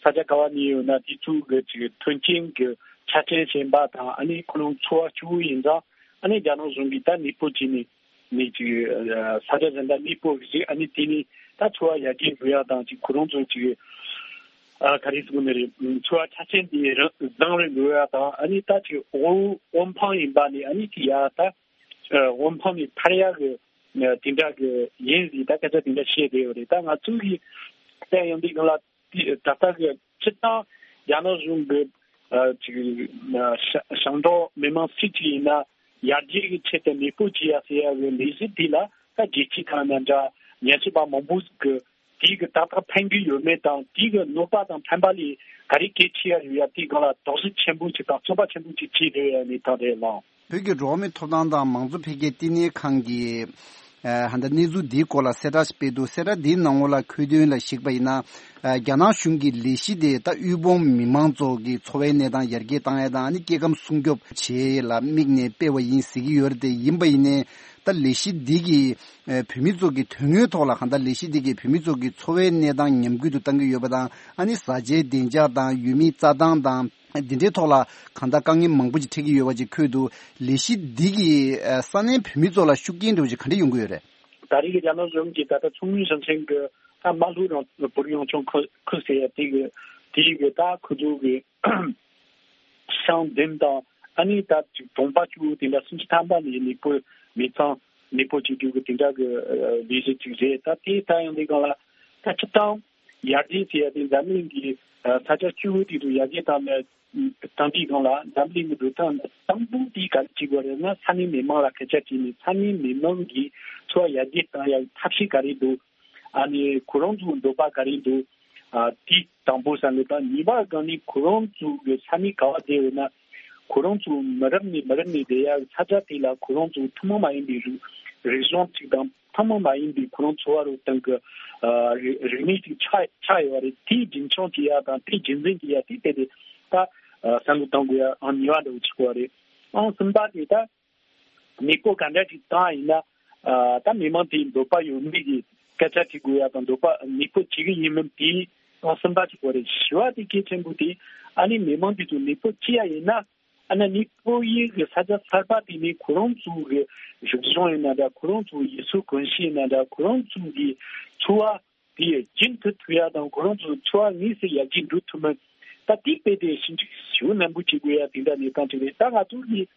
ས་ཆ་ག་བ་ནས་ཡོད་ན་དེ་ཚོ་གི་ཅིག་མཐུན་རྐྱེན་གྱི་ཆ་རྐྱེན་ཞན་པ་དང་། ཨ་ནི་ཁོ་རང་འཚོ་བ་སྐྱོ་བོ་ཡིན་ཙང་། ཨ་ནི་རྒྱ་ནག་གཞུང་གིས་ད་གནས་སྤོ་བྱས་ནས་ནས་ཅིག་ས་ཆ་གཞན་དུ་གནས་སྤོ་གི་ཅིག་ཨ་ནི་དེ་ནས་ད་འཚོ་བ་ཡར་རྒྱས་འགྲོ་ཡག་དང་། ཅིག་ཁོ་རང་ཚོ་ཅིག་ཨ་ག་རེ་ཟེར་དགོས་ནི་རེད། འཚོ་བ་ཆ་རྐྱེན་དེ་རང་བཟང་རུ་འགྲོ་ཡག་དང་། ཨ་ནི་ད་ཅིག་དབུལ་དབུལ་ཕོངས་ཡིན་པ་ནས་ཨ་ནི་ཅིག་ཡར་ད་དབུལ་ཕོངས་ནས་ཐར་ཡག་གི་དེ་འདྲ་གི་ཡིན་ཟེར་ད་སྐད་ཆ་དེ་འདྲ་བཤད་བསྡད་ཡོད་རེད། ད་ང་ཚོ་གི་བལྟས་ཡོང་དུས་སྒང་ལ་དེ་ད་ལྟ་གི་སྤྱིར་བཏང་རྒྱ་ནག་གཞུང་གི་ཨ་ཅིག་ཨ་ཞིང་ཞིང་འབྲོག་མི་མང་སུ་གཅིག་ཡིན་ན་ཡར་རྒྱས་ཀྱི་ཆེད་དུ་གནས་སྤོ་བྱེད་ཡ་ཟེར་ཡ་གི་ལས་གཞི་དེ་ལ་ད་རྒྱལ་སྤྱི་དང་ན་འདྲ། ཉམས་ཞིབ་པ་མང་པོ་ཟིག་གི་དེའི་གི་ཏག་ཏག་ཕན་གི་ཡོད་མེད་དང་། དེའི་གི་གནོད་པ་དང་ཕན་པ་ལས་ག་རེ་གལ་ཆེ་ཡ་ཡོད་ཡ་དེའི་སྒང་ལ་དོགས་གཞི་ཆེན་པོ་ཅིག་དང་རྩོད་པ་ཆེན་པོ་ཅིག་བྱས་བསྡད་ཡོད་ཡ་གནས་སྟངས་རེད་ལགས། བོད་ཀྱི་འགྲོ་བ་མིའི་ཐོབ་ཐང་དང་མང་གཙོ་འཕེལ་རྒྱས་བསྟི་གནས་ཁང་གིས་ཨ་ཧ་ད་གནས་ཚུལ་འདིའི་སྐོར་ལ་གསལ་བསྒྲགས་ཤིག་སྤེལ་འདུག་གསལ་བསྒྲགས་འདིའི་ནང་ལོགས་ལ་འཁོད་དོན་ལ་གཞིགས་པ་ཡིན་ན། ཨ་རྒྱ་ནག་གཞུང་གི་ལས་གཞི་དེ་ད་དབུལ་ཕོངས་མི་མང་ཚོ་གི་འཚོ་བའི་གནས་སྟངས་ཡར་རྒྱས་བཏང་ཡ་དང་། ཨ་ནི་སྐྱེ་ཁམས་སྲུང་སྐྱོབ་བྱེད་ཡ་ལ་དམིགས་ནས་སྤེལ་བ་ཡིན་ཟེར་གྱི་ཡོད་རེད་དེ། ཡིན་པ་ཡིན་ནའི་ད་ལས་གཞི་འདི་གིས་ཨ་བོད་མི་ཚོ་གི་དོན་དངོས་ཐོག་ལ་གང་ལྟར་ལས་གཞི་འདི་གིས་བོད་མི་ཚོ་གི་འཚོ་བའི་གནས་སྟངས་ཉམས་རྒུད་དུ་གཏང་གི་ཡོད་པ་དང་། ཨ་ནི་བཟའ་བཅའི་བདེ་འཇགས་དང་ཡུལ་མིའི་རྩྭ་ཐང་དང་། འདི་འདྲའི་ཐོག་ལ་གང་ལྟར་དཀའ་ངལ་མང་པོ་ཅིག་འཕྲད་ཀྱི་ཡོད་པ་ཅིག་འཁོད་འདུག་ལས་གཞི་འདི་གིས་ཨ་ས་གནས་བོད་མི་ཚོ་ལ་ཤུགས་རྐྱེན་འདྲ་བོ་ཅིག་ག་འདྲ་ཡོང་གི་ཡོད་རེད། ད་རེས་ཀྱི་རྒྱ་ནག་གཞུང་གིས་ད་ལྟ་མཚོ་སྔོན་ཞིང་ཆེན་གྱི་ད་རྨ་ལྷོ་རང་བོད་རང་སྐྱོང་ཁུལ་ཁུལ་ཟེར་ཡ་དེ་གི་དེའི་གི་ད་ཁུལ་དུ་གི་ཤང་བདུན་དང་། ཨ་ནི་ད་ཅིག་གྲོང་པ་བཅུ་དེ་འདྲ་སུམ་ཅུ་ཐམ་པ་ནས་གནས་སྤོ་མི་ཚང་གནས་སྤོ་བྱེད་རྒྱུ་གི་དེ་འདྲ་གི་ལས་གཞི་ཅིག་རེད། ད་དེ་ད་ཡང་དེ་སྒང་ལ་ད་སྤྱིར་བཏང་ཡར་རྒྱས་ཟེར་ཡ་དེ་འཛམ་གླིང་གི་ས་ཆ་བཅུ་དེ་ཚོ་ཡར་རྒྱས་བཏང་ནས། དང་དེའི་སྒང་ལ་འཛམ་གླིང་གི་འགྲོ་སྟངས་དང་པོ་དེ་ག་རེ་བྱེད་དགོས་རེད་ན། ས་གནས་མི་མང་ལ་སྐད་ཆ་དྲིས་ནས་ས་གནས་མི་མང་གི་འཚོ་བ་ཡར་རྒྱས་གཏང་ཡག་ཐབས་ཤེས་ག་རེ་འདུག་ཨ་ནི་ཁོ་རང་ཚོའི་འདོད་པ་ག་རེ་འདུག་ཨ་དེ་དང་པོ་བསམ་གི། དང་གཉིས་པ་སྒང་ནས་ཁོ་རང་ཚོ་གི་ས་གནས་ག་བ་བསྡད་ཡོད་ན། ཁོ་རང་ཚོ་མི་རབས་ནས་མི་རབས་ནས་བསྡད་ཡག་ས་ཆ་དེ་ལ་ཁོ་རང་ཚོ་ཐུན་མོང་མ་ཡིན་པའི་རིག་རིག་གཞུང་ཅིག་དང་། ཐུན་མོང་མ་ཡིན་པའི་ཁོ་རང་འཚོ་བ་རོལ་སྟངས་ཀྱི་ཨ་རིག་རིག་གནས་ཅིག་ཆགས་ཆགས་ཡོད་རེད། དེ་རྒྱུན་འཁྱོངས་བྱེད་ཡ་དང་དེ་རྒྱུན་འཛིན་བྱེད་ཡ་དེ་དེ་དེ་ད་ཨ་བསམ་བློ་གཏོང་དགོས་ཡ་ཨང་གཉིས་པ་འདྲ་བོ་ཆགས་ཡོད་རེད། ཨང་གསུམ་པ་དེ་ད་གནས་སྤོ་ག་འདྲ་ཅིག་བཏང་ཡིན་ན་ཨ་ད་མི་མང་དེའི་འདོད་པ་ཡོད་མེད་ཀྱི་སྐད་ཆ་དྲི་དགོས་ཡ་དང་། འདོད་པ་གནས་སྤོ་བྱེད་ཀྱི་ཡིན་མིན་དེ་ཨང་གསུམ་པ་ཆགས་ཡོད་རེད། བཞི་པ་དེ་གལ་ཆེན་པོ་དེ་ཨ་ནི་མི་མང་དེ་ཚོ་གནས་སྤོ་བྱེད་ཡ་ཡིན་ན། ཨ་ནི་གནས་སྤོ་ཡི་གི་ས་ཆ་གསར་པ་དེ་ནི་ཁོ་རང་ཚོ་གི་རིག་གཞུང་ཡིན་ན་འདྲ། ཁོ་རང་ཚོ་ཡུལ་སྲོལ་གོམས་གཤིས་ཡིན་ན་འདྲ། ཁོ་རང་ཚོ་གི་འཚོ་བ་དེ་རྒྱུན་མཐུད་ཐུབ་ཡ་དང་། ཁོ་རང་ཚོ་འཚོ་བ་དངོས་སུ་ཡར་རྒྱས་འགྲོ་ཐུབ་མིན། ད་དེ་དཔེ་དེ་ཞིབ་འཇུག་ཞེ་པོ་ནན་པོ་བྱེད་དགོས་ཡ་དེ་འདྲ་གནས་སྟངས་ཅིག་རེད། ད་ང་ཚོ་གི་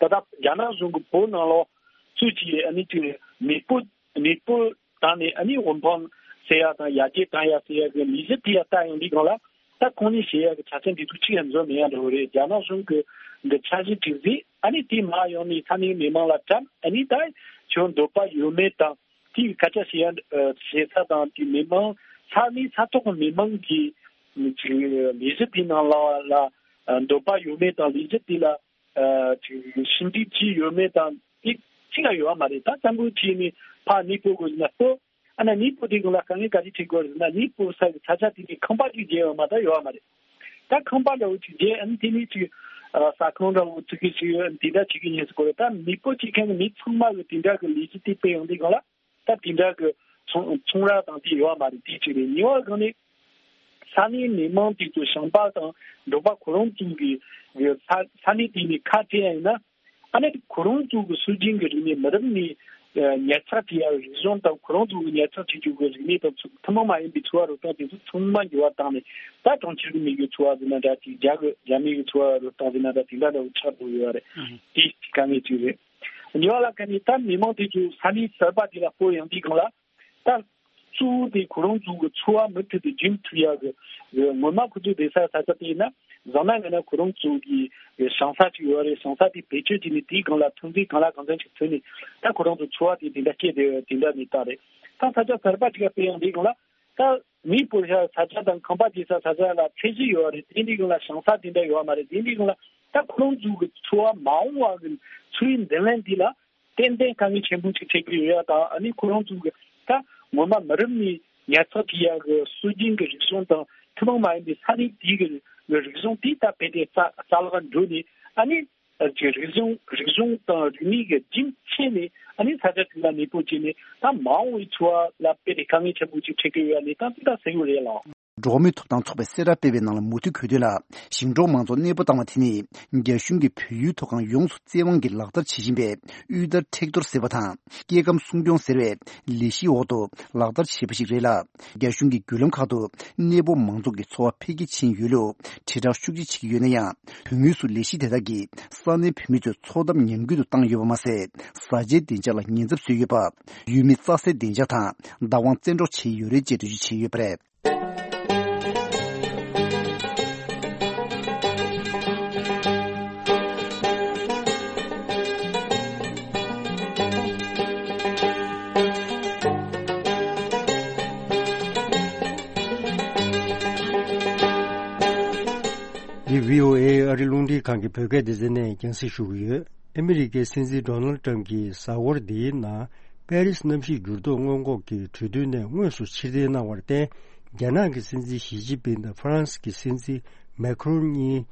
ད་ལྟ་རྒྱ་ནག་གཞུང་གིས་བོད་ནང་ལོགས་སུ་ཅིག་ཨ་ནི་ཅིག་མེས་པོ་མེས་པོ་བཏང་ནས་ཨ་ནི་དབུ་འཕང་ཟེར་ཡ་དང་ཡར་རྒྱས་བཏང་ཡ་ཟེར་ཡ་གི་ལས་གཞི་དེ་ཡ་ལྟ་ཡོང་དུས་སྒང་ལ། ད་ཁོང་ནས་བཤད་ཡ་གི་ཆ་རྐྱེན་དེ་ཚོ་གཅིག་ཡང་འཛོམས་མེད་ཡ་འདྲ་བོ་རེད། རྒྱ་ནག་གཞུང་གི་འདི་འཆར་གཞི་གཅིག་ཟིག་ཨ་ནི་དེ་མར་ཡོང་ནས་ས་གནས་མི་མང་ལ་བཀྲམ། ཨ་ནི་ད་ཁྱོད་འདོད་པ་ཡོད་མེད་དང་དེའི་སྐད་ཆ་བཤད་ཡ་བཤད་ས་དང་དེ་མི་མང་ས་གནས་ས་ཐོག་གི་མི་མང་གི་ཅིག་ལས་གཞི་དེ་ནང་ལ་ལ་འདོད་པ་ཡོད་མེད་དང་ལས་གཞི་དེ་ལ་ཅིག་ཞིབ་འཇུག་བྱས་ཡོད་མེད་དང་དེ་གཅིག་ཡང་ཡོད་མ་རེད། ད་བཙན་པོ་བྱས་ནས་ཕར་གནས་སྤོ་དགོས་ཟེར་ན་སྤོ། ཨ་ན་གནས་སྤོ་དེ་གུན་ལ་དཀའ་ངལ་ག་རེ་འཕྲད་དགོས་རེད་ཟེར་ན། གནས་སྤོ་ས་གི་ས་ཆ་དེ་ནས་ཁང་པ་གཅིག་བརྒྱབ་ཡོད་མ་ད་ཡོད་མ་རེད། ད་ཁང་པ་འདྲ་བོ་གཅིག་བརྒྱབ། ཨ་ནི་དེ་ནས་ཅིག་ཟ་ཁང་འདྲ་བོ་བཙུགས་གི་ཅིག་ཡོད། དེ་འདྲ་བྱེད་ཀྱི་ཡིན་ཟེར་གོ་རེད། ད་གནས་སྤོ་བྱེད་མཁན་གྱི་མི་ཚང་མ་གི་དེ་འདྲ་གི་ལས་གཞི་དེ་སྤེལ་ཡོང་དུས་སྒང་ལ་ད་དེ་འདྲ་གི་ཚོང་ཚོང་ར་དང་དེ་ཡོད་མ་རེད། དེ་གཅིག་རེད། གཉིས་པ་གང་ནས་ས་གནས་མི་མང་དེ་ཚོ་ཞིང་པ་དང་འབྲོག་པ་ཁོ་རང་ཚོ་གི་ས་ས་གནས་དེ་ནས་ཁ་བྲལ་ཡིན་ན། ཨ་ནི་ཁོ་རང་ཚོ་གི་སྲོལ་རྒྱུན་གྱི་རིག་གནས། མི་རབས་ནས་ཉར་ཚགས་བྱས་ཡ་རིག་གཞུང་དང་ཁོ་རང་ཚོ་གི་ཉར་ཚགས་བྱེད་རྒྱུ་གི་རིག་གནས་དང་ཚོ་ཐུན་མོང་མ་ཡིན་པའི་འཚོ་བ་རོལ་སྟངས་དེ་ཚོ་ཚང་མ་འགྱུར་བ་བཏང་ནས། ད་གྲོང་ཁྱེར་གྱི་མི་གི་འཚོ་བ་ཟེར་ན་འདྲ་ཅིག་རྒྱ་གི་རྒྱ་མི་གི་འཚོ་བ་རོལ་སྟངས་ཟེར་ན་འདྲ་དེ་འདྲ་འདྲ་བོ་ཆགས་འགྲོ་ཡོད་རེད། དེ་དཀའ་ངལ་ཅིག་རེད། གཉིས་པ་ལ་ཁ་ནས་ད་མི་མང་དེ་ཚོ་ས་གནས་གསར་པ་དེ་ལ་སྤོ་ཡོང་དུས་སྒང་ལ། ད་གཙོ་བོ་དེ་ཁོ་རང་ཚོ་གི་འཚོ་བ་མུ་མཐུད་དུ་རྒྱུན་མཐུད་ཡག་གི་ངོ་མ་ཁོ་ཚོ་བསྡད་ས་ས་ཆ་དེ་ཡིན་ན། བཟང་ན་ངན་ན་ཁོ་རང་ཚོ་གི་ཞིང་ས་ཅིག་ཡོད་རེད། ཞིང་ས་དེ་བེད་སྤྱོད་བྱས་ནས་དེའི་སྒང་ལ་ཐོན་རྫས་གང་ལ་གང་འཚམ་ཞིག་ཐོན་ནས། ད་ཁོ་རང་ཚོ་འཚོ་བ་དེ་དེ་འདྲ་སྐྱེལ་བསྡད་ཡོད། དེ་འདྲ་གནས་སྟངས་རེད། ད་ས་ཆ་གསར་པ་ཅིག་ལ་སྤོ་ཡོང་དུས་སྒང་ལ། ད་མི་སྤོ་ས་ས་ཆ་དང་ཁང་པ་རྒྱག་ས་ས་ཆ་ལ་ཚད་གཞི་ཡོད་རེད། དེ་འདྲའི་སྒང་ལ་ཞིང་ས་དེ་འདྲ་ཡོད་མ་རེད། དེ་འདྲའི་སྒང་ལ་ད་ཁོ་རང་ཚོ་གི་འཚོ་བ་མ་འོངས་པ་གི་འཚོ་བའི་མདུན་ལམ་དེ་ལ་ཏན་ཏན་དཀའ་ངལ་ཆེན་པོ་ཅིག་འཕྲད་ཀྱི་ཡོད་ཡ་དང་། ཨ་ནི་ཁོ་རང་ཚོ་གི་ད་ངོ་མ་མི་རབས་ནས་ཉར་ཚགས་བྱེད་ཡ་གི་སྲོལ་རྒྱུན་གྱི་རིག་གཞུང་དང་ཐུན་མོང་མ་ཡིན་པའི་ས་གནས་དེའི་གི་རིག་གཞུང་དེ་ད་རྦད་དེ་རྩ་རྩ་བརླག་འགྲོ་ནས། ཨ་ནི་ཀྱི་རིག་གཞུང་རིག་གཞུང་དང་རིག་གནས་ཀྱི་རྒྱུན་ཆད་ནས། ཨ་ནི་ས་ཆ་དེ་ལ་གནས་སྤོ་བྱས་ནས་ད་མ་འོངས་པའི་འཚོ་བ་ལ་རྦད་དེ་དཀའ་ངལ་ཆེན་པོ་ཅིག་འཕྲད་ཀྱི་ཡོད་ཡ་གནས་སྟངས་དེ་ད་གསལ་པོ་རེད་ལགས། འགྲོ་བ་མིའི་ཐོབ་ཐང་ཚོགས་པས་གསལ་བསྒྲགས་སྤེལ་བའི་ནང་ལ་མུ་མཐུད་འཁོད་དོན་ལ། ཞིང་འབྲོག་མང་ཚོགས་གནས་སྤོ་བཏང་བ་དེ་ནི་རྒྱ་གཞུང་གིས་བོད་ཡུལ་མཐོ་སྒང་ཡོངས་སུ་བཙན་དབང་གིས་ལག་བསྟར་བྱེད་བཞིན་པའི་དབུལ་ཐར་མཁྲེགས་གཏོར་ཟེར་བའི་སྐྱེ་ཁམས་སྲུང་སྐྱོང་ཟེར་བའི་ལས་གཞིའི་འོག་ཏུ་ལག་བསྟར་བྱས་པ་ཞིག་རེད་ལ། རྒྱ་གཞུང་གི་བརྒྱུད་ལམ་ཁག་ཏུ་གནས་སྤོ་མང་ཚོགས་ཀྱི་འཚོ་བ་འཕེལ་རྒྱས་ཕྱིན་ཡོད་ལུགས་དྲིལ་བསྒྲགས་ཤུགས་ཆེ་བྱེད་ཀྱི་ཡོད་ན་ཡང་། དོན་དངོས་སུ་ལས་གཞི་དེ་དག་གིས་ས་གནས་བོད་མི་ཚོའི་འཚོ་ཐབས་ཉམས་རྒུད་དུ་བཏང་ཡོད་པ་མ་ཟད། བཟའ་བཅའི་བདེ་འཇགས་ལ་ཉེན་ཚབས་བཟོས་ཡོད་པ། ཡུལ་མི་རྩྭ་སའི་བདེ་འཇགས་དང་བདག་དབང་བཙན་འཕྲོག་བྱས་ཡོད་རེད་ཅེས་འགྲེལ་བརྗོད་བྱས་ཡོད་པ་རེད། འདི་བྷི་ཨོ་ཨེ་ཨ་རི་རླུང་འཕྲིན་ཁང་གི་བོད་སྐད་སྡེ་ཚན་ནས་རྒྱང་སྲིང་ཞུ་གི་ཡོད། ཨ་མི་རི་ཀའི་སྲིད་འཛིན་ཌོ་ནལ་ཊམ་གྱིས་གཟའ་འཁོར་འདིའི་ནང་པེ་རིས་གནམ་གཤིས་འགྱུར་ལྡོག་སྔོན་འགོག་གི་གྲོས་མཐུན་ནས་དངོས་སུ་ཕྱིར་འཐེན་གནང་བར་བརྟེན། རྒྱ་ནག་གི་སྲིད་འཛིན་ཞི་ཅིན་ཕིང་དང་ཧྥ་རན་སི་གི་སྲིད་འཛིན་མེ་ཁྲོན་གཉིས་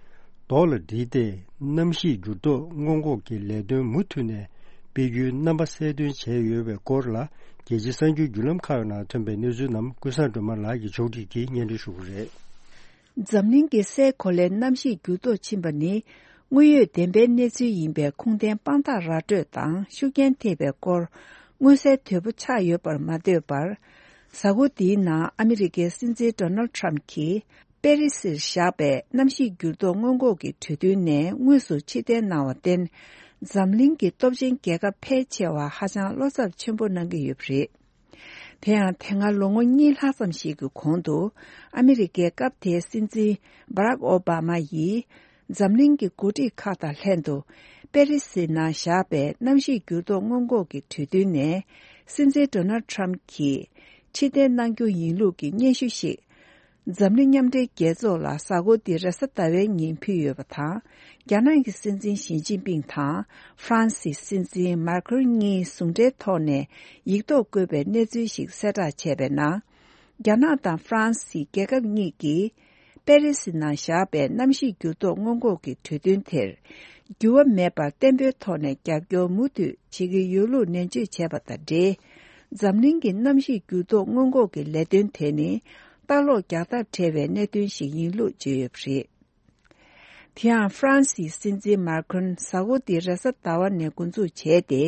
རྡོ་ལ་བསྒྲིལ་ཏེ། གནམ་གཤིས་འགྱུར་ལྡོག་སྔོན་འགོག་གི་ལས་དོན་མུ་མཐུད་ནས་སྤེལ་རྒྱུའི་རྣམ་པ་གསལ་སྟོན་བྱས་ཡོད་པའི་སྐོར་ལ། རྒྱལ་སྤྱིའི་གསར་འགྱུར་བརྒྱུད་ལམ་ཁག་ནང་ཐོན་པའི་གནས་ཚུལ་རྣམས་ཀུན་བཟང་སྒྲོལ་མ་ལགས་ཀྱིས་ཕྱོགས་སྒྲིག་གིས་སྙན་སྒྲོན་ཞུ་གི་རེད། འཛམ་གླིང་གི་སའི་གོ་ལའི་གནམ་གཤིས་འགྱུར་ལྡོག་ཕྱིན་པ་ནི་དངོས་ཡོད་བདེན་པའི་གནས་ཚུལ་ཡིན་པའི་ཁུངས་ལྡན་དཔང་རྟགས་ར་སྤྲོད་དང་ཤུགས་རྐྱེན་ཐེབས་པའི་སྐོར་མངོན་གསལ་དོད་པོ་ཆགས་ཡོད་པར་མ་ལྟོས་པར། གཟའ་འཁོར་འདིའི་ནང་ཨ་མི་རི་ཀའི་སྲིད་འཛིན་ཌོ་ནལ་ཊམ་གྱིས་པེ་རི་སིར་བཞག་པའི་གནམ་གཤིས་འགྱུར་ལྡོག་སྔོན་འགོག་གི་གྲོས་མཐུན་ནས་དངོས་སུ་ཕྱིར་འཐེན་གནང་བར་བརྟེན། འཛམ་གླིང་གི་སྟོབས་ཆེན་རྒྱལ་ཁབ་ཕལ་ཆེ་བ་ཧ་ཅང་བློ་འཚབ་ཆེན་པོ་གནང་གི་ཡོད་པ་རེད། དེ་ཡང་དེ་སྔ་ལོ་ངོ་གཉིས་ལྷག་ཙམ་ཞིག་གི་གོང་དུ་ཨ་མི་རི་ཀའི་སྐབས་དེའི་སྲིད་འཛིན་སྦ་རག་ཨོ་སྦ་མ་ཡིས་འཛམ་གླིང་གི་འགོ་ཁྲིད་ཁག་དང་ལྷན་དུ་པེ་རི་སི་ནང་བཞག་པའི་གནམ་གཤིས་འགྱུར་ལྡོག་སྔོན་འགོག་གི་གྲོས་མཐུན་ནས་སྲིད་འཛིན་ཌོ་ནལ་ཊམ་གྱིས་ཕྱིར་འཐེན་གནང་རྒྱུ་ཡིན་ལུགས་ཀྱི་སྙན་ཞུ་ཞིག་འཛམ་གླིང་མཉམ་འབྲེལ་རྒྱལ་ཚོགས་ལ་གཟའ་འཁོར་འདིའི་རེས་གཟའ་ཟླ་བའི་ཉིན་ཕུལ་ཡོད་པ་དང་། རྒྱ་ནག་གི་སྲིད་འཛིན་ཞི་ཅིན་ཕིང་དང་ཧྥ་རན་སིའི་སྲིད་འཛིན་མཱ་ཁྲོན་གཉིས་ཟུང་འབྲེལ་ཐོག་ནས་ཡིག་ཐོག་བཀོད་པའི་གནས་ཚུལ་ཞིག་གསལ་བསྒྲགས་བྱས་པའི་ནང་། རྒྱ་ནག་དང་ཧྥ་རན་སི་རྒྱལ་ཁབ་གཉིས་ཀྱིས་པེ་རི་སི་ནང་བཞག་པའི་གནམ་གཤིས་འགྱུར་ལྡོག་སྔོན་འགོག་གི་གྲོས་མཐུན་དེར་འགྱུར་བ་མེད་པར་བརྟན་པོའི་ཐོག་ནས་རྒྱབ་སྐྱོར་མུ་མཐུད་བྱེད་ཀྱི་ཡོད་ལུགས་ནན་བརྗོད་བྱས་པ་དང་འབྲེལ། འཛམ་གླིང་གི་གནམ་གཤིས་འགྱུར་ལྡོག་སྔོན་འགོག་གི་ལས་དོན་དེ་ནི་ལྟ་ལོག་རྒྱག་ཐབས་བྲལ་བའི་གནད་དོན་ཞིག་ཡིན་ལུགས་བརྗོད་ཡོད་པ་རེད། དེ་ཡང་ཧྥ་རན་སིའི་སྲིད་འཛིན་མཱ་ཁྲོན་གཟའ་འཁོར་འདི་རེས་གཟའ་ཟླ་བ་ནས་འགོ་འཛུགས་བྱས་ཏེ།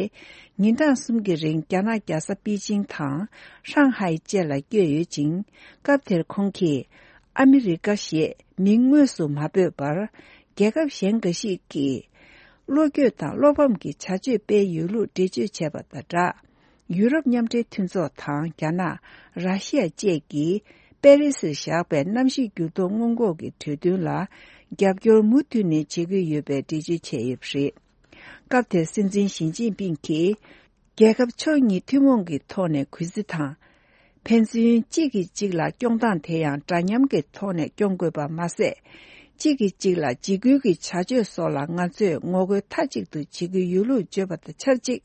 ཉིན་གྲངས་གསུམ་གྱི་རིང་རྒྱ་ནག་རྒྱལ་ས་པེ་ཅིང་དང་ཧྲང་ཧའེ་བཅས་ལ་བསྐྱོད་ཡོད་ཅིང་། སྐབས་དེར་ཁོང་གིས་ཨ་མི་རི་ཀ་ཞེས་མིང་དངོས་སུ་མ་འབོད་པར། རྒྱལ་ཁབ་གཞན་འགའ་ཞིག་གིས་ བློ་འགྱོད་དང་བློ་ཕམ་གྱི་བྱ་སྤྱོད་སྤེལ་ཡོད་ལུགས་འགྲེལ་བརྗོད་བྱས་པ་དང་སྦྲགས། ཡུ་རོབ་མཉམ་འབྲེལ་མཐུན་ཚོགས་དང་རྒྱ་ནག་ར་ཤི་ཡ་བཅས་ཀྱིས་པེ་རི་སིར་བཞག་པའི་གནམ་གཤིས་འགྱུར་ལྡོག་སྔོན་འགོག་གི་གྲོས་མཐུན་ལ་རྒྱབ་སྐྱོར་མུ་མཐུད་ནས་བྱེད་ཀྱི་ཡོད་པའི་འགྲེལ་བརྗོད་བྱས་ཡོད་པ་རེད། སྐབས་དེར་སྲིད་འཛིན་ཞི་ཅིན་ཕིང་གིས། རྒྱལ་ཁབ་ཕྱོགས་གཉིས་ཐུན་མོང་གི་ཐོག་ནས་གུས་བརྩི་དང་། ཕན་ཚུན་གཅིག་གིས་གཅིག་ལ་སྐྱོང་སྟངས་དེ་ཡང་འདྲ་མཉམ་གྱི་ཐོག་ནས་སྐྱོང་དགོས་པ་མ་ཟད། གཅིག་གིས་གཅིག་ལ་འཇིགས་སྐུལ་གྱི་བྱ་སྤྱོད་སོགས་ལ་ང་ཚོས་ངོ་རྒོལ་མཐའ་གཅིག་ཏུ་བྱེད་ཀྱི་ཡོད་ལུགས་བརྗོད་པ་དང་ཆབས་ཅིག་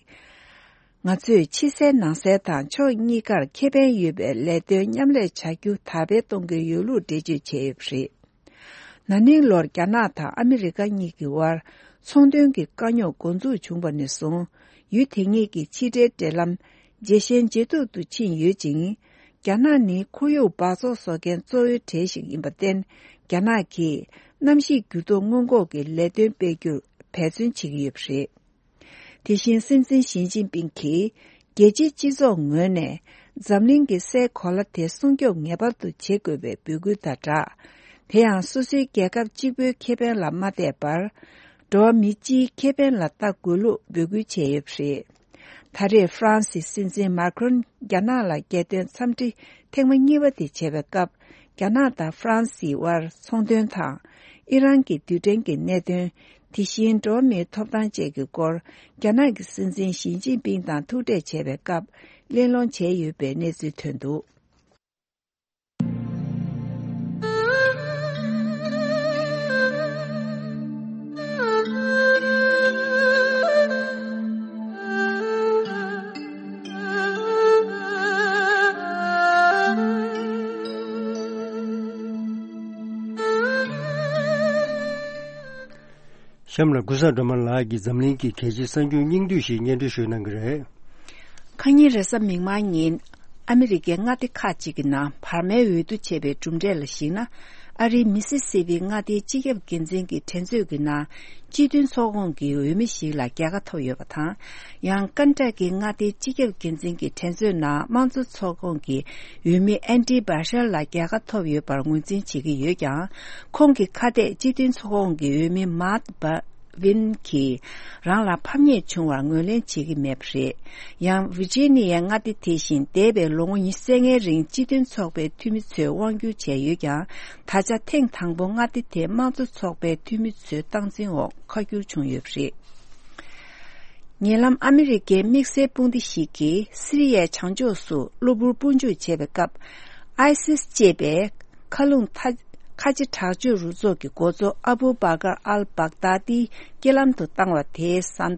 ང་ཚོས་ཕྱི་གསལ་ནང་གསལ་དང་ཕྱོགས་གཉིས་ཀར་ཁེ་ཕན་ཡོད་པའི་ལས་དོན་མཉམ་ལས་བྱ་རྒྱུ་དར་སྤེལ་གཏོང་གི་ཡོད་ལུགས་འགྲེལ་བརྗོད་བྱས་ཡོད་པ་རེད། ན་ནིང་ལོར་རྒྱ་ནག་དང་ཨ་མི་རི་ཀ་གཉིས་ཀྱི་དབར་ཚོང་དོན་གྱི་དཀའ་རྙོག་འགོ་འཛུགས་བྱུང་བ་ནས་བཟུང་། ཡུལ་དེ་གཉིས་ཀྱི་ཕྱི་འབྲེལ་འབྲེལ་ལམ་ཇེ་ཞན་ཇེ་སྡུག་ཏུ་ཕྱིན་ཡོད་ཅིང་། རྒྱ་ནག་ནི་ཁོར་ཡུག་འབག་བཙོག་བཟོ་མཁན་གཙོ་བོའི་གྲས་ཤིག་ཡིན་པར་བརྟེན། རྒྱ་ནག་གིས་གནམ་གཤིས་འགྱུར་ལྡོག་སྔོན་འགོག་གི་ལས་དོན་སྤེལ་རྒྱུར་འབད་བརྩོན་བྱེད་ཀྱི་ཡོད་པ་རེད། དེ་བཞིན་སྲིད་འཛིན་ཞི་ཅིན་ཕིང་གིས་རྒྱལ་སྤྱིའི་སྤྱི་ཚོགས་ངོས་ནས་འཛམ་གླིང་གི་སའི་གོ་ལ་དེ་སྲུང་སྐྱོབ་ངེས་པར་དུ་བྱེད་དགོས་པའི་འབོད་སྐུལ་དང་སྦྲགས། དེ་ཡང་སོ་སོའི་རྒྱལ་ཁབ་གཅིག་པུའི་ཁེ་ཕན་ལ་མ་བལྟས་པར། འགྲོ་བ་མི་སྤྱིའི་ཁེ་ཕན་ལ་ལྟ་དགོས་ལུགས་འབོད་སྐུལ་བྱས་ཡོད་པ་རེད། ད་རེས་ཧྥ་རན་སིའི་སྲིད་འཛིན་མཱ་ཁྲོན་རྒྱ་ནག་ལ་རྒྱལ་དོན་འཚམས་འདྲི་ཐེངས་མ་གཉིས་པ་དེ་བྱས་པའི་སྐབས། རྒྱ་ནག་དང་ཧྥ་རན་སིའི་དབར་ཚོང་དོན་དང་། ཨི་རན་གྱི་རྡུལ་ཕྲན་གྱི་གནད་དོན། དེ་བཞིན་འགྲོ་བ་མིའི་ཐོབ་ཐང་བཅས་ཀྱི་སྐོར། རྒྱ་ནག་གི་སྲིད་འཛིན་ཞི་ཅིན་ཕིང་དང་ཐུག་འཕྲད་བྱས་པའི་སྐབས། གླེང་སློང་བྱས་ཡོད་པའི་གནས་ཚུལ་ཐོན་འདུག་གཤམ་ལ་ཀུན་བཟང་སྒྲོལ་མ་ལགས་ཀྱིས་འཛམ་གླིང་གི་གལ་ཆེའི་གསར་འགྱུར་སྙིང་བསྡུས་ཤིག་སྙན་སྒྲོན་ཞུ་གནང་གི་རེད། ཁ་ཉིན་རེས་གཟའ་མིག་དམར་ཉིན། ཨ་མི་རི་ཀའི་མངའ་སྡེ་ཁག་ཅིག་གི་ནང་བར་མའི་འོས་བསྡུ་བྱས་པའི་གྲུབ་འབྲས་ལ་གཞིགས་ན། ཨ་རིའི་མི་སི་སི་པི་མངའ་སྡེའི་སྤྱི་ཁྱབ་འགན་འཛིན་གྱི་འགྲན་རྩོད་ཀྱི་ནང་། སྤྱི་མཐུན་ཚོགས་ཁོངས་ཀྱི་འོས་མི་ཞིག་ལ་རྒྱལ་ཁ་ཐོབ་ཡོད་པ་དང་། ཡང་ཀན་ཊ་ཀིའི་མངའ་སྡེའི་སྤྱི་ཁྱབ་འགན་འཛིན་གྱི་འགྲན་རྩོད་ནང་དམངས་གཙོ་ཚོགས་ཁོངས་ཀྱི་འོས་མི་ཨན་ཌི་བྷ་ཤར་ལ་རྒྱལ་ཁ་ཐོབ་ཡོད་པར་ངོས་འཛིན་བྱེད་ཀྱི་ཡོད་ཀྱང་། ཁོང་གི་ཁ་གཏད་སྤྱི་མཐུན་ཚོགས་ཁོངས་ཀྱི་འོས་མི་མཱཊ་བྷ་ཝིན་གྱིས་རང་ལ་ཕམ་ཉེས་བྱུང་བར་ངོས་ལེན་བྱེད་ཀྱི་མེད་པ་རེད། ཡང་ཝི་ཇི་ནི་ཡའི་མངའ་སྡེ་དེ་བཞིན་འདས་པའི་ལོ་ངོ་ཉི་ཤུ་རྩ་ལྔའི་རིང་སྤྱི་མཐུན་ཚོགས་པའི་འཐུས་མི་ཚོས་དབང་སྒྱུར་བྱས་ཡོད་ཀྱང་། ད་ཆ་ཐེངས་དང་པོ་མངའ་སྡེ་དེ་དམངས་གཙོ་ཚོགས་པའི་འཐུས་མི་ཚོའི་སྟངས་འཛིན་འོག་ཁ་བསྒྱུར་བྱུང་ཡོད་པ་རེད། ཉེ་ལམ་ཨ་མི་རི་ཀའི་དམིགས་བསལ་དཔུང་སྡེ་ཞིག་གིས་སི་རི་ཡའི་བྱང་ཕྱོགས་སུ་གློ་བུར་དཔུང་འཇུག་བྱས་པའི་སྐབས། ཨའི་སིས་ཅེས་པའི་མཁའ་རླུང་མཐའ་ཁ་ཆེ་དྲག་སྤྱོད་རུ་ཚོགས་ཀྱི་འགོ་གཙོ་ཨ་བུ་བྷ་ཀར་ཨལ་བྷག་དཱ་ཏི་རྐྱེན་ལམ་དུ་བཏང་བ་དེའི་བཟའ་ཟླ།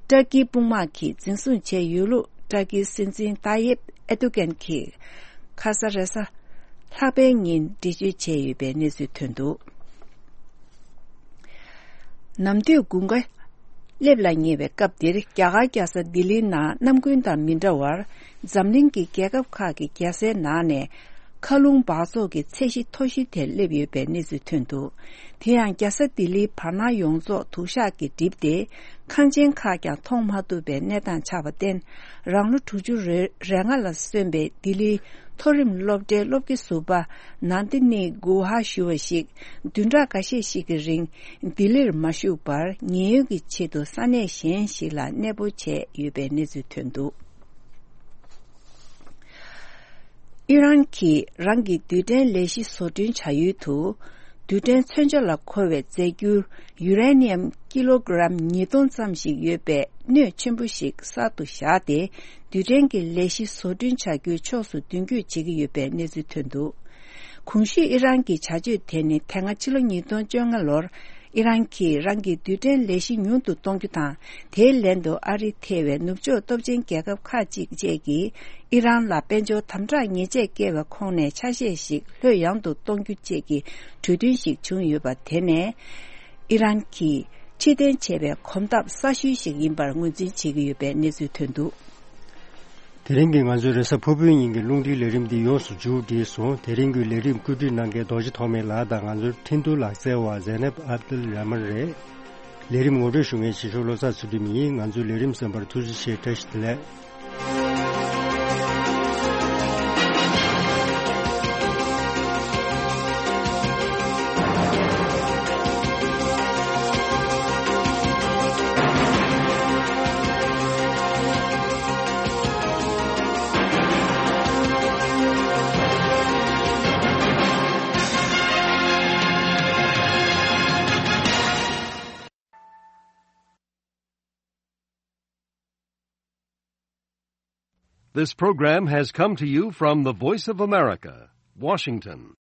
ཏར་ཀིའི་དཔུང་དམག་གིས་འཛིན་བཟུང་བྱས་ཡོད་ལུགས་ཏར་ཀིའི་སྲིད་འཛིན་ཏཱ་ཡེབ་ཨེར་ཏུ་གན་གྱིས་ཁ་ས་རེས་གཟའ་ལྷག་པའི་ཉིན་འགྲེལ་བརྗོད་བྱས་ཡོད་པའི་གནས་ཚུལ་ཐོན་འདུག་ནམ་དུས་དགུན་ཁ་སླེབས་ལ་ཉེ་བའི་སྐབས་འདིར་རྒྱ་གར་རྒྱལ་ས་ལྡི་ལིའི་ནང་གནམ་དགུན་དང་མི་འདྲ་བར་འཛམ་གླིང་གི་རྒྱལ་ཁབ་ཁག་གི་རྒྱལ་སའི་ནང་ནས་མཁའ་རླུང་འབག་བཙོག་གི་ཚད་གཞི་མཐོ་ཤོས་དེར་སླེབས་ཡོད་པའི་གནས་ཚུལ་ཐོན་འདུག་དེ་ཡང་རྒྱལ་ས་ལྡི་ལིའི་བར་སྣང་ཡོངས་རྫོགས་དུག་ཤག་གིས་བསྒྲིབས་ཏེ། ཁང་ཆེན་ཁག་ཀྱང་མཐོང་མ་ཐུབ་པའི་གནས་སྟངས་ཆགས་པར་བརྟེན། རང་ལོ་དྲུག་ཅུ་རེ་ལྔ་ལ་སོན་པའི་ལྡི་ལིའི་མཐོ་རིམ་སློབ་གྲྭའི་སློབ་དགེ་ཟུར་པ་ནན་ཏི་ནི་གུ་ཧ་ཞུ་བ་ཞིག་བདུན་ཕྲག་འགའ་ཤས་ཤིག་གི་རིང་ལྡི་ལིར་མ་བཞུགས་པར་ཉེན་གཡོལ་གྱི་ཆེད་དུ་ས་གནས་གཞན་ཞིག་ལ་གནས་སྤོ་བྱས་ཡོད་པའི་གནས་ཚུལ་ཐོན་འདུག་ཨི་རན་གྱིས་རང་གི་རྡུལ་ཕྲན་ལས་གཞི་བཟོ་སྐྲུན་བྱ་ཡུལ་དུ། རྡུལ་ཕྲན་མཚོན་ཆ་ལ་མཁོ་བའི་རྫས་འགྱུར་ཡུ་རེ་ནི་ཡམ་ཀི་ལོ་གྲམ་ཉིས་སྟོང་ཙམ་ཞིག་ཡོད་པའི་སྣོད་ཆེན་པོ་ཞིག་གསར་དུ་བཞག་སྟེ། རྡུལ་ཕྲན་གྱི་ལས་གཞི་བཟོ་སྐྲུན་བྱ་རྒྱུའི་ཕྱོགས་སུ་མདུན་སྐྱོད་བྱེད་ཀྱི་ཡོད་པའི་གནས་ཚུལ་ཐོན་འདུག་གོང་ཞུས་ཨི་རན་གྱི་བྱ་སྤྱོད་དེ་ནི་དེ་སྔ་ཕྱི་ལོ་ཉིས་སྟོང་བཅོ་ལྔ་ལོར། ཨི་རན་གྱིས་རང་གི་རྡུལ་ཕྲན་ལས་གཞི་ཉུང་དུ་གཏོང་རྒྱུ་དང་། དེའི་ལན་དུ་ཨ་རི་ཐེ་བའི་ནུབ་ཕྱོགས་སྟོབས་ཆེན་རྒྱལ་ཁབ་ཁག་ཅིག་བཅས་ཀྱིས་ཨི་རན་ལ་དཔལ་འབྱོར་དམ་དྲག་ཉེས་ཆད་བཀལ་བའི་ཁོངས་ནས་ཆ་ཤས་ཤིག་ལྷོད་ཡངས་དུ་གཏོང་རྒྱུ་བཅས་ཀྱི་གྲོས་མཐུན་ཞིག་བྱུང་ཡོད་པ་དེ་ནས། ཨི་རན་གྱིས་ཕྱིར་འཐེན་བྱས་པའི་གོམ་སྟབས་གསར་ཤོས་ཤིག་ཡིན་པར་ངོས་འཛིན་བྱེད་ཀྱི་ཡོད་པའི་གནས་ཚུལ་ཐོན་འདུག་དེ་རིང་གི་ང་ཚོའི་རེས་གཟའ་ཕུར་བུའི་ཉིན་གྱི་རླུང་འཕྲིན་ལས་རིམ་འདི་ཡོངས་སུ་མཇུག་བསྒྲིལ་སོང་། དེ་རིང་གི་ལས་རིམ་བཀོད་སྒྲིག་གནང་མཁན་རྡོ་རྗེ་ཐོགས་མེད་ལགས་དང་ང་ཚོའི་འཕྲིན་བསྡུར་ལག་རྩལ་བ་ཟེ་ནེབ་ཨབ་དུལ་ར་མན་རེད། ལས་རིམ་ངོ་སྤྲོད་ཞུ་མཁན་ཞིག་ཤོག་བློ་བཟང་ཚུལ་ཁྲིམས་ཡིན། ང་ཚོའི་ལས་རིམ་གསན་པར་ཐུགས་རྗེ་ཆེ། བཀྲ་ཤིས་བདེ་ལེགས། This program has come to you from the Voice of America, Washington.